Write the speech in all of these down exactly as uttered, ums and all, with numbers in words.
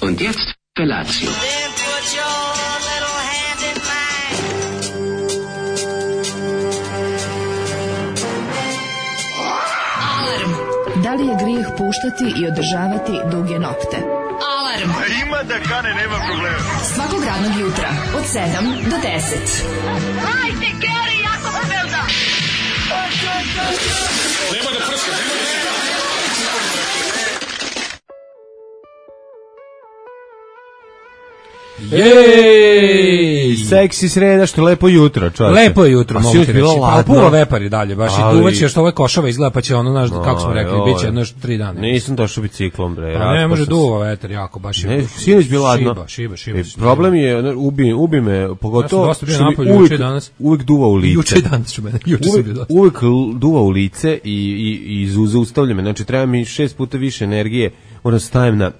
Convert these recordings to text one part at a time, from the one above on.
Und jetzt Felatio. Da li je grijeh puštati i održavati duge nokte? Alarm! Ima da kane, nema problema. Svakog radnog jutra, od sedam do deset. Hajde, Geri, jako se velda! Nema da prska, nema da prska. Jej! Seksi sreda, što lepo jutro, čovječe. Lepo je jutro, mogu ti reći. Pa puno vepari dalje, baš ali... i duvaće što ove košave izgleda, pa će ono, naš, kako smo rekli, bit će jedno još tri dana. Nisam došao biciklom, bre. Pa ne može duva vetar, jako, baš je. Ne, sinoć bilo ladno. Šiba, šiba, šiba. E, problem je, ubi, ubi me, pogotovo ja što mi uvijek, uvijek duva u lice. Juče danas ću mene, juče uvijek, sam bio uvijek duva u lice i, i, i zaustavlja me. Znači, treba mi šest puta više energije, moram stavim na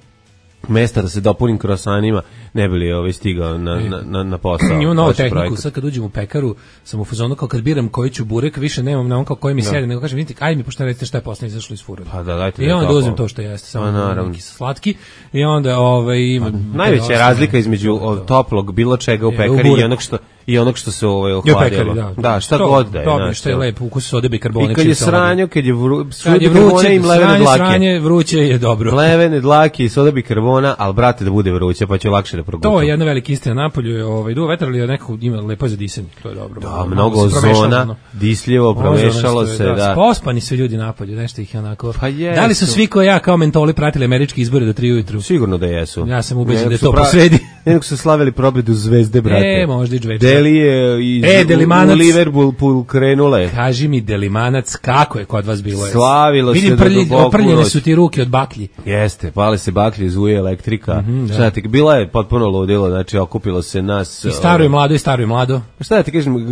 mesta da se dopunim krosanima, ne bi li ovaj stigao na, na, na, na posao. Imam novu tehniku, projekat. Sad kad uđem u pekaru, sam u fazonu kao kad biram koji ću burek, više nemam na on kao koji mi sedi, nego kažem, vidite, aj mi pošto recite šta je posle izašlo iz furana. Pa da, dajte. I onda da uzmem to što jeste, samo neki slatki, i onda ovaj, ima... Pa, najveća je razlika između od toplog bilo čega u pekari je, i onog što i onog što se ovaj ohladilo. Da, da, šta to, god da je. To što je lepo, ukus sode bikarbonat. I kad je sranjo, kad je vruće, vruće i mlevene dlake. Sranje, vruće je dobro. Mlevene dlake i soda bikarbona, al brate da bude vruće, pa će lakše da progutam. To je jedna velika istina na polju, je ovaj duva vetar, ali nekako ima lepo za disanje, to je dobro. Da, mnogo ozona, disljivo, promešalo se, da. Pospani su ljudi na polju, nešto ih je onako. Pa da li su svi ko ja kao mentoli pratili američke izbore do tri ujutru? Sigurno da jesu. Ja sam ubeđen da je to posredi. Nego su slavili pobedu Zvezde, brate. E, možda i Džvečka. Delije iz e, Delimanac, u Liverpool krenule. Kaži mi, Delimanac, kako je kod vas bilo? Slavilo vidim, se prlji, do duboko oprljene su ti ruke od baklji. Jeste, pale se baklje, zuje elektrika. Mm-hmm, šta ti, bila je potpuno ludilo, znači okupilo se nas. I staro i mlado, i staro i mlado. Šta da ti kažem,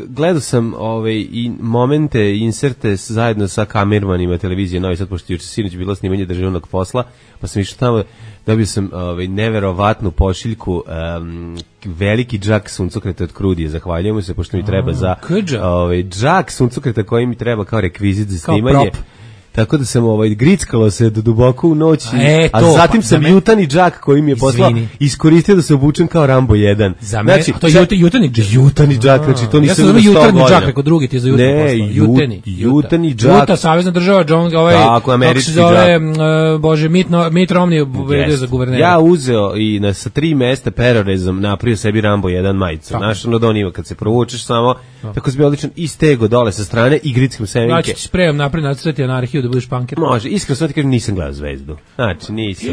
gledao sam ovaj, i momente, inserte zajedno sa kamermanima televizije Novi Sad, pošto juče sinoć bilo snimanje državnog posla, pa sam išao tamo, dobio sam ovaj, neverovatnu pošiljku, um, veliki džak suncokreta od Krudije, zahvaljujemo se, pošto mi treba za ovaj, džak suncokreta koji mi treba kao rekvizit za snimanje. Tako da sam ovaj grickalo se do duboko u noć, a, e, a zatim pa, sam me... jutani džak koji mi je poslao iskoristio da se obučem kao Rambo jedan. Znači, to je jutani džak. Jutani džak, znači to nisam ja sam jutani džak, preko drugi ti za jutro poslao. Jutani, jutani džak. Juta, savezna država, John, ovaj, tako, američki se zove, uh, bože, Mitt, no, Mitt Romney yes. za guvernera. Ja uzeo i na sa tri mesta perorezom napravio sebi Rambo jedan majicu. Znaš, ono da on ima kad se provučeš samo, no. Tako se bi odličan i stego dole sa strane i grickam semenke. Ja ću ti sprejom napred nacrtati anarhiju da budeš punker. Može, iskreno sad ti kažem, nisam gledao Zvezdu. Znači, nisam.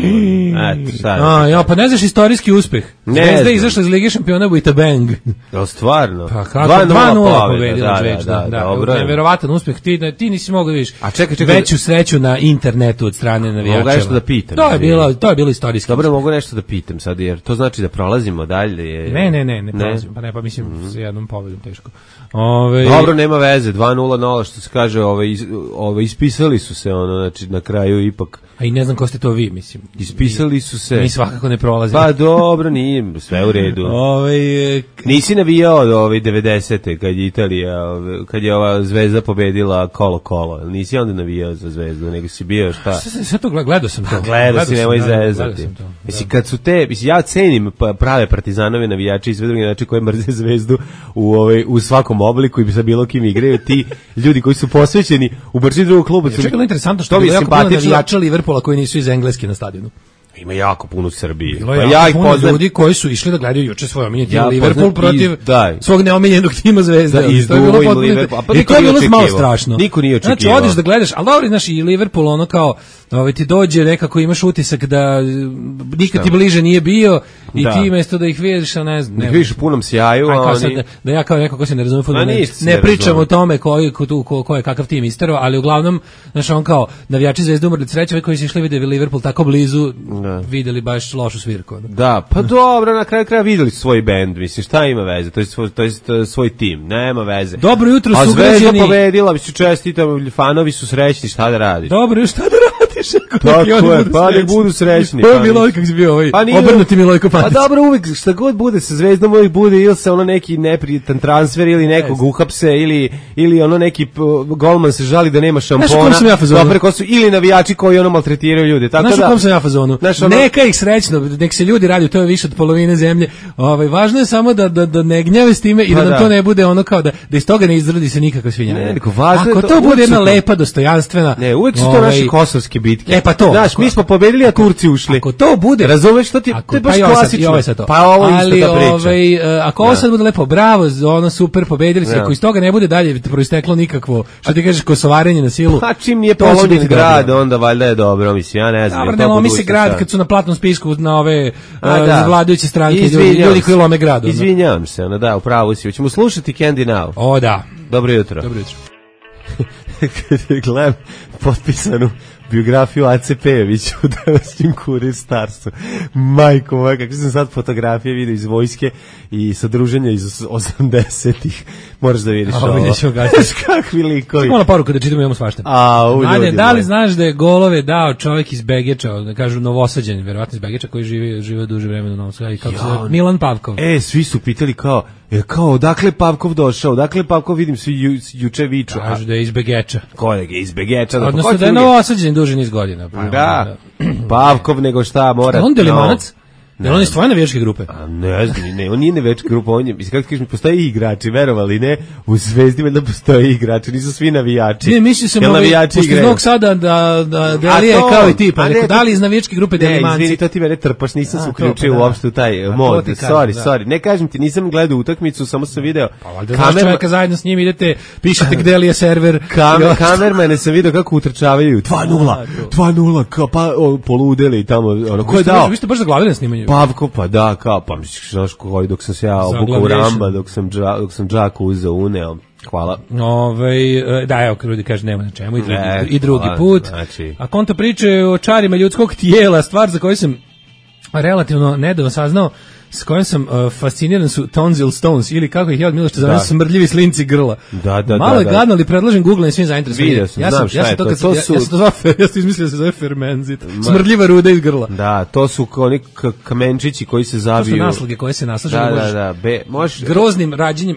Eto, sad. A, ja, pa ne znaš istorijski uspeh. Zvezda je izašla iz Lige šampiona with a bang. Jel, stvarno? Pa kako, dva nula pobedila Zvezda. Da, da, da, neverovatan uspeh. Ti, ti nisi mogao da vidiš a čekaj, čekaj, veću sreću na internetu od strane navijača. Mogu nešto da pitam. To je bilo, to je bilo istorijski. Dobro, mogu nešto da pitam sad, jer to znači da prolazimo dalje. Ne, ne, ne, ne prolazimo. Pa ne, pa mislim, mm. s jednom pobedom teško. Ove... Dobro, nema veze, dva nula nula, što se kaže, ove, iz, ove, ispisali su se, ono, znači, na kraju ipak. A i ne znam ko ste to vi, mislim. Ispisali su se. Mi svakako ne prolazimo. Pa dobro, nije, sve u redu. Ove, nisi navijao od ove devedesete kad je Italija, ove, kad je ova Zvezda pobedila kolo kolo. Nisi onda navijao za Zvezdu, nego si bio šta? Sve, sve to gledao sam to. Pa, gledao si, nemoj zezati. Mislim, kad su te, mislim, ja cenim prave partizanove navijače i sve druge načine koje mrze Zvezdu u, ove, u svakom obliku i sa bilo kim igraju, ti ljudi koji su posvećeni u brži drugog kluba. Ja, čekaj, interesantno što je bilo jako puno navijača Liverpoola koji nisu iz Engleske na stadionu. Ima jako puno u Srbiji. Bilo pa ja ih poznam ljudi koji su išli da gledaju juče svoj omiljeni tim ja Liverpool protiv i, svog neomiljenog tima Zvezde. Da, iz to je bilo potpuno. Pa i to je bilo malo strašno. Niko nije očekivao. Znači odeš da gledaš, al dobro, znaš, i Liverpool ono kao, ovaj ti dođe nekako imaš utisak da nikad ti bliže nije bio i da. Ti mesto da ih vidiš, a ne znam. Ne vidiš u punom sjaju, a oni... sad, da, da ja kao neko ko se ne razume fudbal, ne, ne pričam o tome koji ko, ko, ko je kakav tim isterao, ali uglavnom, znaš, on kao navijači Zvezde umrli sreće, koji su išli vidjeli Liverpool tako blizu, da. Videli baš lošu svirku. Da, pa dobro, na kraju kraja videli svoj bend, mislim, šta ima veze, to je svoj, to je svoj tim, nema veze. Dobro jutro su građani. A Zvezda pobedila, mislim, čestitam, fanovi su srećni, šta da radiš? Dobro, šta da radiš? Tako je, pa nek budu srećni. Ovo je Miloj kako si bio ovaj, pa obrnuti Milojko Pantić. Pa dobro, uvek šta god bude sa Zvezdom, uvek bude ili se ono neki neprijatan transfer ili nekog uhapse ili, ili ono neki golman se žali da nema šampona. Dobre, ko su, ili navijači koji ono maltretiraju ljude. Tako znaš da, u kom sam ja fazonu? Ono, neka ih srećno, nek se ljudi radi, to je više od polovine zemlje. Ovaj, važno je samo da, da, da ne gnjave s time i da, pa da to ne bude ono kao da, da iz toga ne izrodi se nikakva svinja. Ne, neko, važno ako to, to bude jedna to, lepa, dostojanstvena. Ne, uvek su to ovaj, naše kosovske bitke. E pa to. Znaš, mi smo pobedili, a Turci ušli. Ako to bude, razumeš što ti, ako, to je baš pa klasično. Ovo sad to. Pa ovo ali, isto ta priča. Ovaj, ako ovo sad bude lepo, bravo, ono super, pobedili se, ako iz toga ne bude dalje proisteklo nikakvo, što ti kažeš, kosovarenje na silu. Pa čim nije polomljen grad, onda valjda je dobro, mislim, ja ne znam. Dobro, ne lomi se grad kad su na platnom spisku na ove vladajuće stranke, ljudi koji lome grad. Izvinjavam se, ono da, upravo si. Hoćemo slušati Candy Now. O da. Dobro jutro. Dobro jutro. Kad gledam potpisanu biografiju Ace Pejovića u današnjim Kurir Starsu. Majko moja, kakve sam sad fotografije vidio iz vojske i sa druženja iz osamdesetih. Moraš da vidiš ovo. Kakvi likovi. Mala poruka da čitamo, imamo svašta. A, Manje, da li znaš da je golove dao čovjek iz Begeča, da kažu Novosađan, verovatno iz Begeča, koji živi, žive duže vremena u Novom Sadu, kako se zove, Milan Pavkov. E, svi su pitali kao, je kao, odakle Pavkov došao, odakle Pavkov, vidim, svi ju, juče viču. Kažu da je iz Begeča. Kolega, iz Begeča. Da, odnosno da je Novosađan duže niz godina. Pa, da, Pavkov nego šta mora. On Delimanac? Ne, on je stvarno navijačke grupe. A ne znam, ne, on nije navijačka grupa, on je, kako kažeš, postoje i igrači, verovali ne, u Zvezdi valjda postoje igrači, nisu svi navijači. Ne, mislim se mogu, pošto iz Novog Sada da, da Delija je kao i ti, pa neko, da li iz navijačke grupe Delimanci? Ne, izvini, to ti mene trpaš, nisam se uključio uopšte u taj mod, sorry, sorry, ne kažem ti, nisam gledao utakmicu, samo sam video. Pa valjda znaš čovjeka zajedno s njim idete, pišete gde li je server. Kamermane sam video kako utrčavaju, dva nula, dva nula, pa poludeli tamo, ono, ko je dao? Vi ste baš zaglavili na snimanju. Pavko, pa da, kao, pa misliš, znaš koji, dok sam se ja obukao u Ramba, dok sam, dža, dok sam džaku uzeo, uneo, hvala. Ove, da, evo, ljudi kaže, nema na čemu, i drugi, ne, i drugi hvala, put. Znači. A konto priče o čarima ljudskog tijela, stvar za koju sam relativno nedavno saznao, s kojim sam uh, fasciniran su tonsil stones, ili kako ih ja od Miloša zovem, smrdljivi slinci grla. Da, da, malo je da, gadno, ali predlažem Google i svim zainteresovanim. Vidio sam, ja sam, znam šta ja sam to, to, to, to su... Ja, ja sam to zvao, ja sam izmislio da se zove fermenzit. Smrdljiva ruda iz grla. Da, to su oni kamenčići koji se zabiju. To su naslage koje se naslažu. Da, da, da, be, možeš... Groznim rađenjem,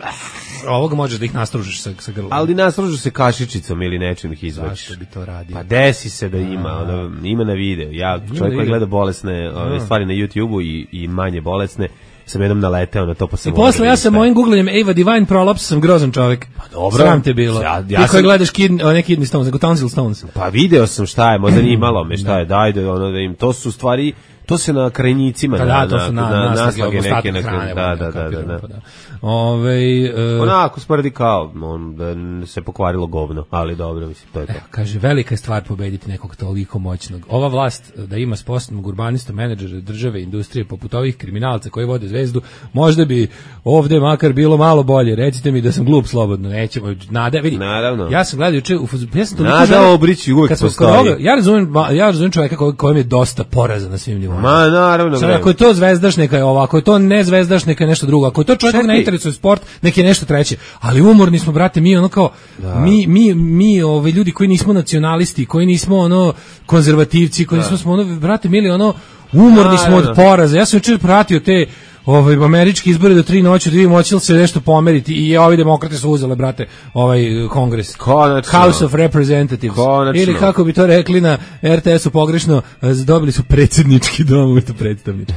ovog možeš da ih nastružiš sa, sa grlom. Ali nastružu se kašičicom ili nečim ih izvačiš. Zašto bi to radio? Pa desi se da ima, ono, ima na video. Ja, čovjek koji gleda bolesne ove, stvari na YouTubeu i, i manje bolesne, sam jednom naleteo na to, pa sam... I posle ja sam mojim googlanjem Ava Divine Prolaps sam grozan čovjek. Pa dobro. Sram te bilo. Ja, ja Ti koji sam... gledaš kid, ne kidney stones, nego tonsil stones. Pa video sam šta je, možda nije malo me šta je, daj da, ono, da im, to su stvari... To se na krajnicima, pa da, na, to su na, na, na naslage neke, neke, hrane, da, da, da, da, da. da. Ove, uh, onako smrdi kao, on, da se pokvarilo govno, ali dobro, mislim, to je to. Eh, kaže, velika je stvar pobediti nekog toliko moćnog. Ova vlast da ima sposobnog urbanista, menadžera države, industrije, poput ovih kriminalca koji vode Zvezdu, možda bi ovde makar bilo malo bolje. Recite mi da sam glup slobodno, nećemo, nada, vidi. Naravno. Ja sam gledao juče, ja sam toliko nada Obrić uvijek postoji. Ja razumijem, ja razumijem čovjeka kojem je dosta poraza na svim nivoima. Ma, naravno. Sad, ako je to zvezdaš, neka je ovo, ako je to ne zvezdaš, neka je nešto drugo. Ako je to čovjek koji ne interesuje sport, neka je nešto treće. Ali umorni smo, brate, mi ono kao, da. mi, mi, mi ove ljudi koji nismo nacionalisti, koji nismo ono konzervativci, koji da. nismo smo ono, brate, mili ono, umorni da, smo od poraza. Ja sam jučer pratio te ovaj američki izbori do tri noći, da vidimo hoće li se nešto pomeriti i ovi demokrate su uzele, brate, ovaj kongres. Konačno. House of Representatives. Konačno. Ili kako bi to rekli na er te esu pogrešno, dobili su predsjednički dom umjesto predstavnički.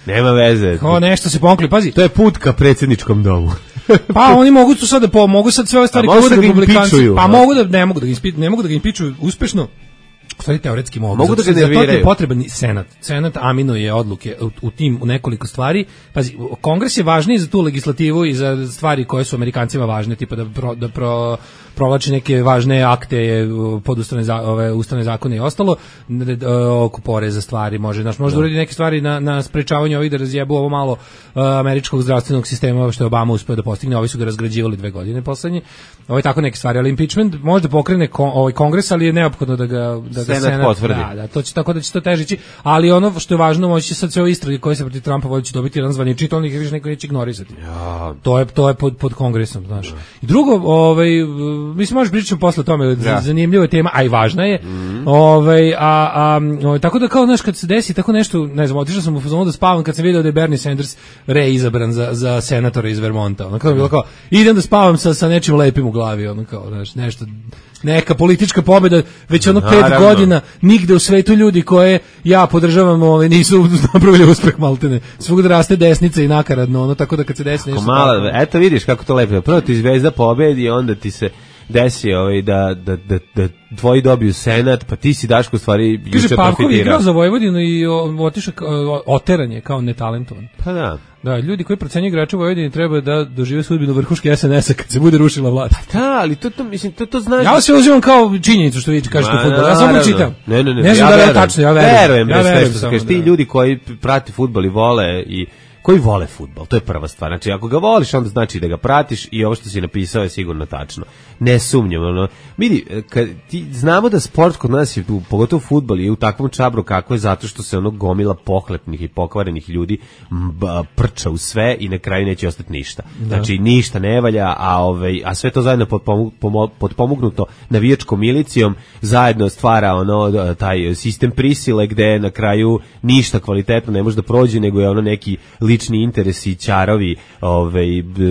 Nema veze. Kao nešto se pomkli, pazi. To je put ka predsjedničkom domu. Pa oni mogu tu sad da po, mogu sad sve ove stvari koje su republikanci. Pa mogu da ne mogu da ga ne mogu da ga impičuju uspešno. Stvari teoretski mogu. Mogu da ga nerviraju. Zato je potreban senat. Senat aminuje odluke u, u tim u nekoliko stvari. Pazi, kongres je važniji za tu legislativu i za stvari koje su Amerikancima važne, tipa da pro, da pro, provlači neke važne akte pod ustavne, za, ove, ustavne zakone i ostalo, oko poreza stvari, može, znaš, može da uredi neke stvari na, na sprečavanju ovih da razjebu ovo malo uh, američkog zdravstvenog sistema, što je Obama uspeo da postigne, ovi su ga razgrađivali dve godine poslednje. Ovo je tako neke stvari, ali impeachment može da pokrene kon, ovaj kongres, ali je neophodno da ga, da ga Senat potvrdi. Da, da, to će tako da će to težići, ali ono što je važno, moći će sad sve ove istrage koje se protiv Trumpa vodi će dobiti jedan zvanični, to ih više neko neće ignorisati. Ja. To je to je pod pod kongresom, znaš. I drugo, ovaj mislim možeš pričati posle o tome, da. Zanimljiva je tema, a i važna je. Mm. Ovaj a, a o, tako da kao znaš kad se desi tako nešto, ne znam, otišao sam u fazonu da spavam kad sam video da je Bernie Sanders reizabran za za senatora iz Vermonta. Ono kao bilo kao idem da spavam sa sa nečim lepim u glavi, ono kao znaš, nešto neka politička pobjeda, već ono pet Naravno. godina nigde u svetu ljudi koje ja podržavam ove, nisu napravili uspeh maltene. Svugde raste desnica i nakaradno, ono, tako da kad se desi nešto... Mala, eto vidiš kako to lepo. Prvo ti Zvezda pobedi, onda ti se desi ovaj, da, da, da, da tvoji dobiju senat, pa ti si Daško u stvari juče profitirao. Kaže, Pavkov je igrao za Vojvodinu i otišao oteran je kao netalentovan. Pa da. Da, ljudi koji procenjuju igrače u Vojvodini treba da dožive sudbinu vrhuške S N S-a kad se bude rušila vlast. Pa da, ali to, to, mislim, to, to znaš... Ja se uzimam kao činjenicu što vi kažete u fudbalu. Ja samo pročitam. Ne, ne, ne. Ne znam ja da je tačno, ja verujem. Verujem, ja verujem sve što kažeš. Ti ljudi koji prati fudbal i vole i koji vole fudbal, to je prva stvar. Znači, ako ga voliš, onda znači da ga pratiš i ovo što si napisao je sigurno tačno. Ne sumnjam, ono. Vidi, kad ti znamo da sport kod nas je, pogotovo fudbal, je u takvom čabru kako je zato što se ono gomila pohlepnih i pokvarenih ljudi mba, prča u sve i na kraju neće ostati ništa. Da. Znači, ništa ne valja, a, ovaj, a sve to zajedno potpomognuto navijačkom milicijom, zajedno stvara ono, taj sistem prisile gde na kraju ništa kvalitetno ne može da prođe, nego je ono neki lični interesi i ćarovi ovaj,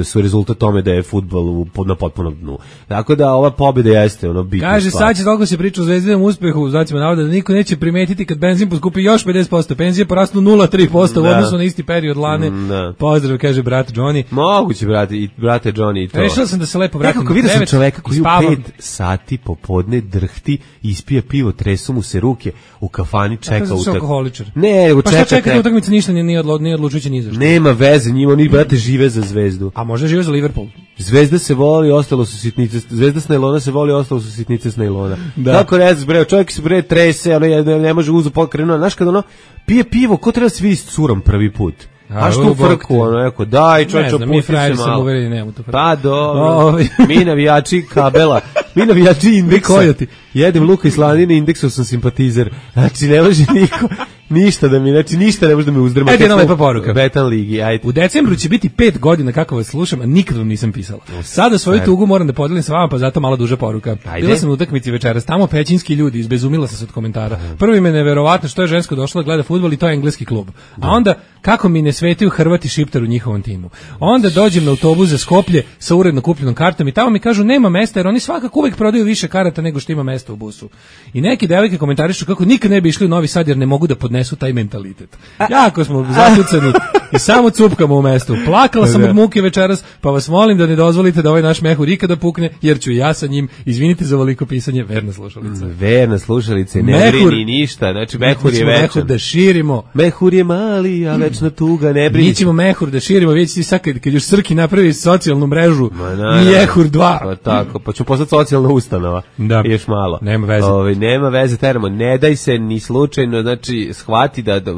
su rezultat tome da je fudbal u, na potpunom dnu. Tako da ova pobjeda jeste ono bitna. Kaže, sad će toliko se priča o Zvezdinom uspehu, znacima navoda da niko neće primetiti kad benzin poskupi još pedeset posto, penzije porastu nula zarez tri posto u odnosu na isti period lane. Da. Pozdrav, kaže brat Johnny. Moguće, brate, i brate Johnny i to. Rešao sam da se lepo vratim. Nekako vidio sam čoveka koji u pet sati popodne drhti, ispija pivo, tresu mu se ruke, u kafani čeka utakmicu. Ne, nego pa čeka. Pa šta čeka utakmicu, ništa nije odlučujuće ni za što. Nema veze, njima oni brate žive za Zvezdu. A možda žive za Liverpool. Zvezda se voli, ostalo su sitnice. Zvezda s najlona se voli, ostalo su sitnice s najlona. Da. Kako ne znaš, bre, čovjek se bre trese, ono ne, ne može uzu pokrenuo. Znaš kad ono pije pivo, ko treba se vidi s curom prvi put? A što u frku, ono, eko, daj, čovječe, pusti se malo. Mi sam uverili, nemamo to frku. Pa dobro, mi navijači kabela, mi navijači indeksa. Jedem luka i slanine, indeksom sam simpatizer. Znači, ne može niko... Ništa da mi, znači ništa ne može da me uzdrma. Ajde, jedna lepa poruka. Betan ligi, ajde. U decembru će biti pet godina kako vas slušam, a nikad vam nisam pisala. Sada svoju tugu moram da podelim sa vama, pa zato malo duža poruka. Ajde. Bila sam u utakmici večeras, tamo pećinski ljudi, izbezumila sam se od komentara. Prvi me neverovatno što je žensko došlo da gleda fudbal i to je engleski klub. A onda kako mi ne svetaju Hrvati Šiptar u njihovom timu. Onda dođem na autobus za Skoplje sa uredno kupljenom kartom i tamo mi kažu nema mesta jer oni svakako uvek prodaju više karata nego što ima mesta u busu. I neki devojke komentarišu kako nikad ne bi išli u Novi Sad jer ne mogu da podnesu taj mentalitet. Jako smo zatucani i samo cupkamo u mestu. Plakala sam od muke večeras, pa vas molim da ne dozvolite da ovaj naš mehur ikada pukne, jer ću ja sa njim, izvinite za veliko pisanje, verna slušalica. Verna slušalica, ne mehur, brini ništa, znači mehur je večan. Mehur da širimo. Mehur je mali, a večna tuga, ne brini. Mi ćemo mehur da širimo, vidite ti sad kad, kad još Srki napravi socijalnu mrežu, mehur dva. Pa tako, pa ću postati socijalna ustanova. Da. I još malo. Nema veze. Ove, nema veze, teramo, ne daj se ni slučajno, znači shvati da, da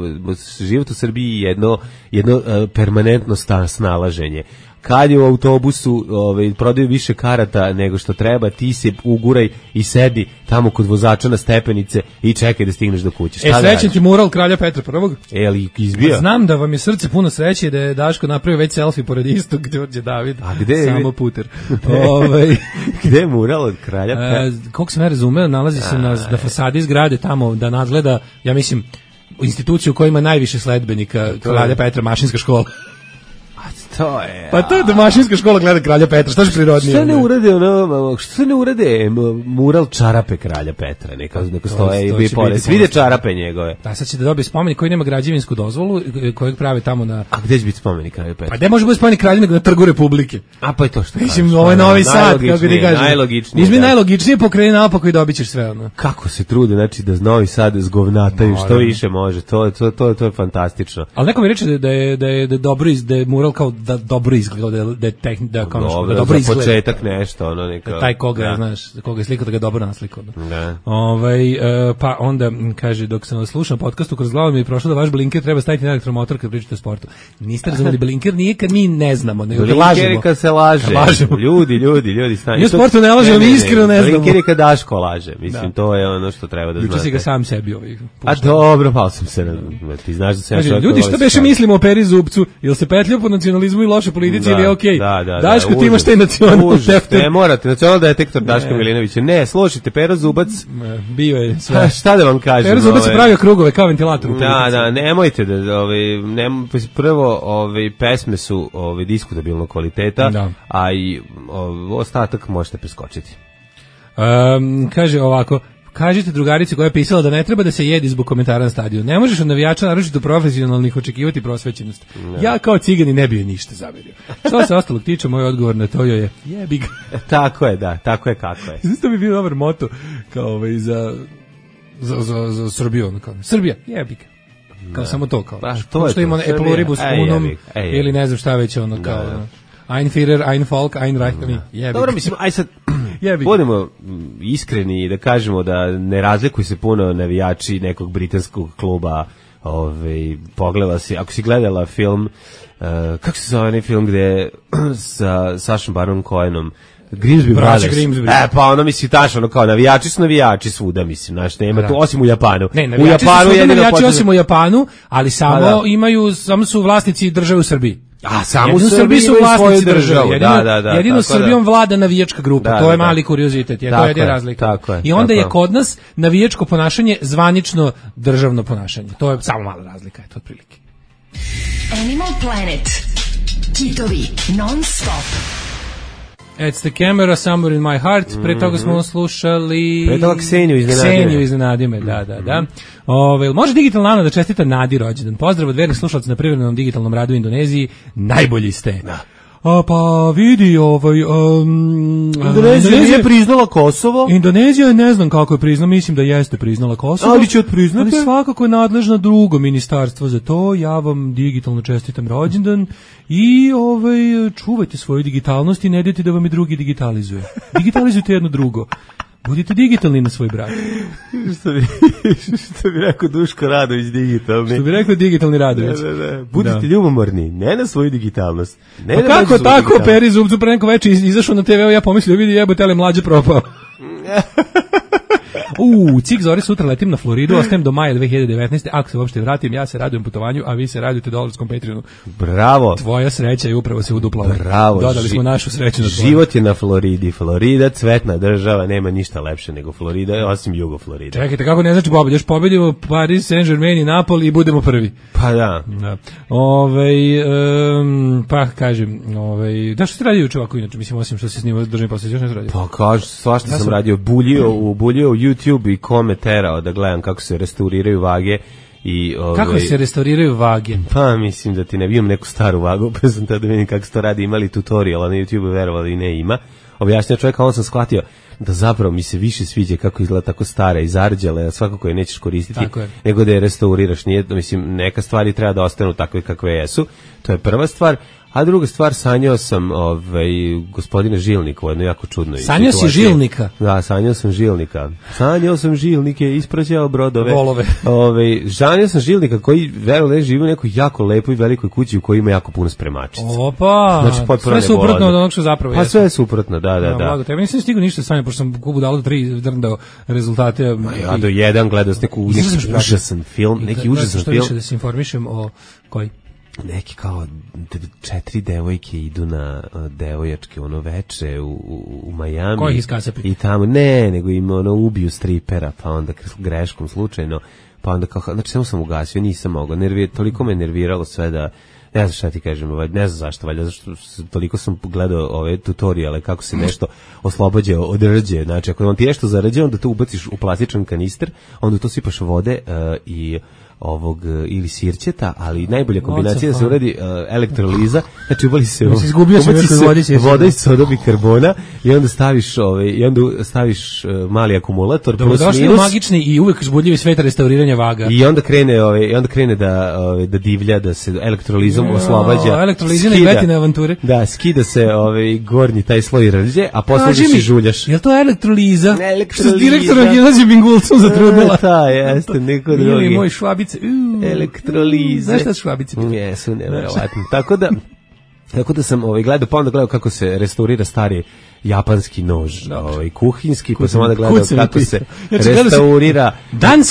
život u Srbiji je jedno, jedno uh, permanentno sta, snalaženje. Kad je u autobusu ovaj, prodaju više karata nego što treba, ti se uguraj i sedi tamo kod vozača na stepenice i čekaj da stigneš do kuće. Šta e, da srećen ti mural Kralja Petra prvog. E, ali izbio? Znam da vam je srce puno sreće da je Daško napravio već selfie pored istog Đorđe David. A gde? Samo puter. ovaj Gde je mural od Kralja Petra? E, koliko sam ja razumeo, nalazi se na, na fasadi zgrade tamo da nadgleda, ja mislim, instituciju koja ima najviše sledbenika, Kralja Petra, mašinska škola. To je. Pa to je da mašinska škola gleda Kralja Petra, što je prirodnije? Što ne urade ono, što ne urade mural čarape Kralja Petra, neka neka stoje i bi pored. Vide čarape njegove. Da, sad će da dobije spomenik koji nema građevinsku dozvolu, kojeg prave tamo na. A gde će biti spomenik Kralja Petra? Pa gde može biti spomenik Kralju nego na Trgu Republike? A pa je to što. Mislim, ovo je Novi Sad, kako ti kažeš. Najlogičnije. Izmi najlogičnije pokreni naopako i dobićeš sve ono. Kako se trude, znači da Novi Sad zgovnataju što više može. To to to to je fantastično. Al neko mi reče da je da je da dobro iz da je mural kao da dobro izgleda da da tehnik da kao dobro, dobro izgleda. Početak nešto, ono neka. Da taj koga, da. Znaš, koga je slikao da ga dobro naslikao. Da. Ovaj uh, pa onda kaže dok sam slušao podcastu kroz glavu mi je prošlo da vaš blinker treba staviti na elektromotor kad pričate o sportu. Niste razumeli, blinker nije kad mi ne znamo, nego da lažemo. Blinker kad se laže. Lažemo. Ljudi, ljudi, ljudi, stani. Mi u sportu ne lažemo, mi iskreno ne znamo. Blinker je kad Daško laže. Mislim da. To je ono što treba da znate. Juče si ga sam sebi ovaj. A dobro, pao sam se. Ti znaš da se ja ljudi šta beše mislimo o Peri Zupcu, jel se petlja po nacionalizmu komunizmu i loše politici, da, ili je okej. Da, da, Daško, da, ti imaš taj nacionalni detektor. Ne, morate, nacionalni detektor Daška Milinovića. Ne, slušajte, Pero Zubac. Bio je sve. A, šta da vam kažem? Pero Zubac je pravio krugove kao ventilator. Da, da, nemojte da, ovaj, ne, prvo, ovaj, pesme su ovaj, diskutabilnog kvaliteta, da. A i ovaj, ostatak možete preskočiti. Um, kaže ovako, kažite drugarici koja je pisala da ne treba da se jedi zbog komentara na stadionu. Ne možeš od navijača, naročito profesionalnih, očekivati prosvećenost. Ne. Ja kao cigani ne bi joj ništa zamerio. Što se ostalog tiče, moj odgovor na to je jebi ga. Tako je, da, tako je kako je. Znači, to bi bio dobar moto kao ovaj, za, za, za, za Srbiju. Kao, Srbija, jebi ga. Kao ne. Samo to. Kao, ba, to je što ima e pluribus unum ili ne znam šta već ono kao... Da, da. Ein Führer, ein Volk, ein Reich. Da. Dobro, mislim, aj sad, budemo iskreni i da kažemo da ne razlikuju se puno navijači nekog britanskog kluba. Ove, pogledala si, ako si gledala film, uh, kako se zove onaj film gde sa Sašom Baron Cohenom, Grimsby Brothers. Grimsby. E, pa ono misli tačno, ono kao navijači su navijači svuda, mislim, znaš, nema tu, osim u Japanu. Ne, navijači u Japanu su svuda navijači osim u Japanu, ali samo da. imaju, samo su vlasnici države u Srbiji. A samo u Srbiji su vlasnici države. Jedino, da, da, da, jedino Srbijom da. vlada navijačka grupa. Da, to je da, mali kuriozitet, je, to je razlika. Tako je, I onda tako je kod nas navijačko ponašanje zvanično državno ponašanje. To je samo mala razlika, eto otprilike. Animal Planet. Kitovi non stop. It's the camera somewhere in my heart. Pre toga smo slušali... Pre toga Kseniju iznenadi me. Kseniju iznenadi me, da, da, da. Ove, može digitalna Ana da čestita Nadi rođendan. Pozdrav od vernih slušalaca na privremenom digitalnom radu u Indoneziji. Najbolji ste. Da. A, pa vidi, ovaj... Um, Indonezija nije priznala Kosovo. Indonezija ne znam kako je priznala, mislim da jeste priznala Kosovo. Ali će odpriznati. Ali svakako je nadležna drugo ministarstvo za to. Ja vam digitalno čestitam rođendan i ovaj, čuvajte svoju digitalnost i ne dajte da vam i drugi digitalizuje. Digitalizujte jedno drugo. Budite digitalni na svoj brak. Što bi, što bi rekao Duško Radović, digitalni. Što bi rekao digitalni Radović. Ne, ne, ne. Budite da. ljubomorni, ne na svoju digitalnost. Ne pa kako tako, Peri Zubcu pre neko veče izašao na te ve, ja pomislio, vidi jebote, ali mlađe propao. U, cik zori, sutra letim na Floridu, ostajem do maja dve hiljade devetnaeste. Ako se uopšte vratim, ja se radujem putovanju, a vi se radujete dolarskom Patreonu. Bravo. Tvoja sreća je upravo se uduplala. Bravo. Dodali smo našu sreću na tvoju. Život je na Floridi. Florida, cvetna država, nema ništa lepše nego Florida, osim jugo Florida. Čekajte, kako ne znači pobedimo? Još pobedimo Paris, Saint-Germain i Napoli i budemo prvi. Pa da. da. Ove, um, pa kažem, ove, da što ste radio juče ovako inače? Mislim, osim što se snima državni posao, još ne radio. Pa kažem, svašta ja sam radio. Buljio u, buljio u YouTube i kome terao da gledam kako se restauriraju vage. I, ove, kako se restauriraju vage? Pa mislim da ti ne imam neku staru vagu, pa sam tada vidim kako se to radi, imali tutorial, a na YouTube verovali i ne ima. Objašnja čovjeka, on sam shvatio da zapravo mi se više sviđa kako izgleda tako stara i zarđale, a svakako je nećeš koristiti, nego da je restauriraš. Nije, mislim, neka stvari treba da ostanu takve kakve jesu, to je prva stvar. A druga stvar, sanjao sam ovaj, gospodina Žilnika u jednoj jako čudnoj sanjao situaciji. Si Žilnika? Da, sanjao sam Žilnika. Sanjao sam Žilnike, ispraćao brodove. Volove. Ovaj, sanjao sam Žilnika koji, verujem, živi u nekoj jako lepoj velikoj kući u kojoj ima jako puno spremačica. Opa, znači, sve suprotno od onog što zapravo pa jeste. Pa sve je suprotno, da, da, da. Blago, tebi nisam stigao ništa sanjao, pošto sam kubu dalo tri drndao rezultate. Ma ja do jedan gledao s neku, neki užasan film, neki užasan film. Više da se informišem o koji? Neki kao četiri devojke idu na devojačke ono veče u, u, u Miami. Koji ih iskasapi? I tamo, ne, nego im ono ubiju stripera, pa onda greškom slučajno, pa onda kao, znači samo sam ugasio, nisam mogao, nervir, toliko me nerviralo sve da, ne znam šta ti kažem, ne znam zašto, valjda, zašto toliko sam gledao ove tutoriale kako se nešto oslobađa od rđe, znači ako vam ti nešto zarđe, onda to ubaciš u plastičan kanister, onda to sipaš vode uh, i ovog ili sirćeta, ali najbolja kombinacija da se uradi uh, elektroliza, znači ubali se, ubaci se voda iz soda bikarbona i onda staviš ovaj i onda staviš uh, mali akumulator plus minus. Magični i uvek uzbudljivi svet restauriranja vaga. I onda krene ovaj i onda krene da ovaj da divlja, da se elektrolizom no, oslobađa. Elektrolizine i betine avanture. Da, skida se ovaj gornji taj sloj rđe, a posle se žuljaš. Jel to elektroliza? Elektroliza. Direktorom Gimnazije Bingulcom zatrudnila. Da, jeste, neko drugi. Ili moj Švabić. Uh, elektrolize. Znaš šta su švabice? Jesu, nevjerovatno. Tako da, tako da sam ovaj, gledao, pa onda gledao kako se restaurira stari japanski nož, ovaj, kuhinski, pa sam onda gledao kako se restaurira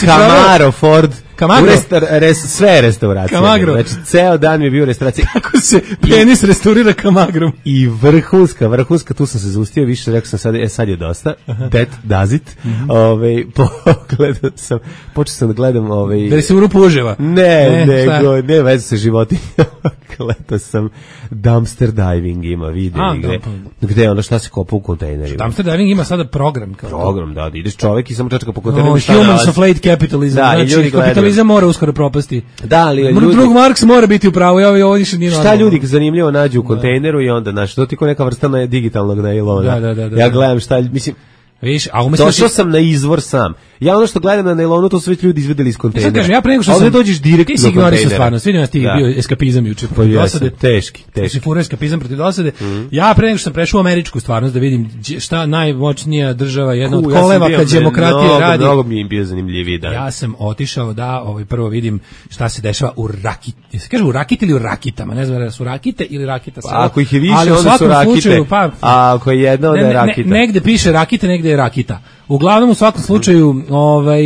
Camaro Ford Kamagro. U restar, res, sve restauracije. Kamagro. Znači, ceo dan mi je bio u restauraciji. Kako se penis restaurira kamagrom. I vrhunska, vrhunska, tu sam se zaustio, više rekao sam sad, e, sad je dosta. That does it. Mm-hmm. Ove, pogledao sam, počeo sam da gledam... Ove, da li se u rupu uževa? Ne, ne, nego, ne veze sa životinjama. Gledao sam dumpster diving ima video A, gde, da, gde je ono šta se kopa u kontejnerima. Dumpster diving ima sada program. Kao program, da, da ideš čovek i samo čačka po kontejnerima. No, humans of late capitalism. Da, znači, kapitalizam mora uskoro propasti. Da, ali ljudi... Drug Marks mora biti u pravu, ja ovo više nije normalno. Šta ljudi zanimljivo nađu u kontejneru i onda, znaš, to ti ko neka vrsta na digitalnog nailona. Da, da, da, da. Ja gledam šta, mislim... Viš, a umesto došao sam na izvor sam. Ja ono što gledam na nailonu, to su već ljudi izvedeli iz kontejnera. Ja, kažem, ja pre nego što sam... dođeš direkt do kontejnera. Ti si stvarno, vidim da ti da. bio eskapizam juče protiv pa dosade. Teški, teški. Si furao eskapizam protiv dosade. Mm. Ja pre nego što sam prešao u američku stvarnost da vidim šta najmoćnija država, jedna Ku, od koleva ja kad demokratije mnogo, radi. Mnogo mi je bio zanimljiviji dan. Ja sam otišao da ovaj, prvo vidim šta se dešava u Rakiti. Se kaže u Rakiti ili u Rakitama, ne znam da su Rakite ili Rakita. Pa, ako ih je više, onda su Rakite, slučaju, pa, a ako je jedna, onda je Rakita. Ne, negde piše Rakite, negde je Rakita. Uglavnom u svakom slučaju, ovaj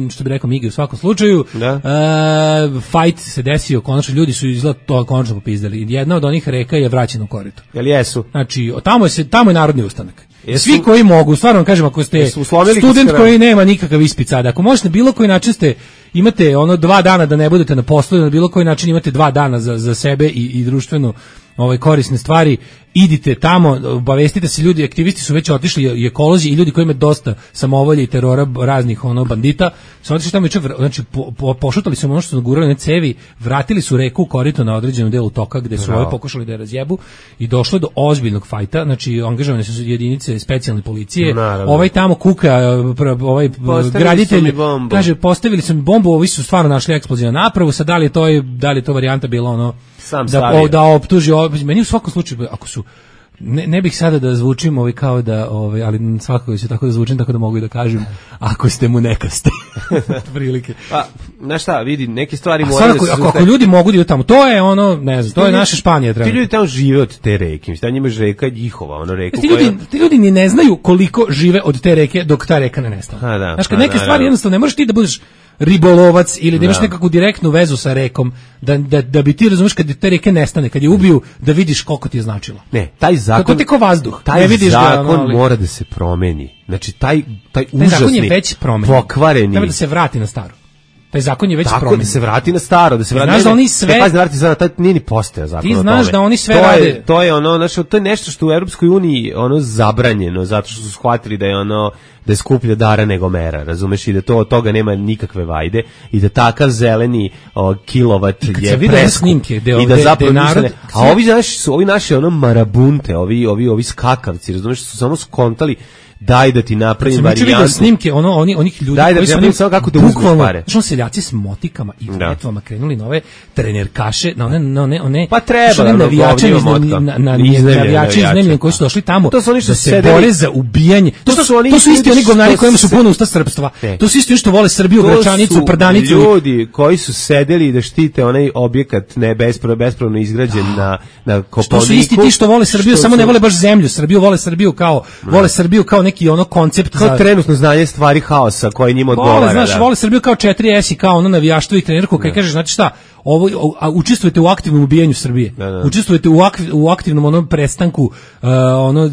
što bi rekao Migi, u svakom slučaju, da. Uh, fight se desio, konačno ljudi su izgleda to konačno popizdali. Jedna od onih reka je vraćena u korito. Jel jesu? Znači, tamo je se tamo je narodni ustanak. Jesu, svi koji mogu, stvarno vam kažem, ako ste student koji nema nikakav ispit sada, ako možete na bilo koji način ste imate ono dva dana da ne budete na poslu, na bilo koji način imate dva dana za, za sebe i, i društveno ovaj korisne stvari, idite tamo, obavestite se, ljudi, aktivisti su već otišli, i ekolozi i ljudi koji imaju dosta samovolje i terora raznih ono bandita, su otišli tamo i čak, znači po, po, pošutali su ono što su nagurali na cevi, vratili su reku korito na određenom delu toka gde su ovaj pokušali da je razjebu i došlo do ozbiljnog fajta, znači angažovane su jedinice specijalne policije. Naravno. Ovaj tamo kuka, ovaj postavili graditelj kaže postavili su mi bombu, ovi su stvarno našli eksploziju na napravu, sad da li je to da li je to varijanta bila ono sam da, o, da optuži, meni u svakom slučaju, ako su, ne, ne bih sada da zvučim ovaj kao da, ovaj, ali svakako ću tako da zvučim, tako da mogu i da kažem, ako ste mu neka ste, prilike. Pa, znaš šta, vidi, neke stvari moraju da se... Ako, ako ljudi mogu da idu tamo, to je ono, ne znam, to je naša Španija. Treba. Ti ljudi tamo žive od te reke, mislim, njima je reka njihova, ono reku ti ljudi, koja... Ti ljudi ni ne znaju koliko žive od te reke dok ta reka ne nestane. A, da, znaš, kad a, neke da, stvari da. jednostavno ne možeš ti da budeš ribolovac ili da imaš da. nekakvu direktnu vezu sa rekom, da, da, da bi ti razumeš kad te reke nestane, kad je ubiju, da vidiš koliko ti je značilo. Ne, taj zakon... To ti ko vazduh. Taj ne vidiš zakon ga, ali... mora da se promeni. Znači, taj, taj, taj užasni, zakon je već promenjen. Pokvareni... Treba da se vrati na staro. Taj zakon je već promenjen. Tako da se vrati na staro, da se vrati. Znaš da oni sve... Ne, pazi, vrati se na taj nije ni postojao zakon. Ti znaš da oni sve to rade. Je, to je ono, znači, to je nešto što u Europskoj uniji ono zabranjeno, zato što su shvatili da je ono da je skuplja dara nego mera, razumeš, i da to od toga nema nikakve vajde i da takav zeleni o, kilovat je preskup i da zapravo narod, ne, a ovi naši su ovi naši ono marabunte, ovi ovi ovi skakavci, razumeš, su samo skontali daj da ti napravim varijantu. Snimke, ono, oni, onih ljudi daj koji da su onim, samo kako da uzmeš pare. Što seljaci s motikama i vletvama krenuli na ove trenerkaše, na one, na one, one pa treba, one navijače iz navijači iz Nemljen koji su došli tamo to su oni što da se bore za ubijanje. To, to, su, oni to su isti oni govnari kojima su puno usta srpstva. To su isti oni što vole Srbiju, Gračanicu, Prdanicu. Ljudi koji su sedeli da štite onaj objekat ne bespravno bespravno izgrađen na na Kopaoniku. To su isti ti što vole Srbiju, samo ne vole baš zemlju. Srbiju vole Srbiju kao vole Srbiju kao neki ono koncept kao za trenutno znanje stvari haosa koji njima odgovara. Vole, znaš, da. vole Srbiju kao četiri S i kao ono navijaštvo i trenerku, kad kažeš, znači šta, ovo, a, učestvujete u aktivnom ubijanju Srbije. Da, da. Učestvujete u, akv, u aktivnom onom prestanku uh, ono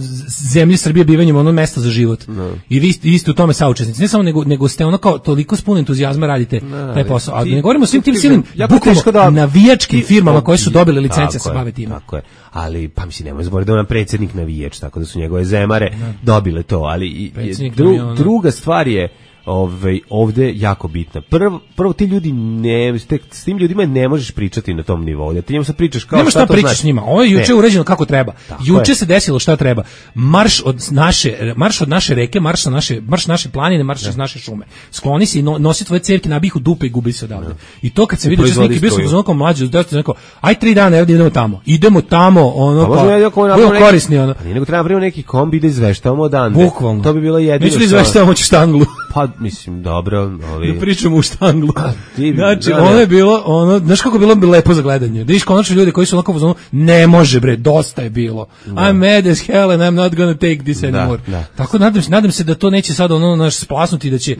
zemlje Srbije bivanjem ono mesta za život. Da. I vi, vi ste u tome saučesnici. Ne samo nego, nego ste ono kao toliko s puno entuzijazma radite da, taj posao. A ne govorimo o svim tim silnim bukvalno navijačkim firmama koje su dobile licence se bave time. Tako je. Ali pa mislim nemoj zaboraviti da je on predsjednik navijač, tako da su njegove zemare da. dobile to, ali i, dru, druga stvar je Ove, ovde jako bitna. Prvo, prvo ti ljudi ne, te, s tim ljudima ne možeš pričati na tom nivou. Da ti njemu sad pričaš kao Nema šta, šta to pričaš znači. s njima. Ovo je juče uređeno kako treba. Tako juče je. se desilo šta treba. Marš od naše, marš od naše reke, marš na naše, marš naše planine, marš iz naše šume. Skloni se i no, nosi tvoje cevke, nabih u dupe i gubi se odavde. I to kad se vidi što neki bio sam onako mlađi, da rekao, aj tri dana, evo idemo tamo. Idemo tamo, ono pa. Budemo korisni ono. Pa nego treba napraviti neki kombi da izveštavamo odande. Bukvalno. To bi bilo jedino. Neću da izveštavamo štanglu. Pa mislim dobro. Ovi... Da pričamo u štanglu. Ti, znači, da, ono je bilo, ono, znaš kako je bilo lepo za gledanje. Da viš konačno ljudi koji su onako u zonu, ne može bre, dosta je bilo. Da. I'm mad as hell and I'm not gonna take this anymore. Da, da. Tako nadam se, nadam se da to neće sad ono naš splasnuti, da će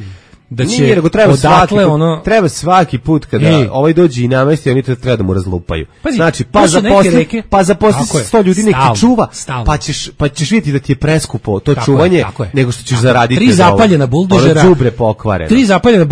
da će Nije, nego treba svaki, put, ono... treba svaki put kada Ej. ovaj dođe i namesti, oni treba da mu razlupaju. Pazi, znači, pa zaposli, pa zaposli sto ljudi neki čuva, stavno. pa ćeš, pa ćeš vidjeti da ti je preskupo to tako čuvanje, je, je. nego što ćeš tako zaraditi. Tri zapaljena buldožera, đubre pokvareno. Tri zapaljena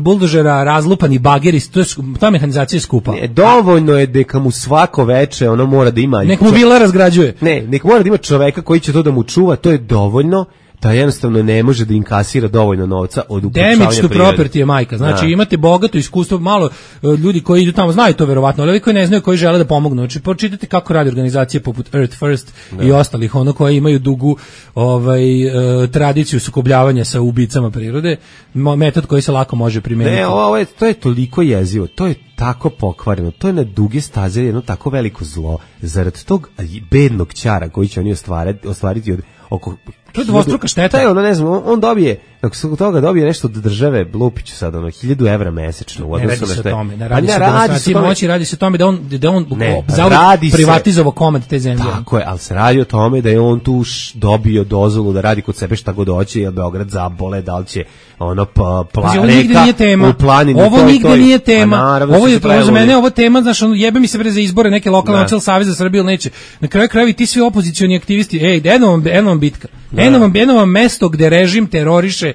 buldožera, razlupani bageri, to je, ta mehanizacija je skupa. Ne, dovoljno je da mu svako veče ono mora da ima... Nek mu vila razgrađuje. Ne, nek mora da ima čoveka koji će to da mu čuva, to je dovoljno. Da jednostavno ne može da inkasira dovoljno novca od ukrupšavanja prirode. Damage to property je majka. Znači, da. imate bogato iskustvo, malo ljudi koji idu tamo znaju to verovatno, ali ovi koji ne znaju, koji žele da pomognu. Znači, pročitajte kako radi organizacije poput Earth First da. i ostalih, ono koje imaju dugu ovaj, uh, tradiciju sukobljavanja sa ubicama prirode, metod koji se lako može primeniti. Ne, ovo je, to je toliko jezivo, to je tako pokvareno, to je na duge staze jedno tako veliko zlo, zarad tog bednog ćara koji će oni ostvariti, ostvariti od oko... To je dvostruka šteta. Je, ono, ne znam, on, on dobije, ako se toga dobije nešto od države, Lupiću sad, ono, hiljadu evra mesečno. U ne radi se o tome, ne radi se o demonstraciji moći, radi se o tome da on, da on ne, privatizovao komad te zemlje. Tako je, ali se radi o tome da je on tu dobio dozvolu da radi kod sebe šta god hoće, jer Beograd zabole, da li će ono pa, pla, ovo nigde nije tema. U planini, ovo toj, nigde toj. nije tema. Naravno, ovo je za mene ovo tema, znaš, on jebe mi se bre za izbore neke lokalne načel Savez za Srbiju neće. Na kraju krajeva ti svi opozicioni aktivisti, ej, eno vam, eno vam bitka. Eno vam, eno vam mesto gde režim teroriše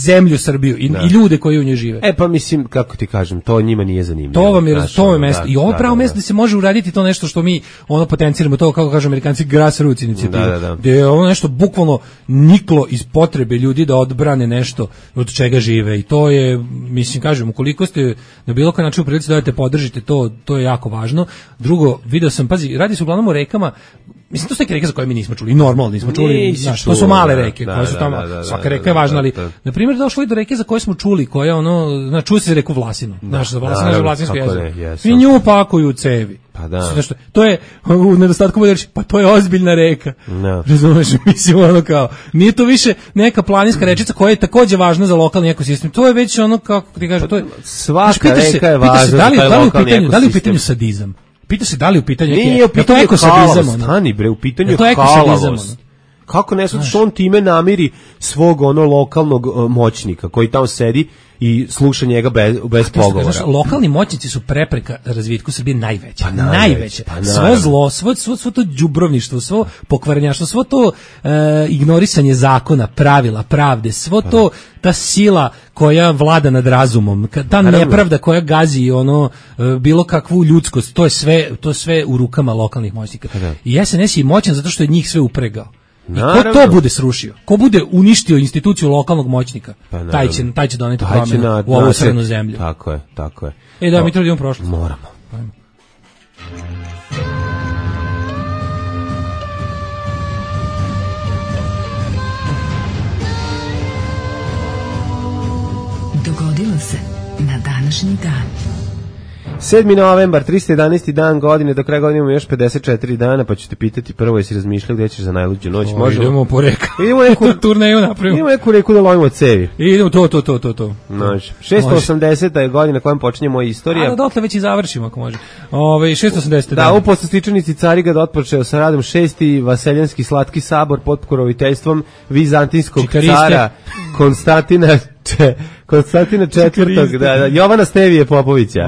zemlju Srbiju i, i ljude koji u njoj žive. E pa mislim, kako ti kažem, to njima nije zanimljivo. To vam je, znaš, to je mesto. Da, I ovo da, pravo da, mesto da se može uraditi to nešto što mi ono potenciramo, to kako kažu Amerikanci grassroots inicijativa. Da, da, da. Gde je ono nešto bukvalno niklo iz potrebe ljudi da odbrane nešto od čega žive. I to je, mislim, kažem, ukoliko ste na bilo koji način u prilici da dajete podržite to, to je jako važno. Drugo, video sam, pazi, radi se uglavnom o rekama. Mislim, to su neke reke za koje mi nismo čuli, i normalno nismo čuli, znaš, to su male reke, da, koje su tamo, da, da, svaka reka je važna, ali, na primjer, došlo i do reke za koje smo čuli, koja, ono, znaš, čuli se reku Vlasinu, znaš, za Vlasinu, za Vlasinsko jezero, i nju pakuju u cevi. Pa da. Znaš, to je, u nedostatku bude reći, pa to je ozbiljna reka, no. razumeš, mislim, ono kao, nije to više neka planinska rečica koja je takođe važna za lokalni ekosistem, to je već ono, kako ti kažem, to je, svaka znaš, reka je važna za taj lokalni ekosistem. Da li je u pitanju sadizam? Pita se da li u pitanju nije u pitanju ekosadizam, stani bre, u pitanju je halavost. Kako ne sad što on time namiri svog ono lokalnog uh, moćnika koji tamo sedi i sluša njega bez, bez pogovora. Znaš, lokalni moćnici su prepreka razvitku Srbije najveća. Pa najveće. najveće. Pa svo zlo, svo, svo, svo to đubrovništvo, svo pokvarenjaštvo, svo to uh, ignorisanje zakona, pravila, pravde, svo to, ta sila koja vlada nad razumom, ta nepravda koja gazi ono uh, bilo kakvu ljudskost, to je sve, to sve u rukama lokalnih moćnika. I S N S je moćan zato što je njih sve upregao. I ko to bude srušio, ko bude uništio instituciju lokalnog moćnika, pa taj će, taj će doneti promjenu u ovu crnu zemlju. Tako je, tako je. E da, mi treba da imamo prošlost. Moramo. Ajmo. Dogodilo se na današnji dan. sedmi novembar, trista jedanaesti dan godine, do kraja godine imamo još pedeset četiri dana, pa ću te pitati prvo jesi razmišljao gdje ćeš za najluđu noć. O, možemo? Idemo po reka. Idemo neku turneju napravimo. Idemo neku reku da lovimo cevi. Idemo to, to, to, to, to. Znači, šesto osamdeseta je godina kojom počinje moja istorija. A da dotle već i završimo ako može. Ove, šesto osamdeseta Da, u poslastičanici Carigrad otpočeo sa radom šesti Vaseljanski slatki sabor pod pokroviteljstvom vizantinskog Čikariste. cara Konstantina Če, Konstantina četvrtog, da, da, Jovana Stevije Popovića,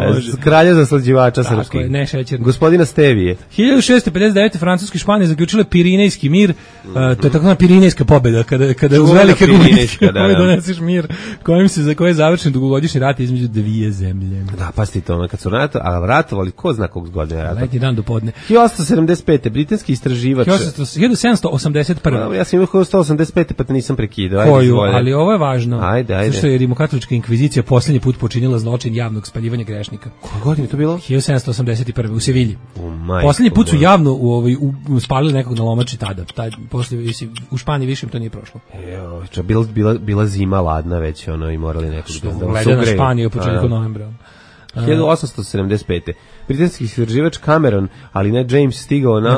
kralja zaslađivača srpskih. Ne šećerni. Gospodina Stevije. hiljadu šesto pedeset devete Francuska i Španija zaključile Pirinejski mir, mm -hmm. uh, to je takozvana Pirinejska pobjeda, kada, kada uz velike gubitke da, da. doneseš mir, kojim se, za koje je završen dugogodišnji rat između dvije zemlje. Da, pasti to, kad su rato, a ratovali, ko zna kog godine rata? Letnji dan do podne. hiljadu osamsto sedamdeset pete britanski istraživač. hiljadu sedamsto osamdeset prve Ja sam imao hiljadu osamsto osamdeset pete pa te nisam prekidao. Koju, ali ovo je važno. Ajde, ajde. Zašto je rimokatolička inkvizicija posljednji put počinila zločin javnog spaljivanja grešnika. Koje godine to bilo? hiljadu sedamsto osamdeset prve u Sevilji. Oh, posljednji put su javno u, ovaj, u, spalili nekog na lomači tada. Taj, poslije, u Španiji više im to nije prošlo. Evo, ča, bila, bila, bila zima ladna već ono, i morali nekog da, da gleda na Španiju u početku novembra. hiljadu osamsto sedamdeset pete britanski istraživač Cameron, ali ne James, stigao na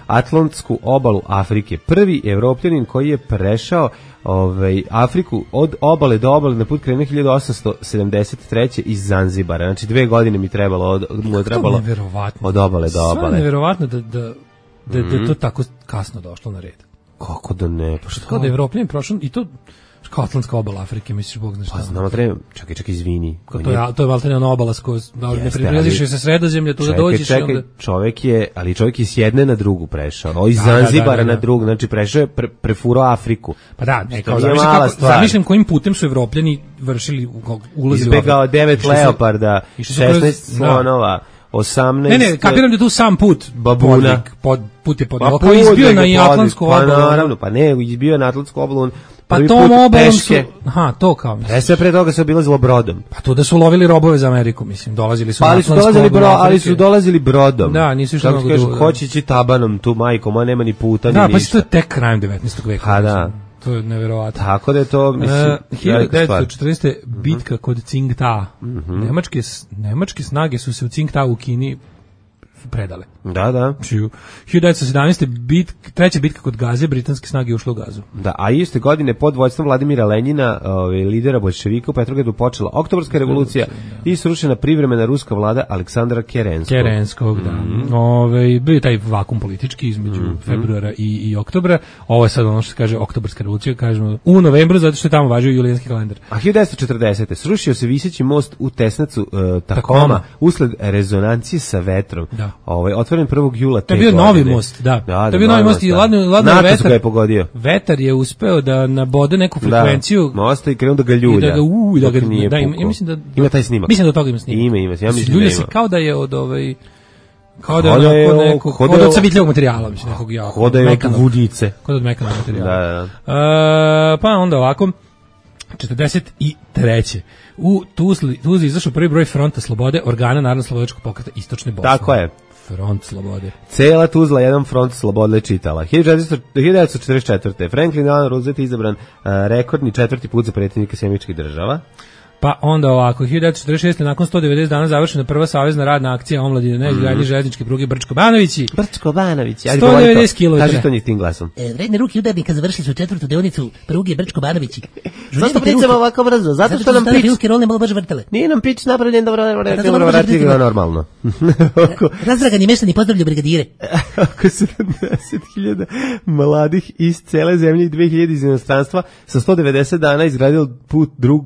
Atlantsku obalu Afrike. Prvi evropljanin koji je prešao ovaj, Afriku od obale do obale na put krenuo hiljadu osamsto sedamdeset treće iz Zanzibara. Znači dve godine mi trebalo od, mu je trebalo od obale do obale. Sve je nevjerovatno da, da, da, da, da to tako kasno došlo na red. Kako da ne? Pa što? Kao da je evropljanin prošao i to Kao Atlantska obala Afrike, misliš, Bog zna šta. Pa znamo, treba, čekaj, čekaj, izvini. To je, to je valtene ona obala s kojoj ne prilaziš sa Sredozemlja, tu da dođeš. Čekaj, čekaj, čovek je, ali čovek je s jedne na drugu prešao, ovo iz Zanzibara na drugu, znači prešao je, pre, prefurao Afriku. Pa da, ne, kao zamišljam kojim putem su Evropljani vršili ulazi u Afriku. Izbegao devet leoparda, šesnaest slonova, osamnaest... Ne, ne, kapiram da tu sam put babuna. Pod, put je pod... Pa kao izbio na Atlantsku obalu. Pa naravno, pa ne, izbio na Atlantsku obalu. Pa tom obalom su... Aha, to kao misliš. E sve pre toga se obilazilo brodom. Pa to da su lovili robove za Ameriku, mislim, dolazili su pa, na ali su dolazili bro, ali su dolazili brodom. Da, nisu išli mnogo dugo. Hoće ići tabanom tu, majko, ma nema ni puta, da, ni pa ništa. Da, pa to je tek krajem devetnaestog veka. Ha, da. To je neverovatno. Tako da je to, mislim, uh, hiljadu devetsto četrnaeste. bitka kod Tsingtao. Mm-hmm. Nemačke, nemačke snage su se u Tsingtao u Kini predale. Da, da. hiljadu devetsto sedamnaeste. Bit, treća bitka kod Gaze, britanske snage ušle u Gazu. Da, a iste godine pod vođstvom Vladimira Lenjina, ovaj, lidera bolševika, u Petrogradu počela Oktobarska revolucija da. I srušena privremena ruska vlada Aleksandra Kerenskog. Kerenskog, da. Mm-hmm. Ove, bio je taj vakum politički između mm-hmm. februara i, i oktobra. Ovo je sad ono što se kaže Oktobarska revolucija, kažemo u novembru, zato što je tamo važio julijanski kalendar. A hiljadu devetsto četrdesete. srušio se viseći most u Tesnacu uh, Takoma, Takoma usled rezonancije sa vetrom. Da. Ovaj, otvoren prvog jula te to je bio godine. Novi most, da. da, da to je bio novi most i ladno, ladno vetar. Je pogodio. Vetar je uspeo da nabode neku frekvenciju. Da, mosta i krenuo da ga ljulja. I da ga, u, da ga, da, ima, ja mislim da... Ima taj snimak. Mislim da od toga ima snimak. Ima, ima. Ja mislim ljulja da ima. se kao da je od ovaj... Kao da je od nekog... Kao da od savitljivog materijala, mislim, nekog jako. Kao da je od vudice. Kao da od mekanog materijala. Da, da. Uh, pa onda ovako... četrdeset treće. U Tuzli, Tuzli izašao prvi broj Fronta slobode, organa Narodno-slobodačkog pokreta Istočne Bosne. Tako je. Front slobode. Cela Tuzla jedan front slobode čitala. hiljadu devetsto četrdeset četvrte. Franklin Delano Roosevelt izabran uh, rekordni četvrti put za predsjednika Sjedinjenih Američkih Država. Pa onda ovako, hiljadu devetsto četrdeset šeste. nakon sto devedeset dana završena prva savezna radna akcija omladine na izgradnji mm. željezničke pruge Brčko-Banovići. Brčko-Banovići. sto devedeset kilometara. Kaži to njih tim glasom. E, vredne ruke udarnika završili su četvrtu deonicu pruge Brčko-Banovići. Zašto pričamo ovako brzo? Zato što nam pić... Ruske rolne malo brže vrtele. Nije nam pić napravljen dobro, dobro vrati ga normalno. Razdragani meštani pozdravljaju brigadire. Oko sedamdeset hiljada mladih iz cele zemlje i dve hiljade iz inostranstva sa sto devedeset dana izgradilo put drug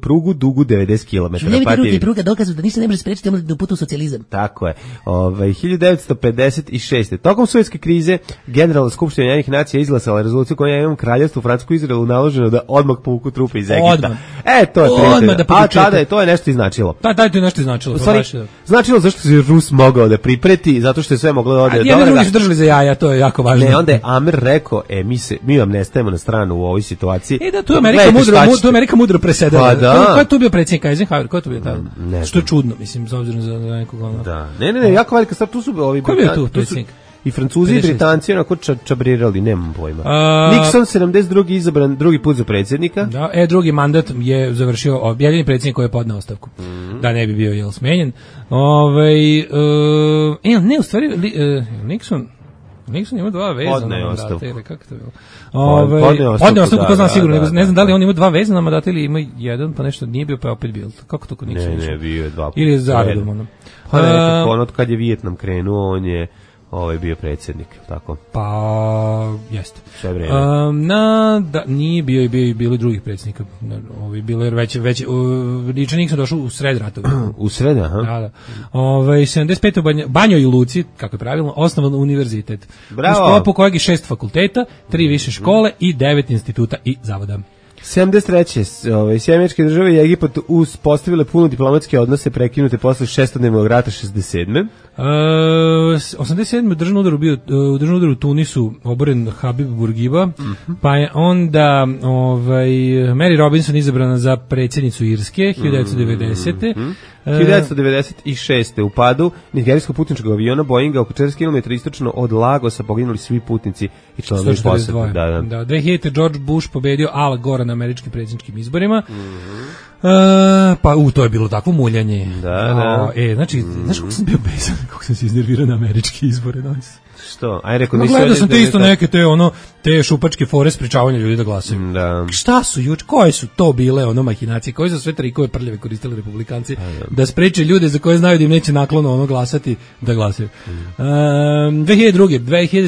prugu dugu devedeset kilometara. Žuljevite ruke i pruga dokazu da ništa ne može sprečiti omladinu putu u socijalizam. Tako je. Ove, hiljadu devetsto pedeset šeste. Tokom sovjetske krize Generalna skupština Ujedinjenih nacija izglasala rezoluciju kojom je jednom kraljevstvu Francusku i Izraelu naloženo da odmah povuku trupe iz Egipta. Odmah. E, to je odmah da a tada je to je nešto i značilo. Da, da, to je nešto i značilo. Stvari, značilo zašto se Rus mogao da pripreti, zato što je sve moglo da ode. Ja ne drugi su držali za jaja, to je jako važno. Ne, onda je Amer rekao, e, mi se, mi vam ne stajemo na stranu u ovoj situaciji. E da, tu je Amerika mudro, tu je Amerika mudro presedala. Pa da. Ko je tu bio predsjednik Eisenhower? Ko je tu bio tada? Što je čudno, mislim, s obzirom za nekog ono. Da. Ne, ne, ne, jako velika stvar, tu su ovi... Ko je bio tu predsjednik? I Francuzi i Britanci onako ča, čabrirali, nemam pojma. A, Nixon sedamdeset drugi izabran drugi put za predsjednika. Da, e, drugi mandat je završio jedini predsjednik koji je podneo ostavku. Mm. Da ne bi bio jel smenjen. Ovaj uh, e, ne, u stvari li, uh, Nixon Nixon ima dva vezana podneo ostavku. Ili kako to bilo? Ovaj podneo ostavku, da, to znam da, sigurno, da, da, ne znam da li on ima dva vezana mandata ili ima jedan, pa nešto nije bio pa opet bio. Kako to kod Nixona? Ne, ne, bio je dva puta. Ili je zaredom ono. Pa nekako, ono kad je Vijetnam krenuo, on je ovaj bio predsjednik, tako. Pa jeste. Sve vreme. Um, na da nije bio i bio i bili drugih predsjednika. Ovaj bilo je već već Richard Nixon došao u sred ratova. U sred, aha. Da, da. Ovaj sedamdeset pete. u Banjo, Banjoj Luci, kako je pravilno, osnovan univerzitet. Bravo. U sklopu kojeg je šest fakulteta, tri više škole i devet instituta i zavoda. sedamdeset treće. Ove, Sjedinjene Američke Države i Egipat uspostavile puno diplomatske odnose prekinute posle šestodnevnog rata šezdeset sedme. Uh, osamdeset sedme. u državnom udaru bio u državnom udaru u Tunisu oboren Habib Bourguiba, mm-hmm. pa je onda ovaj Mary Robinson izabrana za predsjednicu Irske hiljadu devetsto devedesete. Mm-hmm. hiljadu devetsto devedeset šeste. u padu nigerijskog putničkog aviona Boeinga oko četrdeset kilometara istočno od Lagosa poginuli svi putnici i članovi posade. Da, da. Da, dve hiljadite. George Bush pobedio Al Gore na američkim predsjedničkim izborima. Mm-hmm. E, pa u to je bilo takvo muljanje. Da, da. O, e, znači, mm. znaš kako sam bio besan, kako sam se iznervirao na američke izbore danas. Što? Aj rekao no, gledao sam te isto neke te ono te šupačke fore sprečavanja ljudi da glasaju. Da. Šta su juč, koje su to bile ono mahinacije, koje su sve trikove prljave koristili republikanci da. da spreče ljude za koje znaju da im neće naklono ono glasati da glasaju. Mm. Um, dve hiljade druge.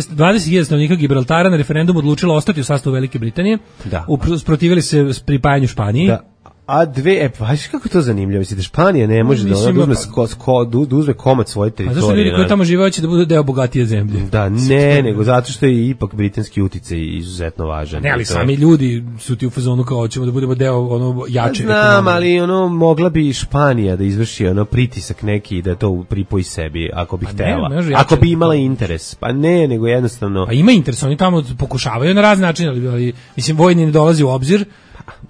dvadeset hiljada stanovnika Gibraltara na referendumu odlučilo ostati u sastavu Velike Britanije. Da. Usprotivili se pripajanju Španiji. Da. A dve, e, vaš kako to zanimljivo, mislite, Španija ne može da uzme, sko, sko, da uzme komad svoje teritorije. A zašto ljudi koji tamo žive hoće da budu deo bogatije zemlje? Da, ne, nego zato što je ipak britanski uticaj izuzetno važan. Ne, ali sami ljudi su ti u fazonu kao hoćemo da budemo deo ono jače. Znam, ali ono, mogla bi Španija da izvrši ono pritisak neki da to pripoji sebi, ako bi pa htela. Ne, ako bi imala interes. Pa ne, nego jednostavno... Pa ima interes, oni tamo pokušavaju na razne načine, ali, ali mislim, vojni ne dolazi u obzir,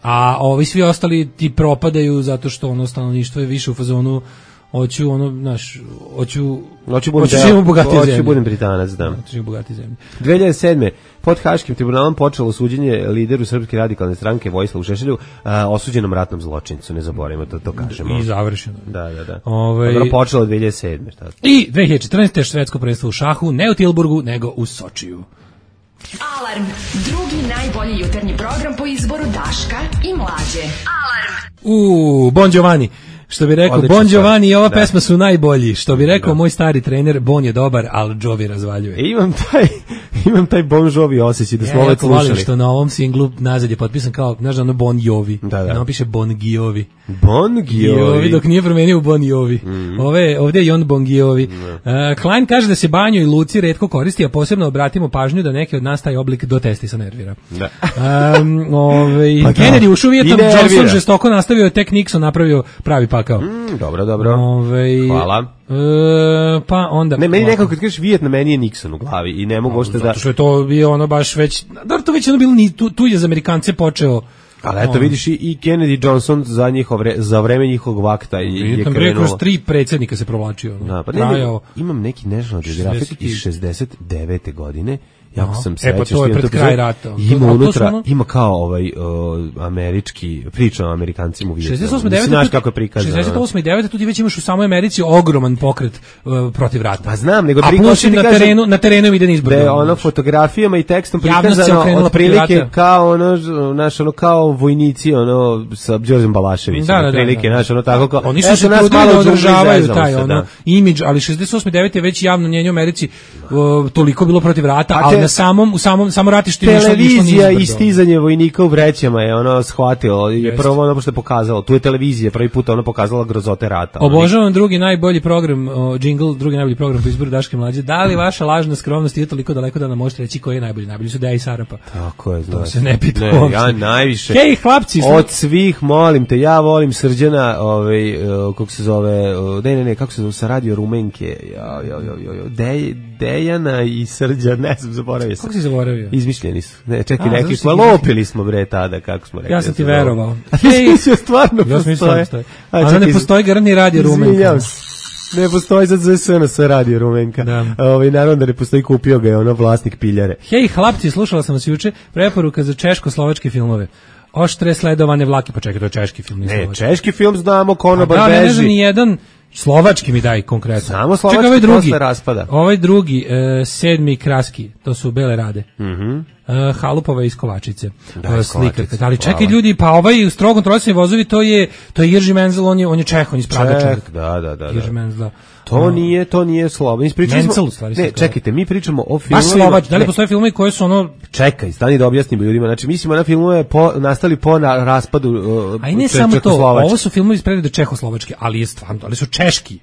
a ovi svi ostali ti propadaju zato što ono stanovništvo je više u fazonu hoću ono, znaš, hoću hoću budem bogatiji zemlje. Hoću budem Britanac, da. Hoću bogatiji zemlje. dve hiljade sedme pod Haškim tribunalom počelo suđenje lideru Srpske radikalne stranke Vojislavu Šešelju, a, osuđenom ratnom zločincu, ne zaboravimo to, to kažemo. I završeno. Da, da, da. Ove... Dobro, počelo dve hiljade sedme šta? I dve hiljade četrnaeste švedsko prvenstvo u šahu, ne u Tilburgu, nego u Sočiju. Alarm, drugi najbolji jutarnji program po izboru Daška i Mlađe. Alarm. U, Bon Giovanni. Što bi rekao, Odlično Bon Giovanni i ova da. pesma su najbolji. Što bi rekao da. moj stari trener, Bon je dobar, ali Jovi razvaljuje. E, imam taj, imam taj Bon Jovi osjećaj da smo ovo slušali. Ja volim što na ovom singlu nazad je potpisan kao, znaš da ono Bon Jovi. Da, da. I on piše Bon Giovi. Bon Giovi. Dok nije promenio u Bon Jovi. Mm. Ove, ovdje je on Bon Giovi. Mm. Uh, Klein kaže da se banju i luci retko koristi, a posebno obratimo pažnju da neki od nas taj oblik do testisa nervira. Da. Um, ove, pa Kennedy ušao Vijetnam, Johnson žestoko nastavio, tek Nixon napravio pravi pakao. Mm, dobro, dobro. Ove, Hvala. E, pa onda... Ne, meni nekako kad kažeš Vijetnam, meni je Nixon u glavi i ne mogu ošte da... Zato što je to bio ono baš već... Da, to već ono bilo, tu, tu je za Amerikance počeo... Ali eto, vidiš i Kennedy Johnson za, njihov, za vreme njihovog vakta i je krenulo. Kroz tri predsjednika se provlačio. Da, pa ne, ne, imam neki National Geographic iz šezdeset devete godine. Jako sam sećao. E pa to je pred kraj rata. Ima unutra, ono... ima kao ovaj uh, američki, priča o Amerikancima u Vijetnamu. šezdeset osme devete Znaš kako je prikazano. šezdeset osme i devete tu ti već imaš u samoj Americi ogroman pokret uh, protiv rata. Pa znam, nego a plus na terenu, na terenu ide izbor. Da je ono fotografijama i tekstom prikazano otprilike kao ono, naš, ono kao vojnici ono sa Đorđem Balaševićem. Da, da, prilike, da, naš, ono tako kao. Oni su se trudili da održavaju taj ono imidž, ali šezdeset osme devete je već javno mnjenje u Americi uh, toliko bilo protiv rata, ali na samom u samom samo ratištu išlo televizija i stizanje vojnika u vrećama je ono shvatilo je prvo ono što je pokazalo, tu je televizija prvi put ono pokazala grozote rata. Obožavam drugi najbolji program, o, jingle, drugi najbolji program po izboru Daške Mlađe. Da li vaša lažna skromnost je toliko daleko da nam možete reći koji je najbolji? Najbolji su Deja i Sarapa. Tako je, znači. To se ne pita. Ne, ja najviše. Hej, hlapci, od svih molim te, ja volim Srđana, ovaj uh, kako se zove, uh, ne ne ne, kako se zove sa radio Rumenke. Ja ja ja ja, Dej, Dejana i Srđan, ne znam, zaboravio sam. Kako si zaboravio? Izmišljeni su. Ne, čekaj, rekli smo, lopili smo bre tada, kako smo rekli. Ja sam ti verovao. Hej, sve stvarno ja postoje. A da ne postoji garantni radio Rumenka. Ne postoji za Z S N S radio Rumenka. Ovaj naravno da ne postoji, kupio ga je ono vlasnik piljare. Hej, hlapci, slušala sam vas juče, preporuka za češko-slovačke filmove. Oštre sledovane vlake, pa čekaj, to je češki film. Ne, slovački. Češki film znamo, Konobar beži. Da, ne znam ni jedan. Slovački mi daj konkretno. Samo slovački ovaj drugi, posle raspada. Ovaj drugi, e, sedmi Kraski, to su Bele Rade. Mhm. Mm Uh, Halupova iz Kovačice, da, slikarka. Ali čekaj ljudi, pa ovaj u strogo kontrolisani vozovi, to je to je Jerzy Menzel, on je on je Čeh, on je iz Praga čovjek. Da, da, da. Jerzy Menzel. To um, nije, to nije Slovački. Ispričali smo. Ne, čekajte, mi pričamo o filmovima. Baš Slovački. Da li postoje filmovi koji su ono Čekaj, stani da objasnim ljudima. Znači mislimo na filmove po nastali po na raspadu uh, a i ne samo to, ovo su filmovi iz perioda Čehoslovačke, ali je stvarno, ali su češki.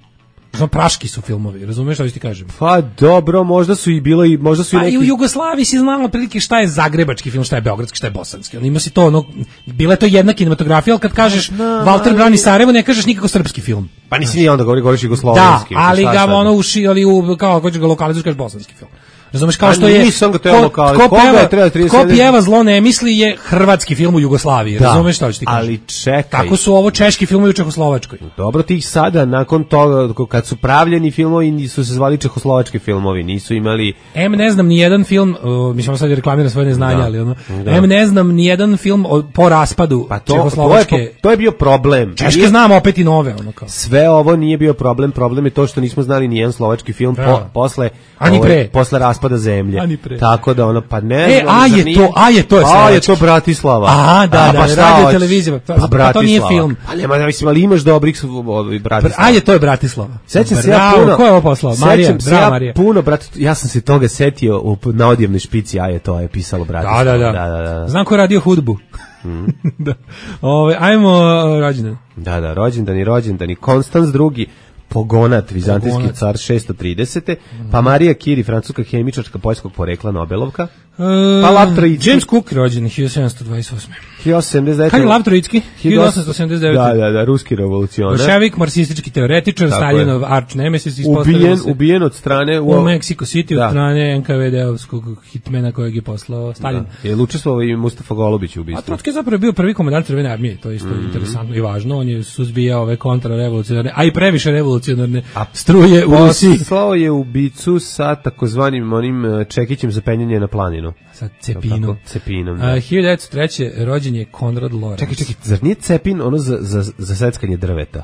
Znam, praški su filmovi, razumeš šta ti kažem? Pa dobro, možda su i bilo i možda su i neki... Pa i u Jugoslaviji si znalo prilike šta je zagrebački film, šta je beogradski, šta je bosanski. On ima si to, ono, bila je to jedna kinematografija, ali kad kažeš no, Walter brani Sarajevo, ne kažeš nikako srpski film. Pa nisi ni onda govori, govoriš jugoslovenski. Da, ali ga ono uši, ali u, kao hoćeš ga lokalizuješ, kažeš bosanski film. Razumeš, kao što je nisam ga trebalo kao ko, ko peva, treba ko pjeva zlo ne misli je hrvatski film u Jugoslaviji, da, razumeš šta hoću ti kažem? Ali čekaj. Tako su ovo češki filmovi u Čehoslovačkoj. Dobro, ti sada nakon toga kad su pravljeni filmovi su se zvali čehoslovački filmovi, nisu imali. Em ne znam ni jedan film, uh, mislim sad reklamiram svoje neznanje, da, ali ono. Da. Em ne znam ni jedan film o, po raspadu pa to, Čehoslovačke. To je, to je bio problem. Češke nije, znam opet i nove, ono kao. Sve ovo nije bio problem, problem je to što nismo znali ni jedan slovački film da. po, posle Ani pre. Ovaj, posle raspada zemlje. Tako da ono pa ne. E, a je nije, to, a je to je A je to Bratislava. Aha, da, a, da, pa radio televizija. Pa, pa, pa to nije film. Pa nema, da mislim, ali imaš dobrih ovaj Bratislava. A je to je Bratislava. Sećam se ja puno. Ko je ovo poslao? Marija, bravo Marija. Puno, brate, ja sam se toga setio u na odjevnoj špici, a je to je pisalo Bratislava. Da, da, da. da, da, da. Znam ko je radio hudbu. Mm. da. Ove, ajmo uh, rođendan. Da, da, rođendan i rođendan i Konstanz drugi, Pogonat, vizantijski Pogonat. Car šesto tridesete Mm. Pa Marija Curie, francuska hemičarka poljskog porekla, Nobelovka. Uh, pa Lav Troitski. James Cook rođen hiljadu sedamsto dvadeset osme hiljadu osamsto sedamdeset devete Kad je Lav Troitski? hiljadu osamsto sedamdeset devete Da, da, da, ruski revolucionar. Bolševik, marksistički teoretičar, Staljinov arch nemesis, ubijen, ubijen od strane u, u Mexico City da. Od strane en ka ve de-ovskog hitmena kojeg je poslao Stalin. Da. Je učestvovao i Mustafa Golubić u ubistvu. A Trotski je zapravo bio prvi komandant Crvene armije, to je isto mm. interesantno i važno. On je suzbijao ove kontrarevolucionarne, a i previše revolucionarne a struje u Rusiji. Poslao je ubicu sa takozvanim onim čekićem za penjanje na planinu. Sa cepinom. Cepinom, da. hiljadu devetsto treće rođen je Konrad Lorenz. Čekaj, čekaj, zar nije cepin ono za, za, za seckanje drveta?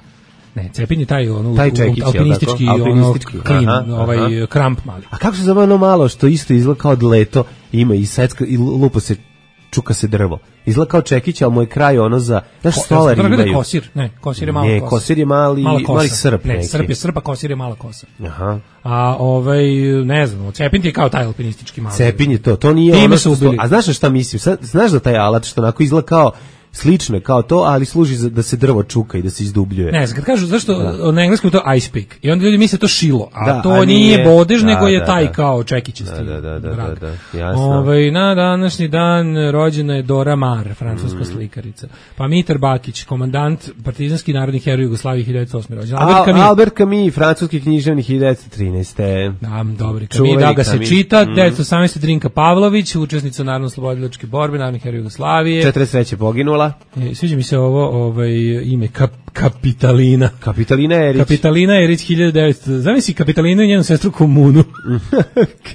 Ne, cepin je taj, ono, taj čekić, alpinistički, alpinistički ono, klin, aha, ovaj aha. kramp mali. A kako se zove ono malo što isto izgleda kao dleto, ima i secka, i lupa se, čuka se drvo. Izgleda kao čekić, ali mu je kraj ono za, znaš, Ko, stolari imaju. Ne, kosir, ne, kosir je mala ne, kosa. Ne, kosir je mali, mali srp. Ne, neki. srp je srpa, kosir je mala kosa. Aha. A ovaj, ne znam, cepin je kao taj alpinistički mali. Cepin je to, to nije Time ono što, što, a znaš šta mislim, Sad, znaš da taj alat što onako izgleda kao, slično je kao to, ali služi za da se drvo čuka i da se izdubljuje. Ne znam, kad kažu zašto da. Na engleskom je to ice pick i onda ljudi misle to šilo, a da, to a nije, nije bodež, da, nego je da, taj da. kao čekićasti. Da, da, da, da, da, jasno. Ovaj, na današnji dan rođena je Dora Maar, francuska mm. slikarica. Pa Mitar Bakić, komandant partizanski narodni heroj Jugoslavije hiljadu devetsto osme rođen. Albert Camus, Albert Camus, francuski književnik hiljadu devetsto trinaeste Da, dobri. Camus, da ga se čita. Mm. devetsto osamnaeste Drinka Pavlović, učesnica narodno-slobodilačke borbe, narodni heroj Jugoslavije. četrdeset treće poginula. E, sviđa mi se ovo ovaj ime kap, Kapitalina. Kapitalina Erić. Kapitalina Erić hiljadu devetsto Zamisli Kapitalinu i njenu sestru Komunu.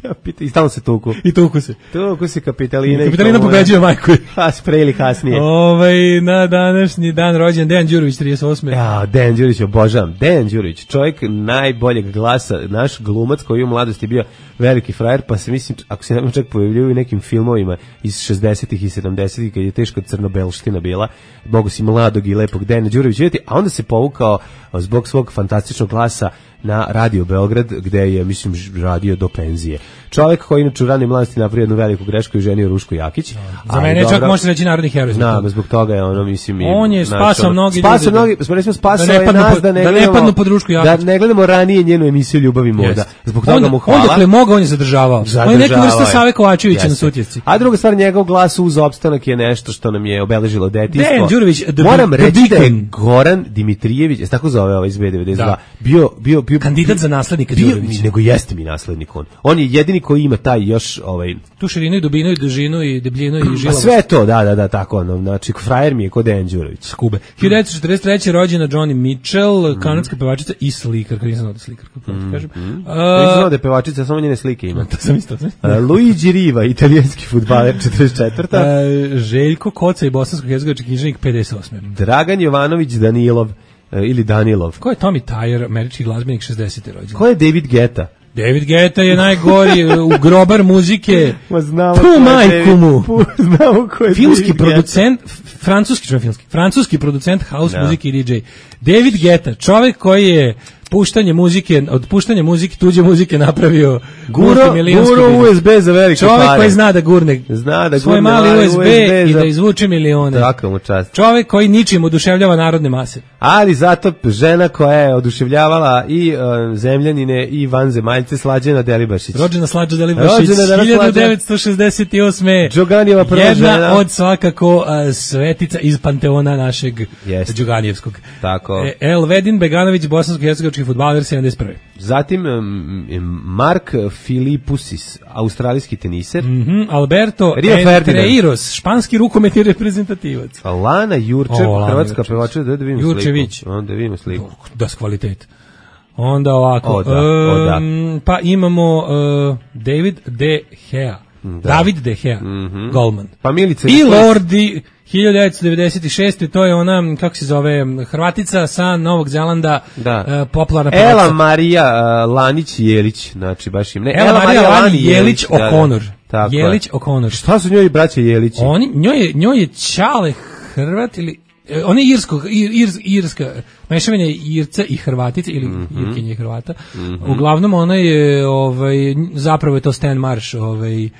Kapita, I stalno se tuku. I tuku se. Tuku se Kapitalina. Kapitalina pobeđuje majku. Pas pre ili kasnije. Ovaj na današnji dan rođen Dejan Đurović trideset osme Ja, Dejan Đurović obožavam. Dejan Đurović, čovjek najboljeg glasa, naš glumac koji u mladosti bio veliki frajer, pa se mislim, ako se nam čak pojavljaju u nekim filmovima iz šezdesetih i sedamdesetih kad je teška crno-belština bila, mogu si mladog i lepog Dejana Đurovića vidjeti, a onda se povukao zbog svog fantastičnog glasa na Radio Beograd, gde je, mislim, radio do penzije. Čovjek koji inače u ranoj mladosti napravio jednu veliku grešku i ženio Rušku Jakić. No, za mene čak može reći narodni heroj. Na, zbog toga je ono, mislim... On je spasao mnogi ljudi. Spasao mnogi, smo recimo spasao je nas da ne da gledamo... ne padnu pod Rušku Jakić. Da ne gledamo ranije njenu emisiju Ljubav i moda. Zbog toga on, mu hvala. On dakle mogao, on je zadržavao. zadržavao on je neka vrsta Save Kovačevića na Sutjesci. A druga stvar, njegov glas uz opstanak je nešto što nam je obeležilo detinjstvo. Dejan Đurović, moram reći da je Goran Dimitrijević, je tako zove ovaj iz be devedeset dva, bio, bio, bio... Kandidat za naslednika Đurovića. Nego jeste mi naslednik on. On je jedini koji ima taj još ovaj tu širinu i dubinu i dužinu i debljinu i žilavost. Pa sve to, da, da, da, tako ono. Znači, frajer mi je kod Dejan Đurović. S Kube. hiljadu devetsto četrdeset treće rođena Joni Mitchell, mm. kanadska pevačica i slikarka, nisam znao da je slikarka, mm. kažem. Mm. Uh, nisam znao da je pevačica, samo njene slike ima. To sam isto. Uh, Luigi Riva, italijanski fudbaler, četrdeset četvrta Uh, Željko Koca i bosansko-hercegovački književnik, pedeset osme Dragan Jovanović Danilov, uh, ili Danilov. Ko je Tommy Tyre, američki glazbenik, šezdesete rođen? Ko je David Guetta? David Guetta je najgori u grobar muzike. Ma znamo tu majku mu. Znamo ko je filmski producent, francuski, čo filmski, francuski producent house no. muzike i di džej. David Guetta, čovjek koji je puštanje muzike, od puštanja muzike, tuđe muzike napravio guro, guro U S B za velike čovjek pare. Koji zna da gurne, zna da svoj gurne mali U S B, U S B i za... da izvuče milione. Tako mu čast. Čovjek koji ničim oduševljava narodne mase. Ali zato žena koja je oduševljavala i uh, zemljanine i vanzemaljce, Slađana Delibašić. Rođena Slađa Delibašić, hiljadu devetsto šezdeset osme Đoganijeva prva jedna žena. od svakako uh, svetica iz panteona našeg Jest. Đoganijevskog. Tako. E, Elvedin Beganović, bosansko-hercegovački nemački fudbaler sedamdeset prve. Zatim um, Mark Filipusis, australijski teniser. Mm-hmm. Alberto Entreiros, španski rukometni reprezentativac. Lana Jurčev, o, hrvatska pevača, da, da vidimo Jurčević. sliku. Onda vidimo sliku. Das kvalitet. Onda ovako, o, da, o, da. Um, pa imamo uh, David De Gea. Da. David De Gea, mm-hmm. golman. Pa Milica I Lordi hiljadu devetsto devedeset šeste. To je ona, kako se zove, Hrvatica sa Novog Zelanda, da. uh, popularna pevačica. Ela Marija uh, Lanić-Jelić, znači baš im ne. Ela, Ela Marija Lani-Jelić O'Connor. Da, da. Jelić O'Connor. Šta su njoj braća Jelići? Oni, njoj je, njoj je Čale Hrvat ili on je irsko, ir, ir, irska, mešavine Irca i Hrvatice, ili mm-hmm. Irkinje i Hrvata. Mm-hmm. Uglavnom ona je, ovaj, zapravo je to Stan Marsh, ovaj, uh,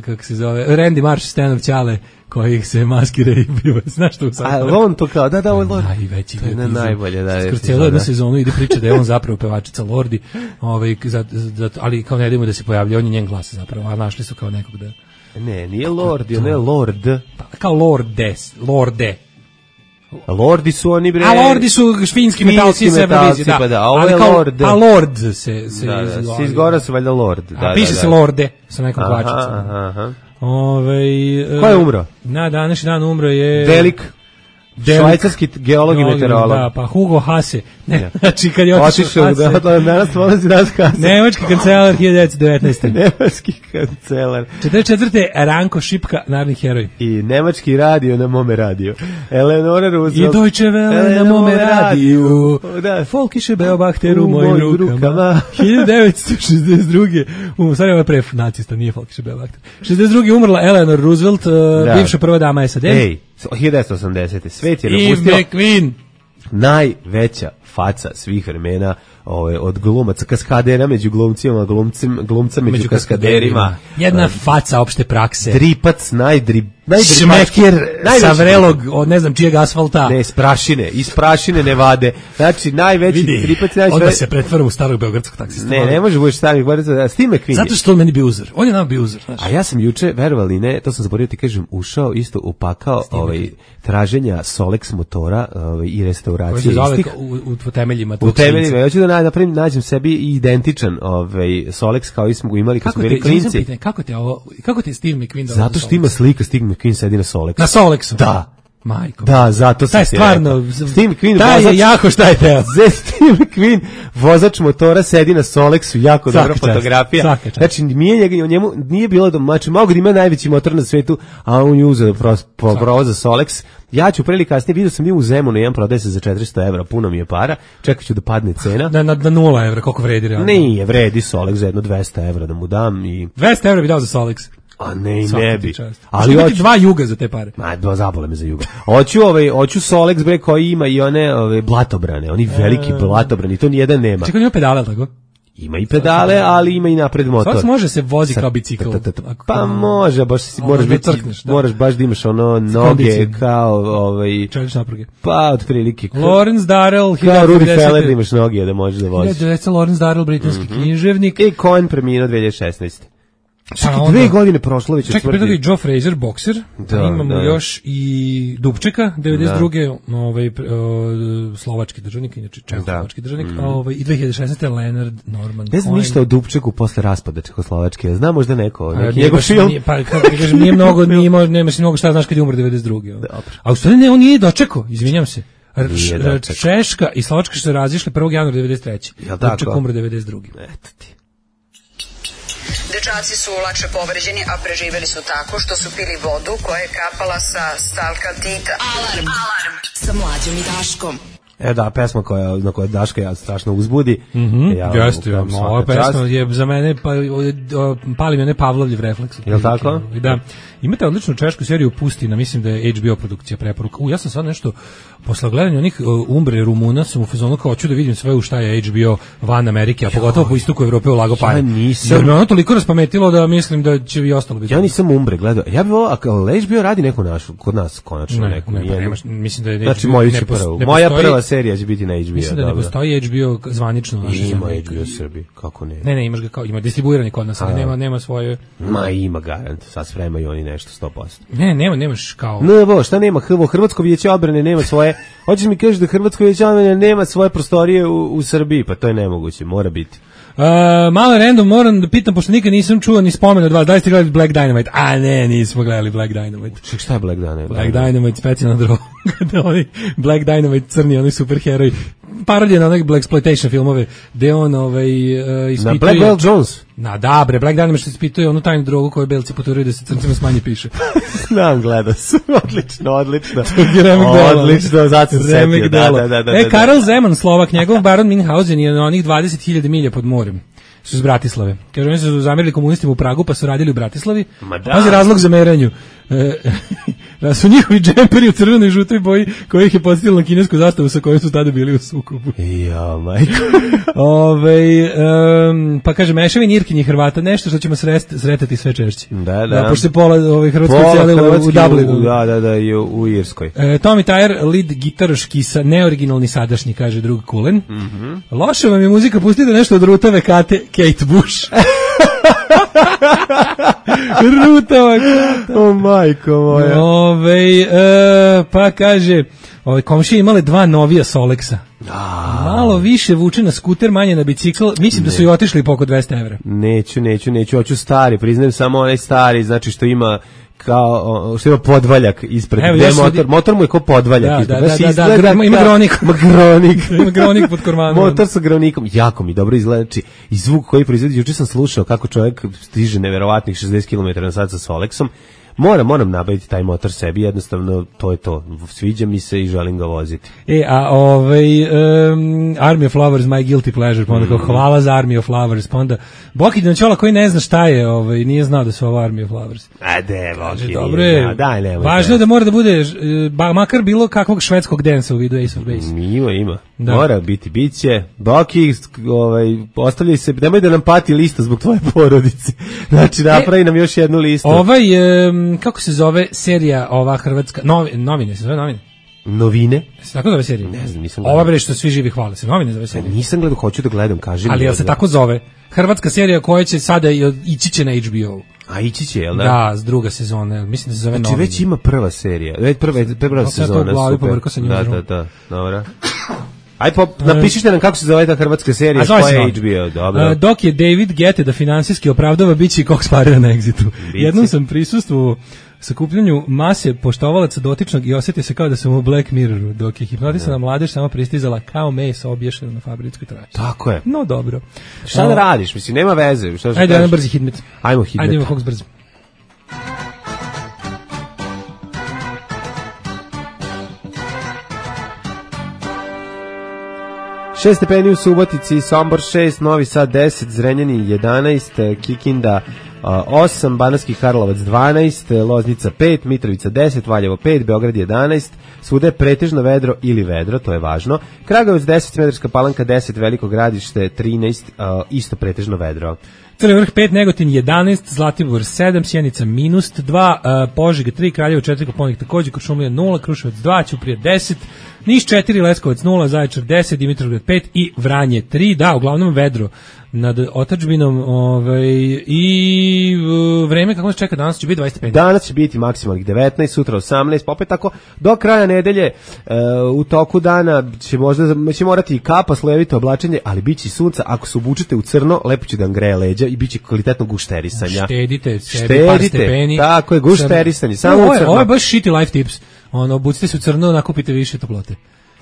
kako se zove, Randy Marsh, Stanov Ćale, koji se maskira i biva, znaš što u A on to kao, da, da, ovo je Lordi. Najveći. To je ne najbolje, da. Skrcelo jednu sezonu ide priča da je on zapravo pevačica Lordi, ovaj, za, za, ali kao ne idemo da se pojavlja, on je njen glas zapravo, a našli su kao nekog da... Ne, nije Lordi, on je Lord. Pa, kao Lordes, Lorde. Lordi su oni bre. A Lordi su švinski metalci iz Evrovizije, da. Pa da, a ovo je Lord. A Lord se se da, da, se izgora su valjda Lord, da, a, piše da, da. se Lorde sa nekom kvačicom. Aha, aha. Ovaj Ko je umro? Na današnji dan umro je Velik švajcarski geolog i meteorolog. Da, pa Hugo Hase. Ne, znači kad je otišao Hase. Da, da, danas polazi danas Hase. Nemački kancelar hiljadu devetsto devetnaeste. Nemački kancelar. četrdeset četvrte Ranko Šipka, narodni heroj. I nemački radio na mome radio. Eleonora Roosevelt. I Deutsche Welle na mome radiju. Da. Folkische Beobachter u mojim rukama. rukama. hiljadu devetsto šezdeset druge. Um, stvari ovo pre nacista, nije Folkische Beobachter. šezdeset druge umrla Eleanor Roosevelt, uh, bivša prva dama S A D. Ej, hiljadu devetsto osamdesete. Svet je napustio McQueen, najveća faca svih vremena, ovaj, od glumaca, kaskadera među glumcima, glumcim, glumca među, među kaskaderima. Jedna uh, faca opšte prakse. Dripac, najdri, šmeker sa vrelog, od ne znam čijeg asfalta. Ne, iz prašine, iz prašine ne vade. Znači, najveći vidi, dripac. Najveći onda se pretvaram u starog beogradskog taksista. Ne, ne može budeš starih beogradskog, Steve McQueen. Zato što on meni bio uzor. On je nam bio uzor. A ja sam juče, verovali ne, to sam zaboravio ti kažem, ušao isto upakao ovaj, traženja Solex motora ovaj, i restauracije istih. Koji se zove u, u temeljima. U temeljima. Ja ću da napravim, nađem sebi identičan ovaj, Solex kao i smo imali kad smo bili klinci. Kako te ovo, kako te Steve McQueen dao? Zato što ima slika Steve McQueen sedi na Solexu. Na Solexu? Da. Majko. Da, zato taj se stvarno Steve McQueen taj vozač, je jako šta je teo. Steve McQueen vozač motora sedi na Solexu, jako dobra fotografija. Znači nije njemu nije bilo da znači mogu da ima najveći motor na svetu, a on je uzeo provoza Solex. Ja ću prili kasnije, vidio sam i u Zemunu, jedan prodaje se za četiristo evra, puno mi je para, čekat ću da padne cena. Na, na, na nula evra, koliko vredi realno? Nije, vredi Solex za jedno dvesta evra da mu dam. I... dvesta evra bi dao za Solex? A ne, ne bi. Ali hoću dva juga za te pare. Ma, dva zabole me za juga. Hoću ovaj, hoću Solex bre koji ima i one ove blatobrane, oni veliki blatobrani, to ni jedan nema. Čekaj, ima pedale tako? Ima i pedale, ali ima i napred motor. Solex može se vozi kao bicikl. Pa može, baš moraš biti, moraš baš da imaš ono noge kao ovaj čelične napruge. Pa otprilike. Lawrence Darrell, kao Rudy Feller da imaš noge da možeš da voziš. Lawrence Darrell, britanski književnik. I Cohen preminuo dve hiljade šesnaeste. Čekaj, pa dve godine prošlo već. Čekaj, pre Joe Frazier, bokser, da, imamo da. još i Dubčeka, devedeset druge Da. Ovaj, uh, slovački državnik, inače čehoslovački da. državnik, mm. ovaj, i dve hiljade šesnaeste Leonard Norman. Ne znam ništa o Dubčeku posle raspada Čehoslovačke, znam možda neko, neki njegov film. Nije, pa, kako ti kažem, nije mnogo, nije, nemaš mnogo šta znaš kad je umro devedeset druge A u stvari ne, on nije dočekao, izvinjam se. Češka i Slovačka su se razišle prvog januara devedeset treće Dubček umro devedeset druge Eto ti. Dečaci su lakše povređeni, a preživeli su tako što su pili vodu koja je kapala sa stalkaltita. Alarm, alarm, sa Mlađom i Daškom. E da, pesma koja, na kojoj Daška ja strašno uzbudi. Mm-hmm. Ja, Jeste, ja, ova pesma je za mene, pa, pali mi one Pavlovljev refleks. Je li tako? Da. Imate odličnu češku seriju Pustina, mislim da je H B O produkcija preporuka. U, ja sam sad nešto, posle gledanja onih uh, Umbre Rumuna, sam u fazonu kao hoću da vidim sve u šta je H B O van Amerike, a pogotovo po istoku Evrope ulago pare. Ja nisam. Jer me ono toliko raspametilo da mislim da će i ostalo biti. Ja nisam Umbre gledao. Ja bih volao, ako H B O radi neku našu, kod nas konačno ne, neku. Ne, pa nemaš, mislim da je znači, moju će prvu. Moja prva serija će biti na H B O. Mislim da ne dobro. postoji H B O zvanično u našoj zemlji. Ima H B O Srbiji, kako ne? Ne, ne, imaš ga kao, ima distribuirani kod nas, ali nema, nema svoje... Ma ima garant, sad spremaju oni nešto sto posto. Ne, nema, nemaš kao... Ne, bo, šta nema? Hrvo, Hrvatsko vijeće odbrane nema svoje... Hoćeš mi kažeš da Hrvatsko vijeće odbrane nema svoje prostorije u, u Srbiji? Pa to je nemoguće, mora biti. Uh, malo random, moram da pitam, pošto nikad nisam čuo ni spomen od vas, da li ste gledali Black Dynamite? A ne, nismo gledali Black Dynamite. Ček, šta je Black Dynamite? Black Dynamite, specijalna droga. Da oni, Black Dynamite, crni, oni superheroj. Parodija na onak Blaxploitation filmove, gde on ovaj, uh, ispituje... Na Black Belt Jones? Na, da, bre, Black Dynamite što ispituje onu tajnu drogu koju belci poturaju da se crncima smanje piše. Znam, gledao sam. Odlično, odlično. Odlično, zato se setio. Da, da, da, da, e, Karel Zeman, Slovak, njegov baron Minhausen je na onih dvadeset hiljada milja pod morem. Su iz Bratislave. Kažu, oni su zamerili komunistima u Pragu, pa su radili u Bratislavi. Pazi razlog za meranju. E, da su njihovi džemperi u crvenoj i žutoj boji koji ih je podsjetilo na kinesku zastavu sa kojom su tada bili u sukobu. Ja, majko. Ove, um, pa kaže, mešavin Irkinji Hrvata, nešto što ćemo srest, sretati sve češće. Da, da. da pošto se pola ove, Hrvatskoj cijelilo u Dublinu. Da, da, da, i u, u Irskoj. E, Tommy Tyre, lead gitaroški, sa, neoriginalni sadašnji, kaže drug Kulen. Mm -hmm. Loša vam je muzika, pustite nešto od Rutave Kate, Kate Bush. Rutava Kata. O, majko moja. Ove, e, pa kaže, ove, komšije imale dva novija Solexa. A. Malo više vuče na skuter, manje na bicikl. Mislim ne. da su i otišli po oko dvesta evra. Neću, neću, neću, hoću stari, priznajem samo onaj stari, znači što ima kao što ima podvaljak ispred. Evo, ja motor, motor mu je kao podvaljak da, ispred. Da, da, da, da, da, ima gronik. Ima gronik. Ima gronik pod kormanom. Motor sa gronikom, jako mi dobro izgleda. I zvuk koji proizvodi, juče sam slušao kako čovjek stiže neverovatnih šezdeset kilometara na sat sa Solexom. Moram, moram nabaviti taj motor sebi, jednostavno to je to. Sviđa mi se i želim ga voziti. E, a ovaj um, Army of Lovers, My Guilty Pleasure, pa onda kao hvala za Army of Lovers, pa onda Boki Dančola koji ne zna šta je, ovaj, nije znao da su ovo Army of Lovers. A de, Boki, dobro je, da, daj, nemoj. Važno je da mora da bude, ba, makar bilo kakvog švedskog dansa u vidu Ace of Base. Ima, ima. Da. Mora biti, bit će. Boki, ovaj, ostavljaj se, nemoj da nam pati lista zbog tvoje porodice. Znači, napravi e, nam još jednu listu. Ovaj, um, kako se zove serija ova hrvatska, novi, novine, se zove novine? Novine? Se tako zove serija? Ne znam, nisam gledao. Ova bre što svi živi hvale se, novine zove serija. Nisam gledao, hoću da gledam, kaži mi. Ali jel se tako zove? Hrvatska serija koja će sada ići će na H B O. A ići će, jel da? Da, s druga sezona, mislim da se zove znači, novine. Već ima prva serija, već prva, prva sezona, super. Da, da, da, dobro. Aj po napišite nam kako se zove ta hrvatska serija, koja je H B O, dobro. Dok je David Gete da finansijski opravdava biće Cox Parera na Exitu. Jednom sam prisustvovao sakupljanju mase poštovalaca dotičnog i osjetio se kao da sam u Black Mirroru, dok je hipnotisana mladež samo pristizala kao meso obješeno na fabričkoj traci. Tako je. No dobro. Šta da radiš? Mislim, nema veze. Šta Ajde, jedan brzi hitmet. Ajmo hitmet. Ajde, ima Cox brzo. šest stepeni u Subotici, Sombor šest, Novi Sad deset, Zrenjanin jedanaest, Kikinda osam, Banatski Karlovac dvanaest, Loznica pet, Mitrovica deset, Valjevo pet, Beograd jedanaest, svuda je pretežno vedro ili vedro, to je važno. Kragujevac deset, Smederevska Palanka deset, Veliko Gradište trinaest, isto pretežno vedro. Crni Vrh pet, Negotin jedanaest, Zlatibor sedam, Sjenica minus dva, Požega tri, Kraljevo četiri, Koponik takođe, Kuršumlija nula, Kruševac dva, Ćuprija deset, Niš četiri, Leskovac nula, Zaječar deset, Dimitrovgrad pet i Vranje tri, da, uglavnom vedro nad otadžbinom, ovaj, i uh, vreme kako se čeka danas će biti dvadeset stepeni. Danas će biti maksimalnih devetnaest, sutra osamnaest, pa opet tako do kraja nedelje uh, u toku dana će možda će morati i kapa, slojevito oblačenje, ali biće sunca, ako se obučete u crno, lepo će da vam greje leđa i biće kvalitetno gušterisanja. Štedite sebi par stepeni. Tako je, gušterisanje, samo no, u crno. Ovo je baš shitty life tips. Ono, obucite se u crno, nakupite više toplote.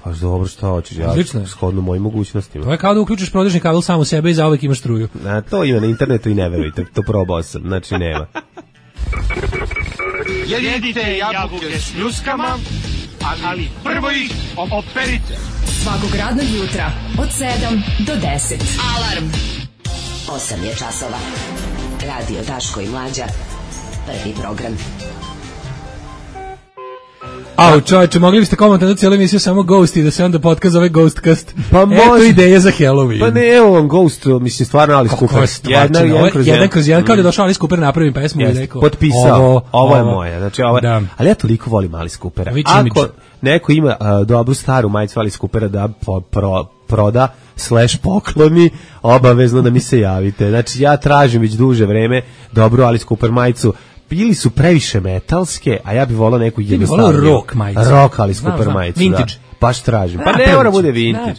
Pa dobro, šta hoćeš, ja shodno mojim mogućnostima. To je kao da uključiš prodežni kabel sam u sebe i zauvek imaš struju. A, to ima na internetu i ne verujte, to probao sam, znači nema. Jedite jabuke s ljuskama, ali prvo ih operite. Svakog radnog jutra od sedam do deset. Alarm. osam je časova. Radio Daško i Mlađa. Prvi program. Au, čovječe, mogli biste komentarno cijelu emisiju samo Ghost i da se onda podcast zove Ghostcast. Pa može. Eto ideje za Halloween. Pa ne, evo vam Ghost, mislim, stvarno Alice Cooper. Jedna, jedan kroz jedan. Jedan kroz jedan, kao da je došao Alice Cooper napravim pesmu i rekao. Potpisao, ovo, ovo je moja. Znači, ovo, da. Ali ja toliko volim Alice Coopera. Ako neko ima uh, dobru staru majicu Alice Coopera da po, pro, proda, slash pokloni, obavezno da mi se javite. Znači, ja tražim već duže vreme dobru Alice Cooper majicu. Bili su previše metalske, a ja bih volao neku jednostavnu. Ti bih volao rock majicu. Rock Alice Cooper znam, majicu, vintage. Da. Baš tražim. Pa ne mora bude vintage.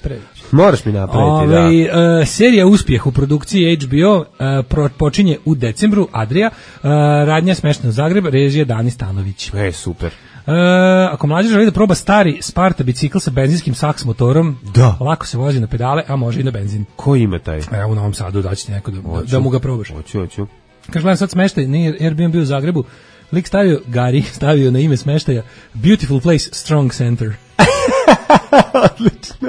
Moraš mi napraviti, Ove, da. Uh, serija Uspjeh u produkciji H B O uh, pro, počinje u decembru, Adria, uh, radnja Smešna u Zagreb, režija Dani Stanović. E, super. Uh, ako mlađe želi da proba stari Sparta bicikl sa benzinskim saks motorom, da. Lako se vozi na pedale, a može i na benzin. Ko ima taj? Evo u Novom Sadu daći ti neko da, da, da mu ga probaš. Hoću, hoću. Kaže, gledam sad smeštaj, nije Airbnb u Zagrebu, lik stavio, Gari stavio na ime smeštaja Beautiful Place, Strong Center. Odlično.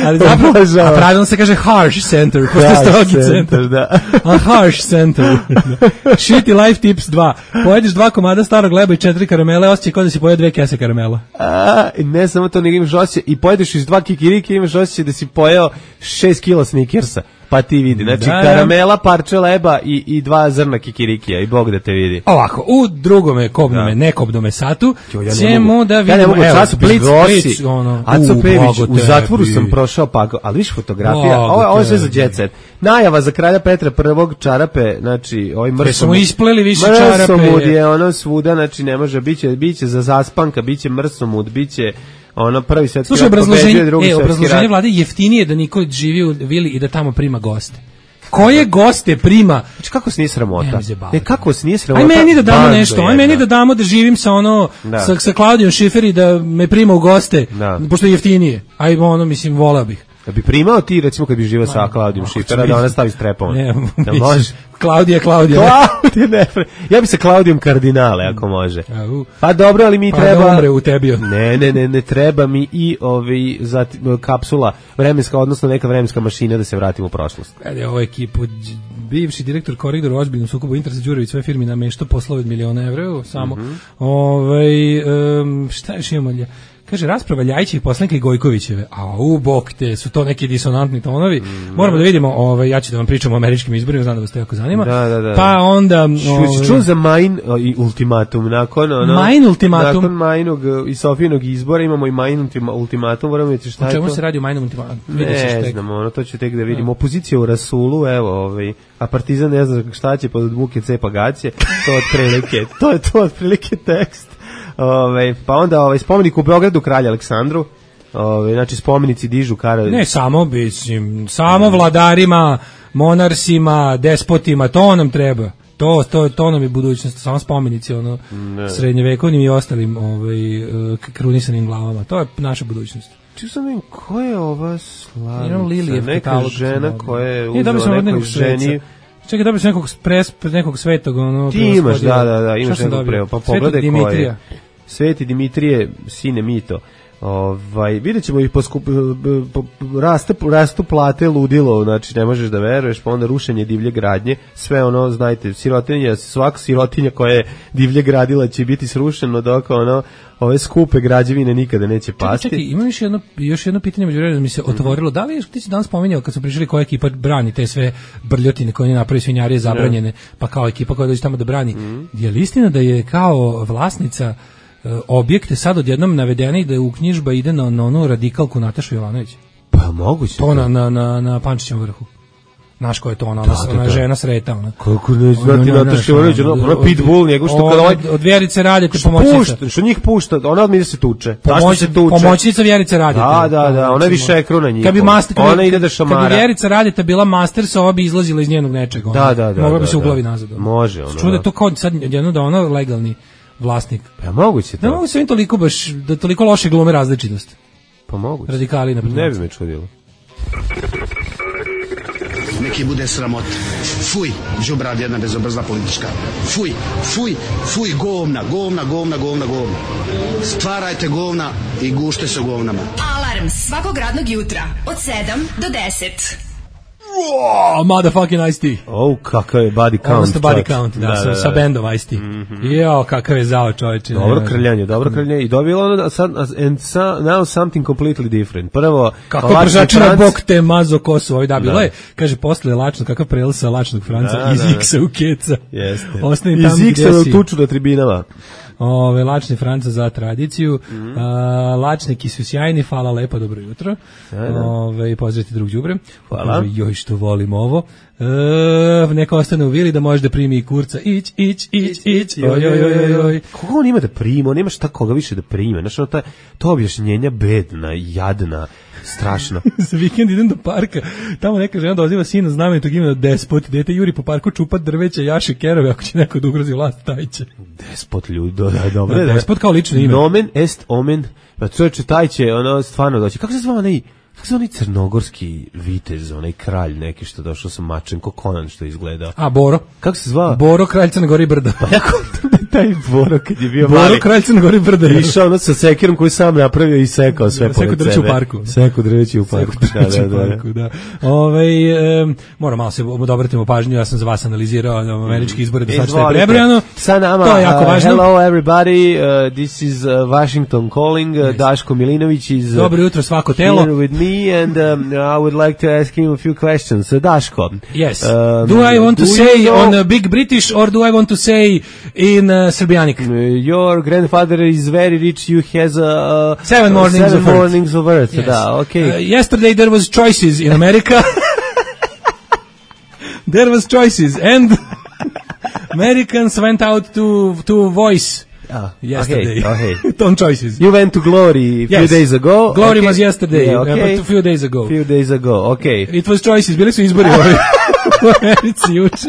Ali zapravo, a pravilno se kaže Harsh Center, pošto je strogi centar. Da. A Harsh Center. Shitty Life Tips dva. Pojedeš dva komada starog leba i četiri karamele, osjećaj kao da si pojeo dve kese karamela. A, ne samo to, nego imaš osjećaj, i pojedeš iz dva kikirike, imaš osjećaj da si pojeo šest kila Snickersa. Pa ti vidi, znači da, karamela, parče leba i, i dva zrna kikirikija i Bog da te vidi. Ovako, u drugome kobnome, da. nekobnome satu jo, ja ćemo da vidimo, ja ne mogu, evo, Blic, Blic, ono, Aco Pević, u zatvoru sam prošao, pa, ali viš fotografija, ovo, ovo je sve za jet set. Najava za kralja Petra prvog čarape, znači, ovaj mrsomud. Smo ispleli više čarape. Mrsomud je ono svuda, znači ne može, biće, biće za zaspanka, biće mrsomud, biće ono prvi svetski rat pobeđuje, drugi e, obrazloženje vlade jeftinije da niko živi u vili i da tamo prima goste. Koje goste prima? Znači kako se nije sramota? Ne, kako se nije sramota? Aj meni da damo nešto, aj meni da damo da živim sa ono, da. sa, sa Klaudijom Šifer i da me prima u goste, da. Pošto je jeftinije. Aj ono, mislim, volao bih. Da bi primao ti, recimo, kad bi živao sa Klaudijom Šifera, da ona stavi strepom. Ne, da može. Klaudija, Klaudija. Klaudija, ne. Ja bi sa Klaudijom kardinale, ako može. Pa dobro, ali mi pa treba... Pa da umre u tebi. Ne, ne, ne, ne, treba mi i ovi, zati, kapsula, vremenska, odnosno neka vremenska mašina da se vratimo u prošlost. Kada ovo ekipu, bivši direktor Koridora u ozbiljnom sukobu interesa Đurević svoje firmi nameštao poslove od miliona evra, samo. Mm-hmm. Ovaj, um, šta još imamo lje? Kaže, rasprava Ljajićih poslanika i Gojkovićeve. A u bok te, su to neki disonantni tonovi. Mm, Moramo da vidimo, ovaj, ja ću da vam pričam o američkim izborima, znam da vas to jako zanima. Da, da, da. Pa onda... Ovaj, čuo za Main i ultimatum. Nakon, ono, Main ultimatum. Nakon Mainog i Sofijinog izbora imamo i Main ultimatum. Moramo vidjeti šta je to. U čemu se radi o Main ultimatum? Ne znam, ono, to ću tek da vidimo. Opozicija u Rasulu, evo, ovaj, a Partizan ne zna šta će pod buke cepa gaće. To je otprilike, to je to otprilike tekst. Ove, pa onda ovaj spomenik u Beogradu kralju Aleksandru, ove, znači spomenici dižu kara... Ne samo, mislim, samo vladarima, monarsima, despotima, to nam treba. To, to, to nam je budućnost, samo spomenici ono, srednjevekovnim i ostalim ovaj, krunisanim glavama. To je naša budućnost. Ču sam vidim, ko je ova slavica? Lilije, neka žena koja je uzela nekoj ženi... Čekaj, dobio sam nekog, pres, nekog svetog. Ono, ti imaš, da, da, da, imaš nekog preo. Pa pogledaj ko je. Sveti Dimitrije, sine Mito. Ovaj, vidjet ćemo ih poskup, po, raste, rastu plate ludilo, znači ne možeš da veruješ, pa onda rušenje divlje gradnje, sve ono, znajte, sirotinja, svaka sirotinja koja je divlje gradila će biti srušeno, dok ono, ove skupe građevine nikada neće pasti. Čekaj, čekaj, ima još jedno, još jedno pitanje među redom mi se otvorilo, da li je, ti si danas spominjao kad smo pričali koja ekipa brani te sve brljotine koje ne napravi svinjarije zabranjene, pa kao ekipa koja dođe tamo da brani, mm. je li istina da je kao vlasnica objekte sad odjednom navedene i da je uknjižba ide na, na onu radikalku Natašu Jovanović? Pa moguće. To na, na, na, na Pančićevom vrhu. Znaš ko je to, ona, ona, da, da, ona žena sreta. Ona. Kako ne znati Nataša Jovanović, ona, ona pitbull, njegov što kada ovaj... Od Vjerice Radete pomoćnica. Pušta, što njih pušta, ona odmah ide se tuče. Pomoć, se tuče. Pomoćnica Vjerice Radete. Da, da, da, ona je više ekruna njih. Kad bi master, ona ide da šamara. Kad bi Vjerica Radete bila master, sa ova bi izlazila iz njenog nečega. Da, da, da. Mogla bi se u glavi nazad. Može, ona. Čude to kao sad jedno da ona legalni vlasnik. Pa moguće to. Ne mogu se im toliko baš, da toliko loše glume različitost. Pa moguće. Radikali, naprijed. Ne bi me čudilo. Neki bude sramot. Fuj, đubrad jedna bezobrazna politička. Fuj, fuj, fuj, govna, govna, govna, govna, govna. Stvarajte govna i gušte se govnama. Alarm svakog radnog jutra od sedam do deset. Oh, motherfucking Ice-T. Oh, kakav je body count. Odnosno body count, da, da, sa, da, da. sa bendom Ice-T. Mm-hmm. Jo, kakav je zao čovječe. Dobro krljanje, dobro krljanje. I dobilo ono, sad, and so, now something completely different. Prvo, kako pržačina bok te mazo kosu, ovaj da, bilo je, kaže, posle lačno, kakav prelaz sa lačnog Franca, da, iz da, X-a u Keca. Jeste. Ostajem iz tamo X-a u tuču na tribinama. Ove, lačni Franca za tradiciju. Mm-hmm. A, lačniki su sjajni, hvala lepo, dobro jutro. Ove, pozdravite drug đubre. Hvala. Kaže, joj što volim ovo. E, neka ostane u vili da može da primi i kurca. Ić, ić, ić, ić. Oj, oj, oj, oj. Koga on ima da prima? On nema šta koga više da prime. Znaš, ono, ta, to objašnjenja bedna, jadna, strašno. Za vikend idem do parka, tamo neka žena doziva sina znamenitog imena Despot, dete juri po parku čupat drveća, jaše kerove, ako će neko da ugrozi vlast, taj će. Despot, ljudi, da, da, dobro. Da, Despot kao lično ime. Nomen est omen, pa čovječe, taj će, ono, stvarno doći. Kako se zva onaj, kako se onaj crnogorski vitez, onaj kralj neki što došao sa mačem, ko Conan što je izgledao? A, Boro. Kako se zva? Boro, kralj Crne Gore i Brda. Pa jako taj Boro kad je bio Boro, mali. Boro, kralj Crne Gore i Brda. Išao ono sa sekirom koji sam napravio i sekao sve pored sebe. Seko drveće u parku. Seko drveće u parku. Seko drveće u parku, da. Ove, um, moram malo se obratimo pažnju, ja sam za vas analizirao američki izbore, da sad što je prebrojano. Sa nama, to je jako važno. Uh, hello everybody, uh, this is uh, Washington calling, uh, yes. Daško Milinović is uh, dobro jutro svako telo. Here with me and um, I would like to ask him a few questions. Uh, Daško. Yes. Um, do I want to say know, on uh, Big British or do I want to say in uh, Serbianic? Uh, your grandfather is very rich. You has a uh, seven mornings, uh, seven of, mornings earth. of Earth. Yes. Da, okay. Uh, yesterday there was choices in America. There was choices and Americans went out to to voice. Oh, yesterday. Okay, okay. Tom choices. You went to Glory a few yes. days ago. Glory okay. was yesterday, yeah, okay. uh, but a few days ago. Few days ago, okay. It was choices, bili su izbori u Americi juče.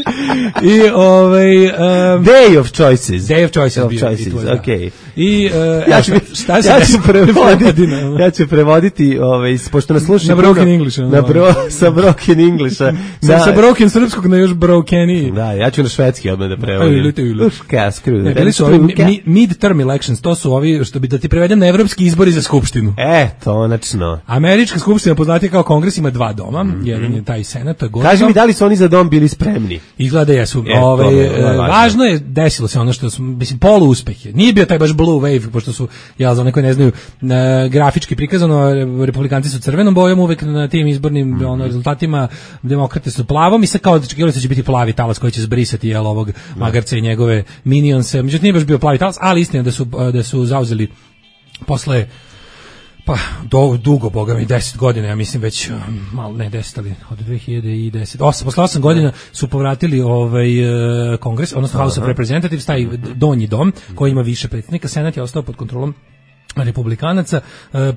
I ovaj um, Day of choices. Day of choices. Of bio, choices, was, okay. I uh, ja ću, šta se ja ću prevoditi, ja ću prevoditi, ovaj, pošto nas slušaju na broken English, na bro, sa broken Englisha, sa, sa broken srpskog na još brokeni. Da, ja ću na švedski odmah da prevodim. Uška, skru. Ne, bili su ovi mid-term elections, to su ovi, što bi da ti prevedem na evropski izbori za skupštinu. E, tonačno. Američka skupština poznatija kao kongres ima dva doma, mm-hmm. jedan je taj senat, to je Gordo. Kaži mi, da li su oni za dom bili spremni? Izgleda jesu. E, Ove, je, je važno je, desilo se ono što su, mislim, polu uspeh je. Nije bio taj baš blue wave, pošto su, ja za one koji ne znaju, e, grafički prikazano, republikanci su crvenom bojom uvek na tim izbornim mm-hmm. ono, rezultatima, demokrate su plavom i sad kao očekivali se će biti plavi talas koji će zbrisati jel, ovog magarca i njegove minionse. Međutim, nije baš bio plavi talas, ali istina da su, da su zauzeli posle pa do, dugo, boga mi, deset godina, ja mislim već, malo ne deset, ali od dve hiljade deset, osam, posle osam godina su povratili ovaj kongres, odnosno House of Representatives, taj donji dom, koji ima više predsjednika, senat je ostao pod kontrolom republikanaca,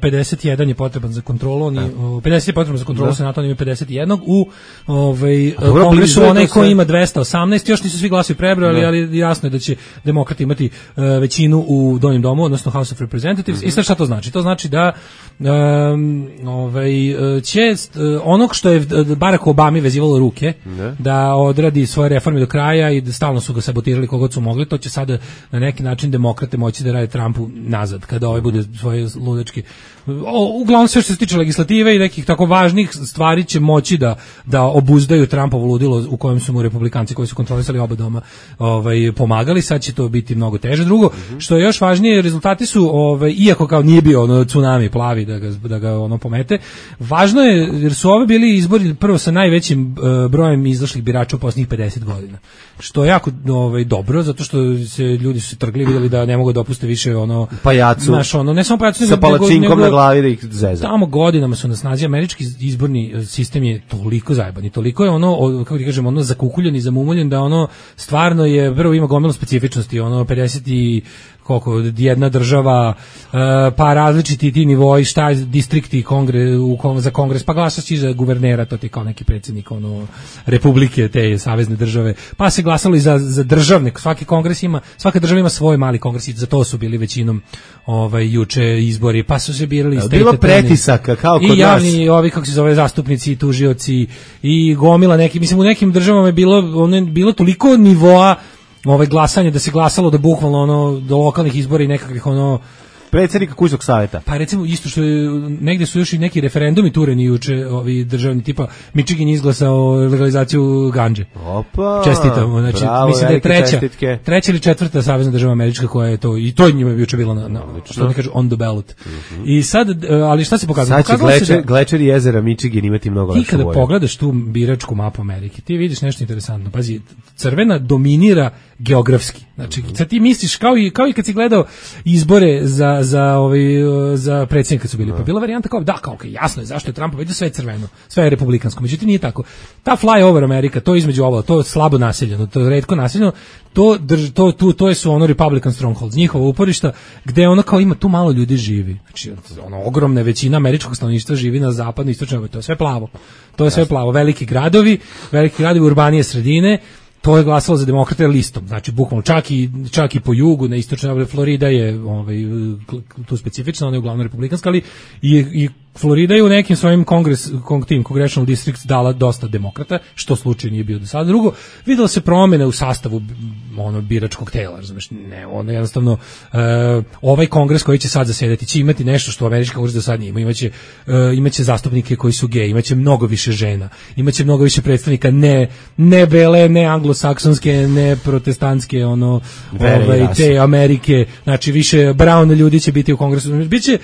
pedeset jedan je potreban za kontrolu, oni pedeset je potreban za kontrolu senata, oni imaju pedeset jedan u ovaj kongresu onaj koji ima dvesta osamnaest, još nisu svi glasovi prebrojali, ali jasno je da će demokrati imati uh, većinu u donjem domu, odnosno House of Representatives. Mm-hmm. I sad šta to znači? To znači da um, ovaj će uh, onog što je Barack Obami vezivalo ruke ne. da odradi svoje reforme do kraja i da stalno su ga sabotirali kogod su mogli, to će sada na neki način demokrate moći da rade Trumpu nazad kada ovaj bude svoje ludački. O, uglavnom sve što se tiče legislative i nekih tako važnih stvari će moći da da obuzdaju Trumpovo ludilo u kojem su mu republikanci koji su kontrolisali oba doma ovaj pomagali, sad će to biti mnogo teže. Drugo, mm-hmm. što je još važnije, rezultati su ovaj iako kao nije bio ono tsunami plavi da ga da ga ono pomete. Važno je jer su ove bili izbori prvo sa najvećim uh, brojem izašlih birača u poslednjih pedeset godina. Što je jako ovaj dobro zato što se ljudi su se trgli, videli da ne mogu da opuste više ono pajacu. Naš ono ne samo pajacu sa palačinkom na glavi da ih zeza. Tamo godinama su na snazi američki izborni sistem je toliko zajeban i toliko je ono kako ti kažem ono zakukuljen i zamumuljen da ono stvarno je prvo ima gomilu specifičnosti, ono pedeset i koliko jedna država, pa različiti ti nivoi, šta distrikti kongre, u, za kongres, pa glasaš i za guvernera, to ti kao neki predsjednik ono, republike, te savezne države, pa se glasalo i za, za državne, svaki kongres ima, svaka država ima svoj mali kongres i za to su bili većinom ovaj, juče izbori, pa su se birali bilo pretisaka, kao kod i javni, nas. Ovi, kako se zove, zastupnici, tužioci i gomila neki, mislim u nekim državama je bilo, ono, bilo toliko nivoa ovaj glasanje da se glasalo da bukvalno ono do lokalnih izbora i nekakvih ono predsjednika kućnog savjeta. Pa recimo isto što je, negde su još i neki referendumi tureni juče, ovi državni, tipa Michigan izglasao legalizaciju gandže. Opa. Čestitamo, znači bravo, mislim da je treća, čestitke. treća ili četvrta savezna država američka koja je to, i to njima je juče bilo na, na što ne kažu on the ballot. Mm-hmm. I sad, ali šta se pokazalo? Sad će glečer, da, glečer jezera Michigan imati mnogo lakše boje. Ti kada pogledaš tu biračku mapu Amerike, ti vidiš nešto interesantno. Pazi, crvena dominira geografski. Znači, sad ti misliš kao i kao i kad si gledao izbore za za ovaj za predsjednika su bili, pa bila varijanta kao da kao okay, jasno je zašto je Trump vidio sve je crveno, sve je republikansko. Međutim nije tako. Ta flyover Amerika, to između ovo, to slabo naseljeno, to je retko naseljeno, to drž, to tu to je su ono Republican strongholds, njihova uporišta gde ono kao ima tu malo ljudi živi. Znači ono ogromna većina američkog stanovništva živi na zapadnoj istočnoj, to je sve plavo. To je sve plavo, veliki gradovi, veliki gradovi, urbanije sredine. To je glasalo za demokrate listom, znači bukvalno čak i čak i po jugu na istočnoj Florida je ovaj tu specifično, ona je uglavnom republikanska, ali i, i Florida je u nekim svojim kongres kong tim congressional districts dala dosta demokrata, što slučaj nije bio do sada. Drugo, videlo se promene u sastavu ono biračkog tela, razumeš, ne, ono jednostavno uh, ovaj kongres koji će sad zasedati će imati nešto što američki kongres do sad nije imao, imaće uh, imaće zastupnike koji su gej, imaće mnogo više žena, imaće mnogo više predstavnika ne ne bele, ne anglosaksonske, ne protestantske, ono ovaj, te Amerike, znači više brown ljudi će biti u kongresu, biće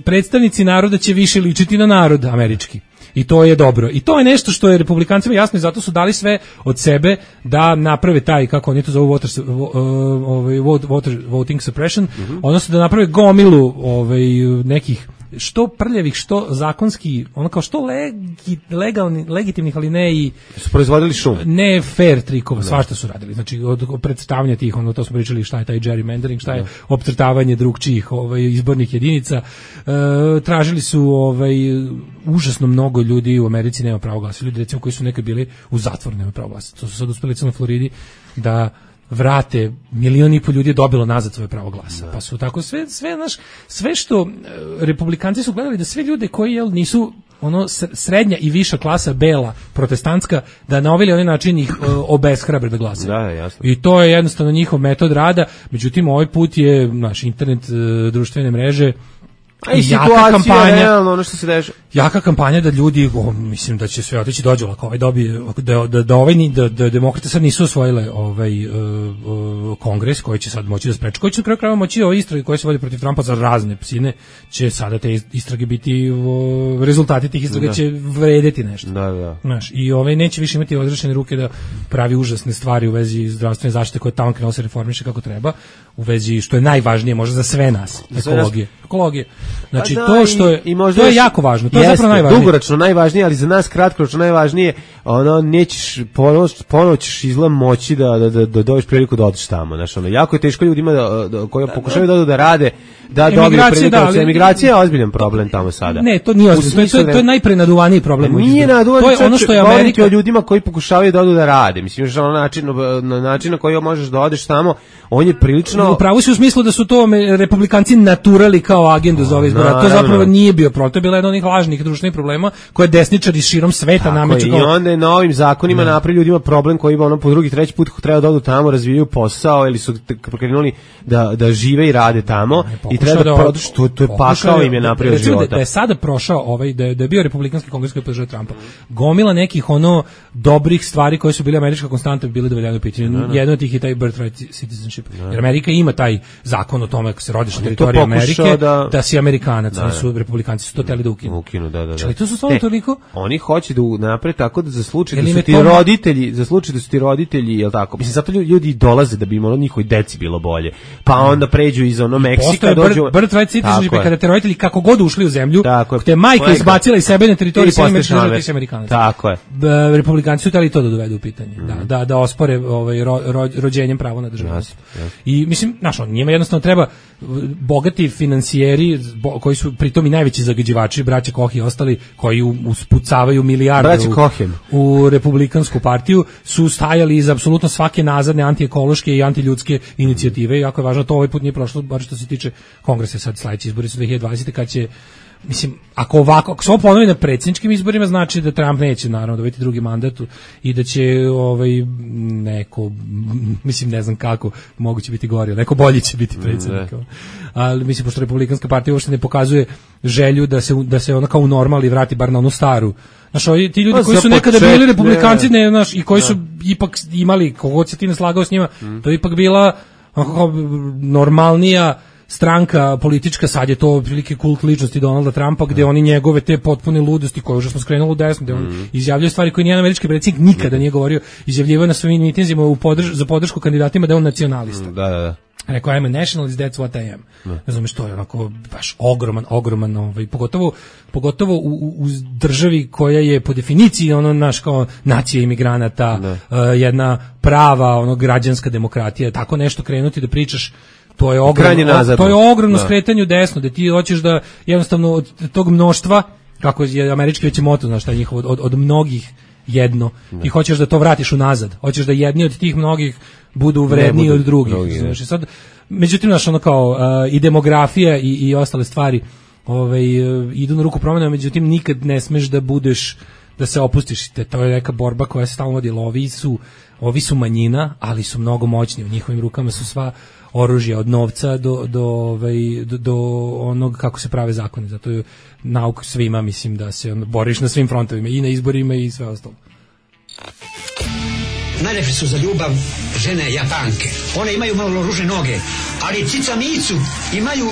predstavnici naroda će više ličiti na narod američki. I to je dobro. I to je nešto što je republikancima jasno i zato su dali sve od sebe da naprave taj, kako oni to zovu, voter, ovaj, voter, voting suppression, mm-hmm. odnosno da naprave gomilu ovaj, nekih što prljavih, što zakonski, ono kao što legi, legalni, legitimnih, ali ne i su proizvodili šum. Ne fair trikova, svašta su radili. Znači od, od predstavljanja tih, ono to smo pričali šta je taj gerrymandering, šta je opcrtavanje drugčijih ovaj izbornih jedinica. E, tražili su ovaj užasno mnogo ljudi u Americi nema pravo glasa. Ljudi recimo koji su nekad bili u zatvoru nema pravo glasa. To su sad uspeli na Floridi da vrate, milion i po ljudi je dobilo nazad svoje pravo glasa. Da. Pa su tako sve sve naš sve što republikanci su gledali da sve ljude koji jel nisu ono srednja i viša klasa bela protestantska da na ovaj način ih obeshrabre da glasaju. Da, jasno. I to je jednostavno njihov metod rada. Međutim ovaj put je naš internet, društvene mreže, a i jaka kampanja, realno, ono što se dešava. Jaka kampanja da ljudi, o, mislim da će sve otići dođe lako, ovaj dobije da da da ovaj da, da demokrate sad nisu osvojile ovaj uh, uh, kongres koji će sad moći da spreči, koji će kraj krajeva moći ove istrage koje se vode protiv Trumpa za razne psine, će sada te istrage biti uh, rezultati tih istraga da. Će vredeti nešto. Da, da. Znaš, i ovaj neće više imati odrešene ruke da pravi užasne stvari u vezi zdravstvene zaštite koje tamo krenuo se reformiše kako treba, u vezi što je najvažnije možda za sve nas, ekologije. Ekologije. Znači pa da, to što je i, i to je jako važno. To je zapravo najvažnije. Dugoročno najvažnije, ali za nas kratkoročno najvažnije, ono nećeš ponoć ponoć izgleda moći da da da, da dobiješ priliku da odeš tamo, znači ono jako je teško ljudima da, da koji da, pokušavaju da, da rade da dobiju priliku. Da, ali, emigracija je ozbiljan problem tamo sada. Ne, to nije ozbiljan, to, to, to je najprenaduvaniji problem. Nije naduvani, to je ono što je Amerika o ljudima koji pokušavaju da odu da rade. Mislim že na način na način na koji možeš da odeš tamo, on je prilično. Upravo si u smislu da su to republikanci naturali kao agendu za ove izbore. To zapravo nije bio problem, to je bila jedna od onih lažnih društvenih problema koje desničari širom sveta nameću. I onda je novim zakonima napravili ljudima problem koji ono po drugi treći put treba da odu tamo, razvijaju posao ili su krenuli da da žive i rade tamo i treba da produ što to je pakao im je napravio života. Da je sada prošao ovaj da je, da je bio republikanski kongres koji podržao Trumpa. Gomila nekih ono dobrih stvari koje su bile američka konstanta bile dovedene u pitanje. Jedno od tih je taj birthright citizenship. Jer Amerika ima taj zakon o tome kako se rodiš na teritoriji Amerike da, da si Amerikanac, da, su republikanci su to hteli da ukinu. Ukinu, da, da, da. Čali, to su stvarno toliko. Oni hoće da naprave tako da za slučaj da su ti roditelji, za slučaj da su ti roditelji, jel tako? Mislim zato ljudi dolaze da bi im ono njihovi deci bilo bolje. Pa onda pređu iz ono Meksika dođu. Birthright citizenship kada te roditelji kako god ušli u zemlju, te majka izbacila iz sebe na teritoriji sve Amerikanaca. Tako je. Republikanci su hteli to da dovedu u pitanje. Da, da, da ospore ovaj rođenjem pravo na državnost. I mislim, znaš, on njima jednostavno treba bogati finansijeri bo, koji su pritom i najveći zagađivači, braća Koch i ostali, koji uspucavaju milijarde u, u republikansku partiju, su stajali iza apsolutno svake nazadne antiekološke i antiljudske inicijative. I jako je važno, to ovaj put nije prošlo, bar što se tiče kongresa. Sad sledeći izbori su dve hiljade dvadesete kad će mislim, ako ovako, ako se ovo ponovi na predsjedničkim izborima, znači da Trump neće naravno dobiti drugi mandat i da će ovaj neko, mislim ne znam kako, moguće biti gori, neko bolji će biti predsjednik. Ne. Ali mislim, pošto Republikanska partija uopšte ne pokazuje želju da se, da se ona kao u normali vrati bar na onu staru. Znaš, ovi, ti ljudi koji su nekada bili republikanci ne, ne, znaš, i koji su ipak imali, kogod se ti ne slagao s njima, to je ipak bila kao normalnija stranka politička, sad je to otprilike kult ličnosti Donalda Trumpa, gde oni njegove te potpune ludosti koje užasno skrenuli u desno, gde on mm. izjavljuje stvari koje nijedan američki predsjednik nikada nije govorio, izjavljivao na svojim mitinzima u podrž, za podršku kandidatima da je on nacionalista. Mm, da, da, da. Rekao, I'm a nationalist, that's what I am. Ne znam što je onako baš ogroman, ogroman, ovaj, pogotovo, pogotovo u, u državi koja je po definiciji ono naš kao nacija imigranata, uh, jedna prava, ono građanska demokratija, tako nešto krenuti da pričaš. To je ogromno, to je ogromno da. skretanje u desno, da ti hoćeš da jednostavno od tog mnoštva, kako je američki već moto, znaš šta je njihovo, od, od mnogih jedno, da. Ti hoćeš da to vratiš unazad, hoćeš da jedni od tih mnogih budu vredniji budu od drugih. Drugi, znaš, sad, međutim, znaš, ono kao uh, i demografija i, i ostale stvari ovaj, uh, idu na ruku promjena, međutim nikad ne smeš da budeš, da se opustiš, te, to je neka borba koja se stalno vodila, ovi su, ovi su manjina, ali su mnogo moćni, u njihovim rukama su sva oružje od novca do, do, ovaj, do, do onog kako se prave zakone. Zato je nauk svima, mislim, da se on, boriš na svim frontovima, i na izborima i sve ostalo. Najlepše su za ljubav žene Japanke. One imaju malo ružne noge, ali cica micu imaju,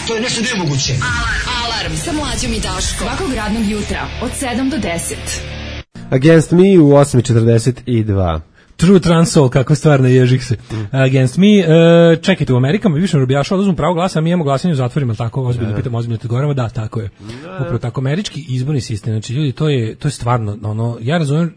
to je nešto nemoguće. Alarm, alarm sa Mlađom i Daškom. Svakog radnog jutra od sedam do deset. Against Me u osam četrdeset dva. True Trans Soul, kako stvarno ježih se. Mm. Against Me, uh, čekajte, u Amerikama bi više robijašao oduzmu pravo glasa, mi imamo glasanje u zatvorima, tako ozbiljno, pitam ozbiljno te govorimo, da, tako je. Upravo tako, američki izborni sistem, znači ljudi, to je, to je stvarno, ono, ja razumijem,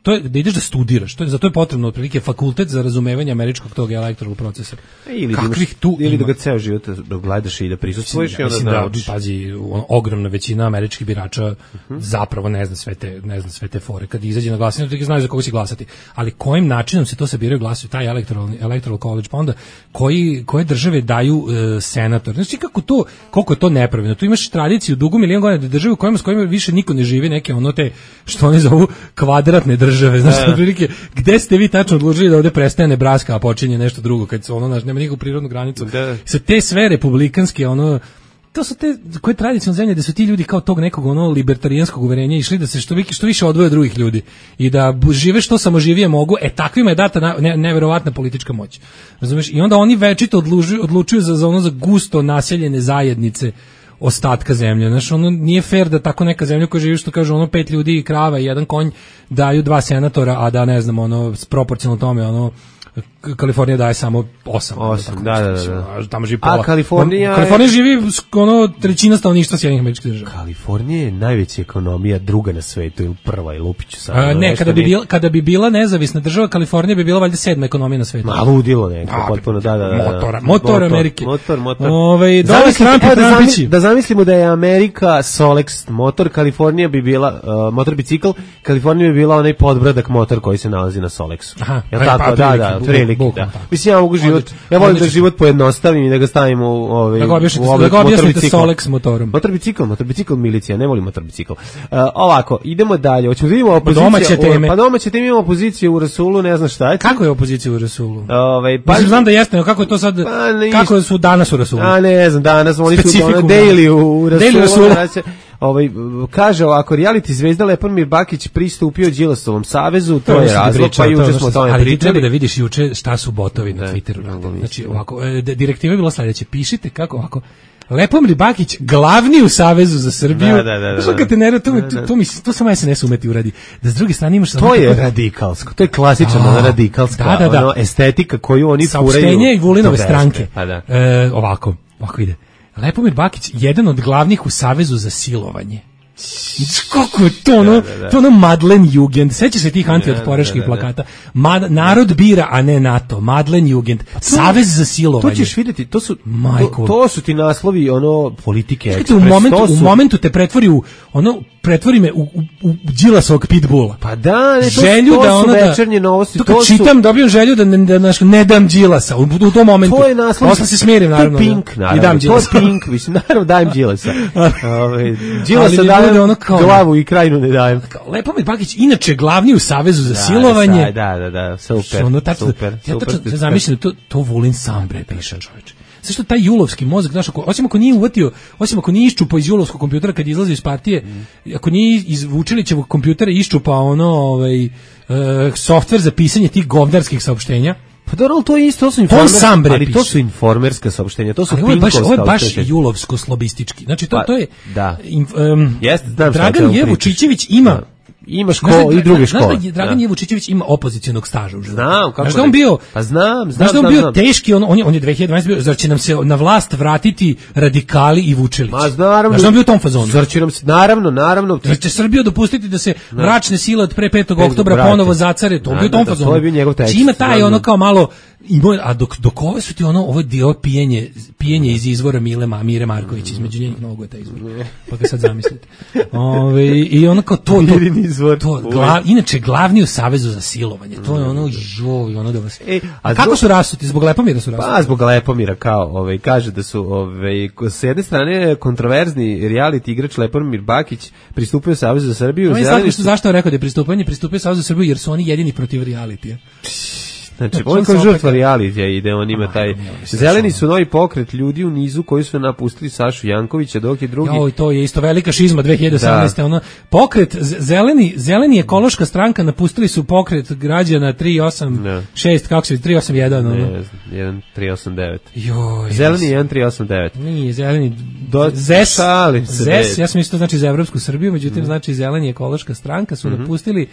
to je da ideš da studiraš, to je, zato je potrebno otprilike fakultet za razumevanje američkog tog electoral procesa. E, ili kakvih tu ili da ga ceo život da gledaš i da prisustvuješ i onda da, da pazi, ogromna većina američkih birača uh-huh. zapravo ne zna sve te, ne zna sve te fore. Kad izađe na glasanje, to znaju za koga će glasati. Ali kojim načinom se to sabiraju glasuju, taj electoral, electoral college, pa onda koji, koje države daju uh, senator. Znači kako to, koliko je to nepravilno. Tu imaš tradiciju dugu milion godina da države u kojima s kojima više niko ne živi, neke ono te, što oni zovu kvadratne države. Države, znači da. Prilike, gde ste vi tačno odlučili da ovde prestaje Nebraska, a počinje nešto drugo, kad se ono naš nema nikakvu prirodnu granicu. Da. Sa te sve republikanske ono, to su te koje tradicionalne zemlje da su ti ljudi kao tog nekog ono libertarijanskog uverenja išli da se što više što više odvoje od drugih ljudi i da žive što samoživije mogu, e takvima je data na, ne, neverovatna politička moć. Razumeš? I onda oni večito odlučuju, odlučuju za, za ono za gusto naseljene zajednice ostatka zemlje. Znaš, ono nije fair da tako neka zemlja koja živi, što kaže, ono pet ljudi i krava i jedan konj daju dva senatora, a da ne znam, ono proporcionalno tome, ono Kalifornija daje samo osam. osam, da, da, da. Tamo živi pola. A Kalifornija... Kalifornija živi ono trećina stanovništva Sjedinjenih Američkih Država. Kalifornija je najveća ekonomija, druga na svetu ili prva, ili Lupiću sad. A, ne, kada bi, bila, kada bi bila nezavisna država, Kalifornija bi bila valjda sedma ekonomija na svetu. Ma, ludilo neko, a, potpuno, da, da, da. Motor, motor Amerike. Motor, motor. Ove, dole Trump i Trumpići. Da zamislimo da je Amerika Solex motor, Kalifornija bi bila, uh, motor bicikl, Kalifornija bi bila onaj podbradak motor koji se nalazi na Solexu. Aha, ja tako, pa, da, da, prilike, da. Mislim, ja mogu život, ja volim da život pojednostavim i da ga stavim u ovaj, da ga objasnite Solex motorom. Motor bicikl, motor bicikl milicija, ne volim motor bicikl. Uh, ovako, idemo dalje. Hoćemo da vidimo opoziciju. Domaće teme. Pa domaće teme, imamo opoziciju u Rasulu, ne znam šta je. Kako je opozicija u Rasulu? Ovaj, pa mislim, znam da jeste, kako je to sad, pa, ne, kako su danas u Rasulu? A ne znam, danas oni su na daily u Rasulu. Daily Rasulu. Ovaj, kaže ovako, reality zvezda Lepomir Bakić pristupio Đilasovom savezu, to, to je razlog, pa juče smo o tome pričali. Ali treba da vidiš juče šta su botovi na Twitteru. Ne, znači, ovako, direktiva je bila sledeće, pišite kako ovako, Lepomir Bakić glavni u Savezu za Srbiju. Da, da, da. da, da. Te ne, to, da, da. to, mi, to samo S N S umeti uradi. Da s druge strane imaš... To je tako... radikalsko, to je klasična oh, radikalska da, da, da. Ono, estetika koju oni furaju. Saopštenje i Vulinove stranke. Pa da. E, ovako, ovako ide. Lepomir Bakić, jedan od glavnih u Savezu za silovanje. Kako je to ono, da, da, da. to ono Madlen Jugend, seća se tih antiotporaških da, da, da, plakata. Mad, narod bira, a ne NATO. Madlen Jugend, to, Savez za silovanje. To ćeš vidjeti, to su, to, to su ti naslovi ono politike. Ekspres, u, momentu, su... u momentu te pretvori u, ono, pretvori me u, u, u Đilasovog pitbulla. Pa da, ne, to, želju to da su ono večernje novosti. To kad to čitam, su... dobijem želju da ne, da, da, ne dam Đilasa u, u tom momentu. To je naslov. Posle se smirim, naravno. To je Pink, naravno. I dam Đilasa. To je Pink, mislim, naravno dajem Đilasa. Ove, Đilasa dajem ono kao, glavu i krajinu ne dajem. Lepomir Bakić, inače glavni u Savezu za da, silovanje. Da, da, da, super, ono, tačno, super. Ja super, tačno zamišljam da to, to Vulin sam bre piše, čoveče. Sve što taj julovski mozak, znaš, ako, osim ako nije uvatio, osim ako nije iščupao iz julovskog kompjutera kad izlazi iz partije, mm. ako nije iz Vučilićevog kompjutera iščupao ono, ovaj, uh, softver za pisanje tih govnarskih saopštenja. Pa dobro, to je isto, to su informerska, ali to su informerska saopštenja, to su pinkovska. Ovo je baš julovsko-slobistički. Znači, to, pa, to je... Da. In, um, Jest, znam Dragan Je Vučićević ima... Da. Ima školu i druge škole. Znaš da Dragan Jevučićević ima opozicionog staža u životu? Znam, kako znaš da on bio, pa znam, znam, znaš da on znam, bio znam. teški, on, on, je, on je dve hiljade dvanaeste bio, zar će nam se na vlast vratiti radikali i Vučilić? Ma naravno. Znaš da on bio u tom fazonu? Zar će nam se, naravno, naravno. Zar će Srbiju dopustiti da se no. mračne sile od pre petog oktobra brate. ponovo zacare? To no, bio u tom da, fazonu. To je bio njegov tekst. Ima taj ono kao malo, a dok, dok ove su ti ono, ovo dio pijenje, pijenje iz izvora Mile Ma, Mire Marković, između njenih mnogo je taj izvor. Pa ga sad zamislite. Ove, I ono kao to, to, to glav, inače glavni u Savezu za silovanje, to je ono, joj, ono da vas... E, a kako su rasuti? Zbog Lepomira su rasuti? Pa, zbog Lepomira, kao, ovaj, kaže da su, ovaj, s jedne strane, kontroverzni reality igrač Lepomir Bakić pristupio Savezu za Srbiju. Zeleni su... Zašto je rekao da je pristupanje? Pristupio Savezu za Srbiju jer su oni jedini protiv realitija. Znači, on kao žrtva realitija ide, on ima taj... Zeleni su novi pokret ljudi u nizu koji su napustili Sašu Jankovića, dok je drugi... Jo, to je isto velika šizma dve hiljade osamnaeste. Da. Ono, pokret, zeleni, zeleni ekološka stranka napustili su pokret građana tri osam šest, kako se tri osam jedan. Ono. Ne, jedan tri osam devet. Joj, zeleni jedan tri osam devet. Nije, zeleni... Do... Zes, Zes, ja sam isto znači za Evropsku Srbiju, međutim, mm. znači zeleni ekološka stranka su mm-hmm. napustili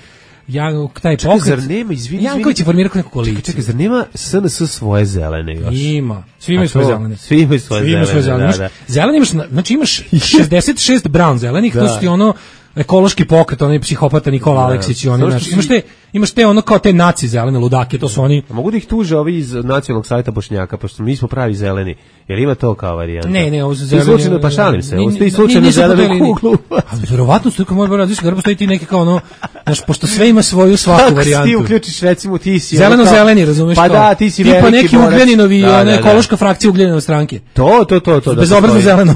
Ja, taj čekaj, pokret, zar nema, izvini, Janković je formirao neku koaliciju. Čekaj, čekaj, zar nema S N S svoje zelene još? Ima, svi imaju svoje zelene. Svi imaju svoje svi zelene, svoje zelene. Da, da. Zeleni imaš, znači imaš šezdeset šest brown zelenih, da. To su ti ono ekološki pokret, onaj psihopata Nikola da. Aleksić i oni, znači, si... imaš te, imaš te ono kao te naci zelene ludake, to su oni. A mogu da ih tuže ovi iz nacionalnog savjeta Bošnjaka, pošto mi smo pravi zeleni. Jel ima to kao varijanta? Ne, ne, ovo su zeleni. Slučajno, pa šalim se, ovo ste i slučajno zelenu kuglu. A verovatno su, moj bar različiti, postoji ti neki kao ono, znaš, pošto sve ima svoju svaku varijantu. Ti uključiš, recimo, ti si... Zeleno-zeleni, razumeš pa kao? Da, ti si veliki borac. Tipa neki Ugljaninovi, da, ona ekološka da. Frakcija Ugljaninove stranke. To, to, to. to bezobrazno zeleno.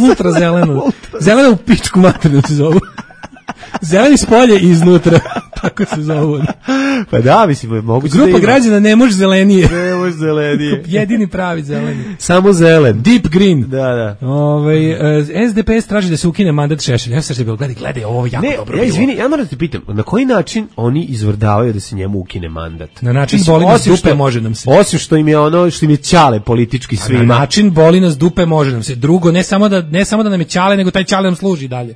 Ultra zeleno. Zeleno u pičku materinu se zovu. Zeleni spolje i iznutra, tako se zove. Pa da, mislim, moguće grupa da građana ne može zelenije. Ne može zelenije. Jedini pravi zeleni. Samo zelen. Deep green. Da, da. Ovaj S D P S traži da se ukine mandat Šešelja. Ja sam se bio gledaj, gledaj, ovo jako ne, dobro. Ja izvini, ja moram da te pitam, na koji način oni izvrdavaju da se njemu ukine mandat? Na način mislim, boli nas dupe što, može nam se. Osim što im je ono što im je ćale politički svima. Na način boli nas dupe može nam se. Drugo, ne samo da ne samo da nam je ćale, nego taj ćale nam služi dalje.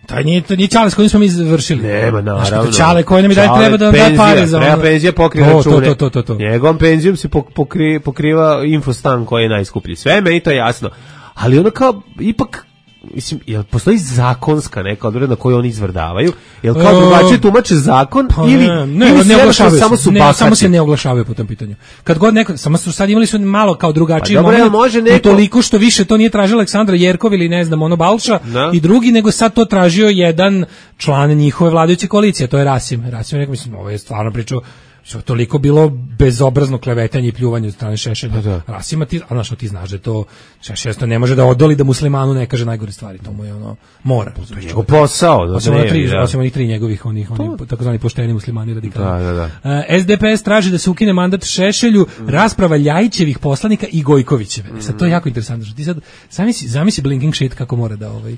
Taj nije, to nije čale s kojim smo mi završili. Nema, naravno. Čale koji nam je daj treba da nam daje pare za ono. Treba penzija pokriva račune. To, to, to, to. Njegovom penzijom se pokri, pokriva infostan koji je najskuplji. Sve meni to je jasno. Ali ono kao, ipak, mislim, jel postoji zakonska neka odredba na koju oni izvrdavaju? Jel kao drugačije tumače zakon pa ili, ne, ne, ili ne oglašavaju samo su bahati? Ne, samo se ne oglašavaju po tom pitanju. Kad god neko, samo su sad imali su malo kao drugačiji pa moment, može neko... toliko što više to nije tražila Aleksandra Jerkov ili ne znam, ono Balša no. i drugi, nego sad to tražio jedan član njihove vladajuće koalicije, to je Rasim. Rasim je, mislim, ovo je stvarno pričao, što je toliko bilo bezobrazno klevetanje i pljuvanje od strane Šešelja. Da. Rasima, ti, a znaš, ti znaš da to Šešelj ne može da odoli da muslimanu ne kaže najgore stvari, to mu je ono, mora. To je njegov posao. Da osim, tri, da. osim onih tri njegovih, onih, onih takozvani pošteni muslimani radikali. Da, da, da. Uh, S D P S traži da se ukine mandat Šešelju, mm. rasprava Ljajićevih poslanika i Gojkovićeve. Mm. Sad, to je jako interesantno. Što ti sad, zamisli, zamisli blinking shit kako mora da ovaj...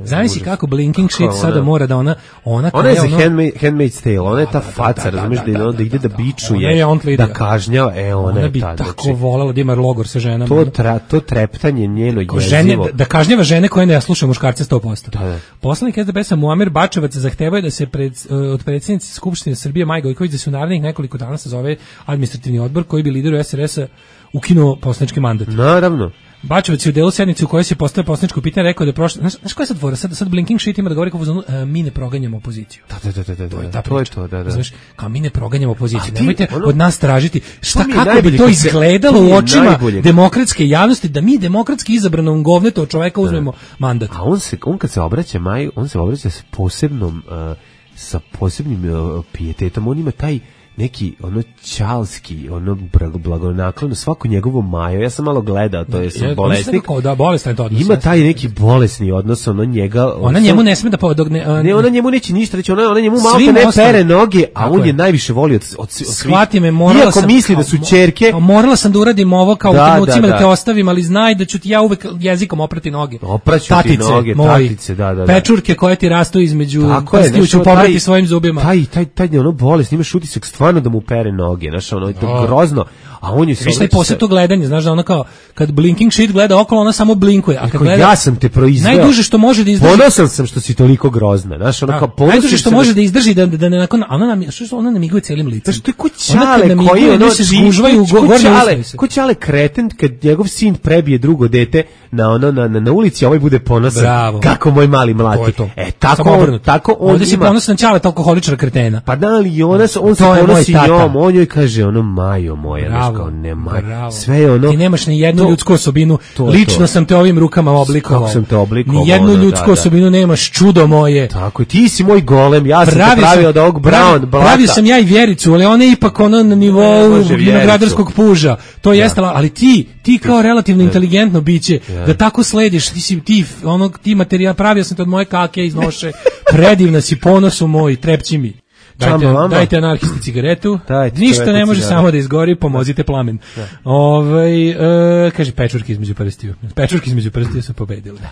Zamisli kako blinking shit sada mora da ona... Ona, ona je za ono, Handmaid's Tale, ona je ta faca, razumiješ da ide da ide da bičuje, da kažnjava, e ona, ona bi ta, tako znači, volela da ima logor sa ženama. To, tra, to treptanje njeno jezivo. Žene, da, da kažnjava žene koje ne slušaju muškarce sto posto. Da, da. Poslanik S D P S-a Muamer Bačevac zahtevaju da se pred, od predsjednice Skupštine Srbije Maje Gojković da se u narednih nekoliko dana sazove administrativni odbor koji bi lideru S R S-a ukinuo poslanički mandat. Naravno. Bačevac je u delu sednice u kojoj se postavlja poslaničko pitanje rekao da je prošlo, znaš, znaš koja je sad fora, sad, sad blinking shit ima da govori kao uh, mi ne proganjamo opoziciju. Da, da, da, da, to je da, ta to je priča. to, da, da. Znaš, kao mi ne proganjamo opoziciju, ti, nemojte ono, od nas tražiti šta kako bi to se, izgledalo u očima najbolje. demokratske javnosti da mi demokratski izabranom govnetu od čoveka uzmemo da. mandat. A on se, on kad se obraća Maju, on se obraća sa posebnom, uh, sa posebnim uh, pijetetom, on ima taj neki ono ćalski, ono blagonaklon, svako njegovo Majo, ja sam malo gledao, to je sam bolesnik. Da, bolestan to odnos. Ima taj neki bolesni odnos, ono njega... Ona njemu ne sme da podogne... Uh, ne, ona njemu neće ništa reći, ona, ona njemu malo ne pere noge, a on je najviše voli od, od, od svih. Shvati me, morala Iako sam... misli da su ćerke... Morala sam da uradim ovo kao da, u trenucima da, da, da te ostavim, ali znaj da ću ti ja uvek jezikom oprati noge. Opraću tatice, ti noge, moji, tatice, da, da, da. Pečurke koje ti rastu između prstiju ću pobrati svojim zubima. Taj, taj, taj, taj ono bolest, imaš utisak stvarno da mu pere noge, znaš, ono je to grozno, a on je se... Viš taj posle to gledanje, znaš da ono kao, kad blinking shit gleda okolo, ona samo blinkuje, a kad gleda... Ja sam te proizveo. Najduže što može da izdrži... Ponosan sam što si toliko grozna, znaš, ono kao ponosan... Najduže što može da izdrži, da, da ne nakon... Ona nam, što ona namiguje celim licem. Znaš, to je ko Ćale koji ono... se zgužvaju gornje usne. Ko Ćale kreten kad njegov sin prebije drugo dete na ono na, na, na ulici, a ovaj bude ponosan. Bravo. Kako moj mali mlati. To to. E, tako on, tako on ovdje si ponosan Ćale, alkoholičar kretena. Pa da li ona, on se ponosi njom, on joj kaže ono Majo moja, znaš kao ne Majo. Sve je ono... Ti nemaš ni jednu to, ljudsku osobinu, to, lično to. sam te ovim rukama oblikovao. Kako sam te oblikovao. Ni jednu ono, ljudsku da, osobinu da. nemaš, čudo moje. Tako, ti si moj golem, ja sam pravi te pravio sam, od ovog brown blata. Pravio sam ja i Vjericu, ali ona je ipak ono na nivou vinogradarskog puža. To jeste, ja. ali ti, ti kao relativno ja. inteligentno biće, ja. da tako slediš, ti si ti, onog, ti materijal, pravio sam te od moje kake iz noše, predivna si, ponosu moj, trepći mi. Dajte, dajte anarhisti cigaretu, dajte, ništa ne može cigaret. Samo da izgori, pomozite plamen. Da. Ove, e, kaže, pečurke između prstiju. Pečurke između prstiju su pobedili. Da.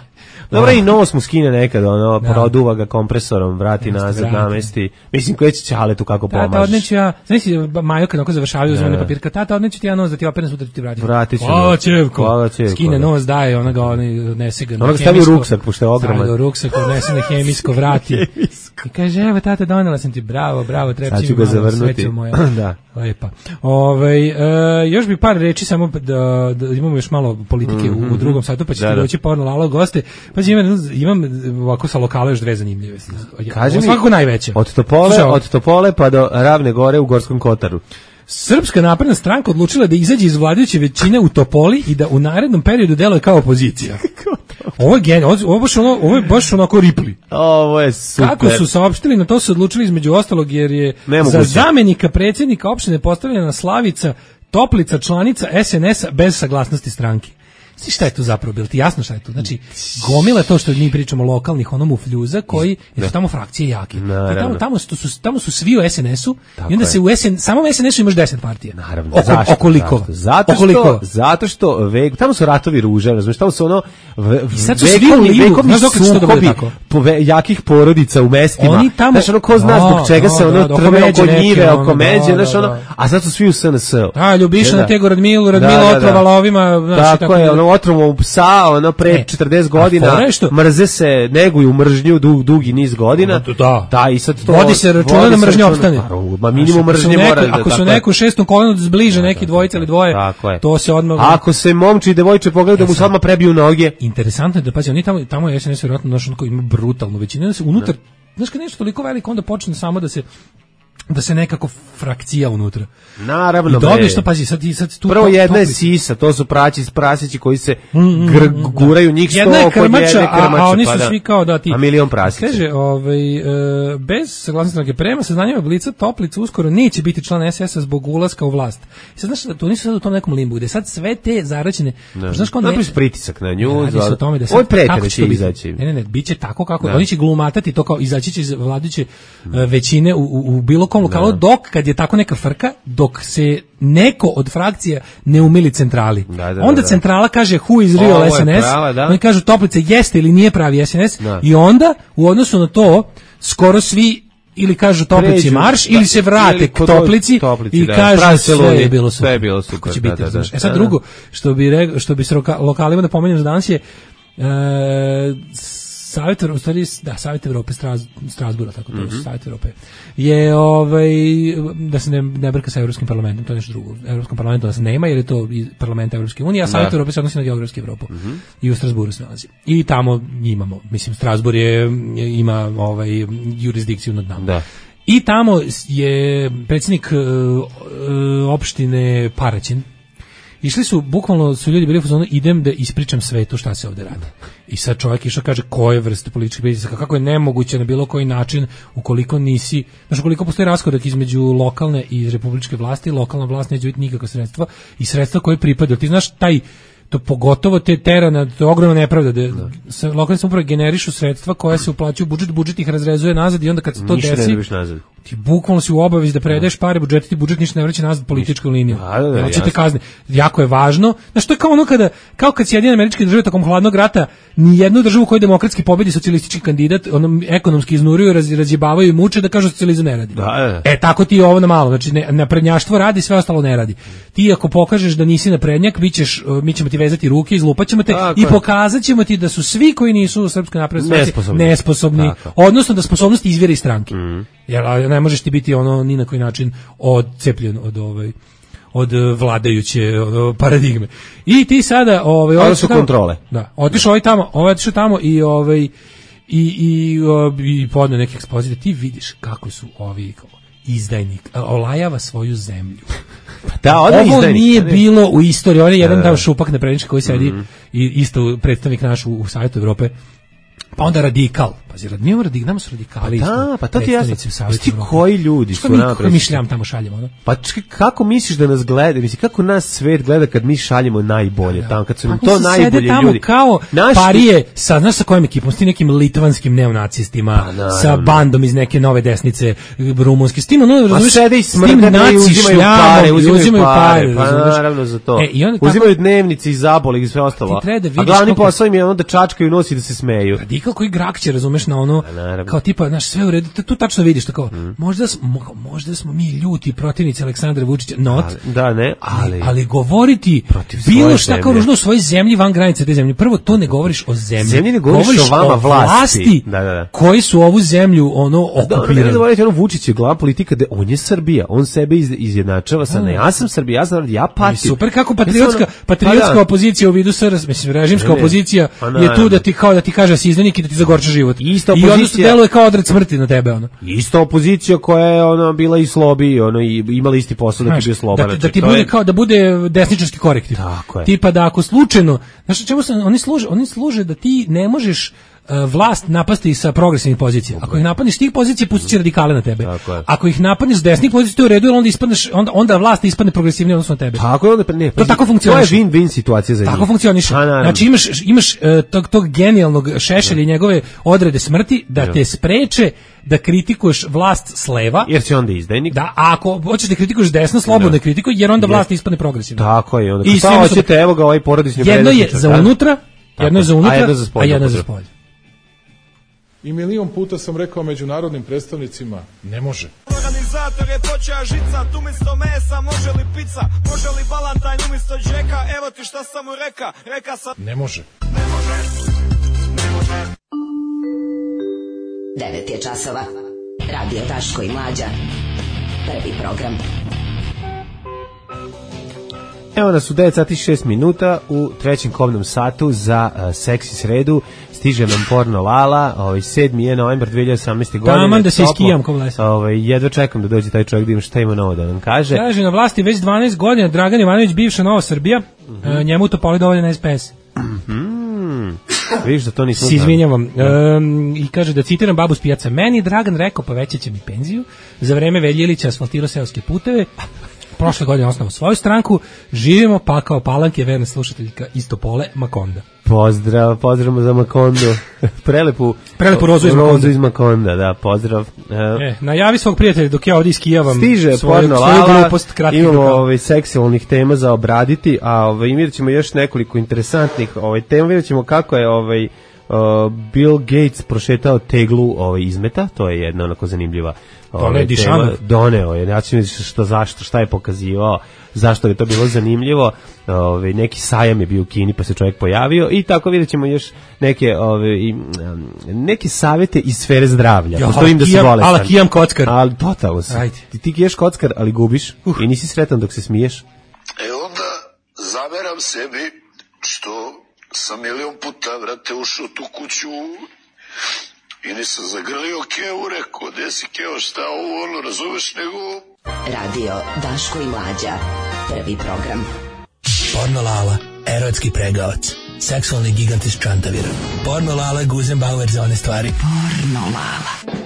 Dobro, i nos mu skine nekad, ono, da. produva ga kompresorom, vrati Jeste, nazad, vrati. namesti. Mislim, koje će Ćale tu kako pomažeš. Tata, odneću ja, znaš si, Majo kad onako završavaju uzmane papirka, tata, odneću ti ja nos da ti operem sutra ti vratim. Vratit ću. Hvala Čevko. Hvala Čevko. Skine nos, daje, ona ga nese ga na hemijsko. Stavi u ruksak, pošto je ogroman. Stavi u ruksak, odnese na hemijsko, vrati. I kaže, evo, tata, donela sam ti, bravo, bravo, treba sad ću ga zavrnuti. da. Lepa. Ove, e, još bi par reči samo da, da imamo još malo politike mm-hmm. u, u drugom satu, pa ćete da, doći porno lalo goste. Pa imam, imam ovako sa lokala još dve zanimljive. Kaži mi, svakako najveće. Od Topole, Slušao, od Topole pa do Ravne gore u Gorskom Kotaru. Srpska napredna stranka odlučila da izađe iz vladajuće većine u Topoli i da u narednom periodu deluje kao opozicija. Ovo je genijalno, ovo je baš ono, ovo je baš onako Ripli. Ovo je super. Kako su saopštili, na to su odlučili između ostalog jer je Nemoguće. Za zamenika predsjednika opštine postavljena Slavica Toplica, članica S N S-a bez saglasnosti stranke. Svi šta je tu zapravo bilo? Ti jasno šta je tu? Znači, gomila to što mi pričamo lokalnih ono mufljuza koji su tamo frakcije jake. Tamo, tamo, su, tamo su svi u S N S-u i onda je. se u S N, samo u S N S-u imaš deset partija. Naravno. Oko, zašto? Okoliko. Zašto? Zato što, okoliko. Zato što vek, tamo su ratovi ruže, razumiješ, tamo su ono ve, I sad su svi u livu, znaš dok će to bude tako? Ve, jakih porodica u mestima. Oni tamo, znaš, ono, ko zna zbog čega se ono trve oko njive, oko međe, znaš, ono, a sad su svi u S N S-u. Da, Ljubiša na tego Radmilu, Radmila otrovala ovima, znaš, tako je, ono, otrovo psa, ono, pre e, četrdeset godina, mrze se, neguju mržnju dug, dugi niz godina. Da. Da, i sad to... Vodi se računa da mržnja opstane. Ma minimum mržnje mora... Ako su neku šestnu kolonu zbliže neki dvojice ili dvoje, to se odmah... Ako se momči i devojče pogledaju da mu se odmah prebiju noge. Interesantno je da, pazi, oni tamo, tamo je S N S vjerojatno naš onako ima brutalnu većinu, da se unutar, znaš kad nešto toliko veliko, onda počne samo da se da se nekako frakcija unutra. Naravno, I dobiješ što, pazi, sad, sad tu... Prvo jedna je sisa, to su praći, prasići koji se gr, guraju njih sto jedna je krmača, jedne krmače, a, a oni su pa da. svi kao da ti... A milion prasića. Kaže, ovaj, e, bez saglasnosti stranke prema saznanjima Blica Toplica uskoro neće biti član S S-a zbog ulaska u vlast. I sad, znaš, to nisu sad u tom nekom limbu, gde sad sve te zaraćene... Znaš kao ne... pritisak na nju, radi se o tome da sad... Ovo prete da će izaći. Ne, ne, ne, bit će tako kako... Oni će glumatati to kao izaći će iz vladajuće većine u, u, u bilo kom lokalu, dok kad je tako neka frka, dok se neko od frakcija ne umili centrali. Da, da, onda da, centrala kaže who is real S N S, prava, da. Oni kažu Toplica jeste ili nije pravi S N S, da. I onda u odnosu na to skoro svi ili kažu Toplici marš, da, ili se vrate ili k Toplici, toplici i da, kažu sve je bilo super. Sve je bilo super. Će biti, da, da, da, e sad da, drugo, što bi, re, što bi s lokalima da pomenem za danas je, e, Savjet, u stvari, da, Savjet Evrope, Straz, Strasbura, tako to, mm-hmm. Savjet Evrope, je, ovaj, da se ne, ne brka sa Evropskim parlamentom, to je nešto drugo. U Evropskom parlamentu nas nema, jer je to parlament Evropske unije, a Savjet Evrope se odnosi na geografsku Evropu. Mm-hmm. I u Strasburu se nalazi. I tamo imamo, mislim, Strasbur je, ima ovaj, jurisdikciju nad nama. Da. I tamo je predsjednik uh, uh, opštine Paraćin. Išli su, bukvalno su ljudi bili u fazonu, idem da ispričam svetu šta se ovde radi. I sad čovjek išao kaže koje vrste političkih pritisaka, kako je nemoguće na bilo koji način ukoliko nisi, znači ukoliko postoji raskorak između lokalne i republičke vlasti, lokalna vlast neće biti nikakva sredstva i sredstva koje pripadaju. Ti znaš taj to pogotovo te terana, to je ogromna nepravda da se lokalne samouprave generišu sredstva koja se uplaćuju u budžet, budžet ih razrezuje nazad i onda kad se to ništa desi, ti bukvalno si u obavezi da predaješ pare budžetu, ti budžet ništa ne vraća nazad političku liniju. Hoćete kazne. Jako je važno. Znaš, to je kao ono kada, kao kad Sjedinjene Američke Države tokom hladnog rata ni jednu državu koju demokratski pobedi socijalistički kandidat, ono ekonomski iznuruju, raz, razjebavaju i muče da kažu socijalizam ne radi. Da, da. E tako ti je ovo na malo, znači ne, naprednjaštvo radi, sve ostalo ne radi. Ti ako pokažeš da nisi naprednjak, bićeš, mi ćemo ti vezati ruke, izlupaćemo te tako i pokazat ćemo ti da su svi koji nisu u Srpskoj naprednoj stranci nesposobni, odnosno da sposobnost izvire iz stranke. Mm. Jer ne možeš ti biti ono ni na koji način odcepljen od ovaj od vladajuće od paradigme. I ti sada ovaj ovo su kontrole. Da, otišao ovaj tamo, ovaj otišao tamo i ovaj i i i podne neke ekspozicije, ti vidiš kako su ovi izdajnik olajava svoju zemlju. Da, ovo izdajnik, nije ne. bilo u istoriji. On je jedan tamo šupak naprednjački koji sedi mm-hmm. i isto predstavnik naš u, u Savjetu Evrope. Pa onda radikal. Pazi, mi radikal, nama su radikali. Pa da, pa to ti jasno. Ti koji ljudi su nama predstavnici? Mi šljam tamo šaljemo, no? Pa čekaj, kako misliš da nas gleda? Misli, kako nas svet gleda kad mi šaljemo najbolje da. Tamo, kad su nam to najbolje tamo ljudi? Kao naši... parije, sa, znaš sa kojim ekipom? S tim nekim litvanskim neonacistima, pa, sa bandom iz neke nove desnice, rumunske. S tim, ono, razumiješ, s tim naci šljamo, uzimaju pare. Pa naravno za to. Uzimaju dnevnice i zabole i sve ostalo. A glavni posao im je onda čačkaju nos i da se smeju. Radikal koji grakće, razumeš, na ono, kao tipa, znaš, sve u redu, tu tačno vidiš, tako, mm. možda, smo, možda smo mi ljuti protivnici Aleksandra Vučića, not, ali, da, ne, ali, ali govoriti bilo šta kao ružno u svojoj zemlji van granice te zemlje. Prvo, to ne govoriš o zemlji, zemlji ne govoriš, govoriš o vama o vlasti, vlasti da, da, da. koji su ovu zemlju ono okupirali. Da, ne, ne, ono Vučić je glava politika da on je Srbija, on sebe iz, izjednačava sa ne, ja sam Srbija, ja sam ja patim. Super, kako patriotska, patriotska pa opozicija u vidu S R S, mislim, režimska ne, ne. opozicija pa je tu da ti kao da ti kaže si izdanik i da ti zagorča život. Ista opozicija, i onda se deluje kao odred smrti na tebe, ono. Ista opozicija koja je ona bila i slobi, ono, i imala isti posao da ti bio sloba. Da, da ti bude je... kao da bude desničarski korektiv. Tako je. Tipa da ako slučajno, znaš čemu se oni služe, oni služe da ti ne možeš uh, vlast napasti sa progresivnih pozicija. Ako ih napadneš tih pozicija, pustit će radikale na tebe. Ako ih napadneš s desnih pozicija, to je u redu, onda ispadneš, onda onda vlast ispadne progresivnije odnosno na tebe. Tako je, onda ne. To tako funkcioniše. To je win-win situacija za njih. Tako funkcioniše. Znači imaš imaš uh, tog tog genijalnog Šešelja i njegove odrede smrti da te spreče da kritikuješ vlast s leva, jer si onda izdajnik. Da, a ako hoćeš da kritikuješ desno, slobodno kritikuj, jer onda vlast ispadne progresivno. Tako je, onda. I šta hoćete, evo ga ovaj porodični predmet. Jedno je za unutra, jedno je za unutra, a jedno je za spolje. I milion puta sam rekao međunarodnim predstavnicima, ne može. Organizator je počeo žica, umjesto mesa može li pizza, može li balantajn umjesto džeka, evo ti šta sam mu reka, reka sam... Ne može. Ne može. Ne može. devet je časova. Radio Daško i Mlađa. Prvi program. Evo nas u devet sati šest minuta u trećem kobnom satu za uh, seksi sredu. Stiže nam porno Lala, ovaj sedmi je novembar dve hiljade osamnaeste. godine. Taman da se iskijam ko vlesa. Ovaj jedva čekam da dođe taj čovjek da ima šta ima novo da nam kaže. Kaže na vlasti već dvanaest godina Dragan Ivanović, bivša Nova Srbija. Mm-hmm. E, njemu to poli dovoljan S P S. Mhm. Vidiš da to nismo. Se izvinjavam. Um, I kaže da citiram babu s pijaca. Meni Dragan rekao povećaće mi penziju. Za vreme Veljilića asfaltirao seoske puteve. Prošle godine osnovao svoju stranku. Živimo pa kao Palanke, verna slušateljka Istopole Makonda. Pozdrav, pozdravimo za Makondu. Prelepu, Prelepu rozu iz Makonda. Rozu iz Makonda, da, pozdrav. E, najavi svog prijatelja dok ja ovdje iskijavam. Stiže porno Lala, glupost, imamo ovaj, seksualnih tema za obraditi, a ovaj, vidjet ćemo još nekoliko interesantnih ovaj, tema, vidjet ćemo kako je ovaj, uh, Bill Gates prošetao teglu ovaj, izmeta, to je jedna onako zanimljiva ovaj, tema. Doneo je, znači što, zašto, šta je pokazivao, zašto je to bilo zanimljivo, ovaj, neki sajam je bio u Kini pa se čovjek pojavio i tako vidjet ćemo još neke, ovaj, neke savjete iz sfere zdravlja. Jo, pošto im da se bolestan. Ala kijam kockar. Ali totalno si. Ti, ti kiješ kockar, ali gubiš uh. i nisi sretan dok se smiješ. E onda zameram sebi što sam milion puta, vrate, ušao tu kuću i nisam zagrlio Kevu, rekao, gde si Keo, šta ovo, ono, razumeš, nego... Radio Daško i Mlađa, prvi program. Porno Lala, erotski pregavac, seksualni gigant iz Čantavira. Porno Lala, Guzenbauer za one stvari. Porno Lala.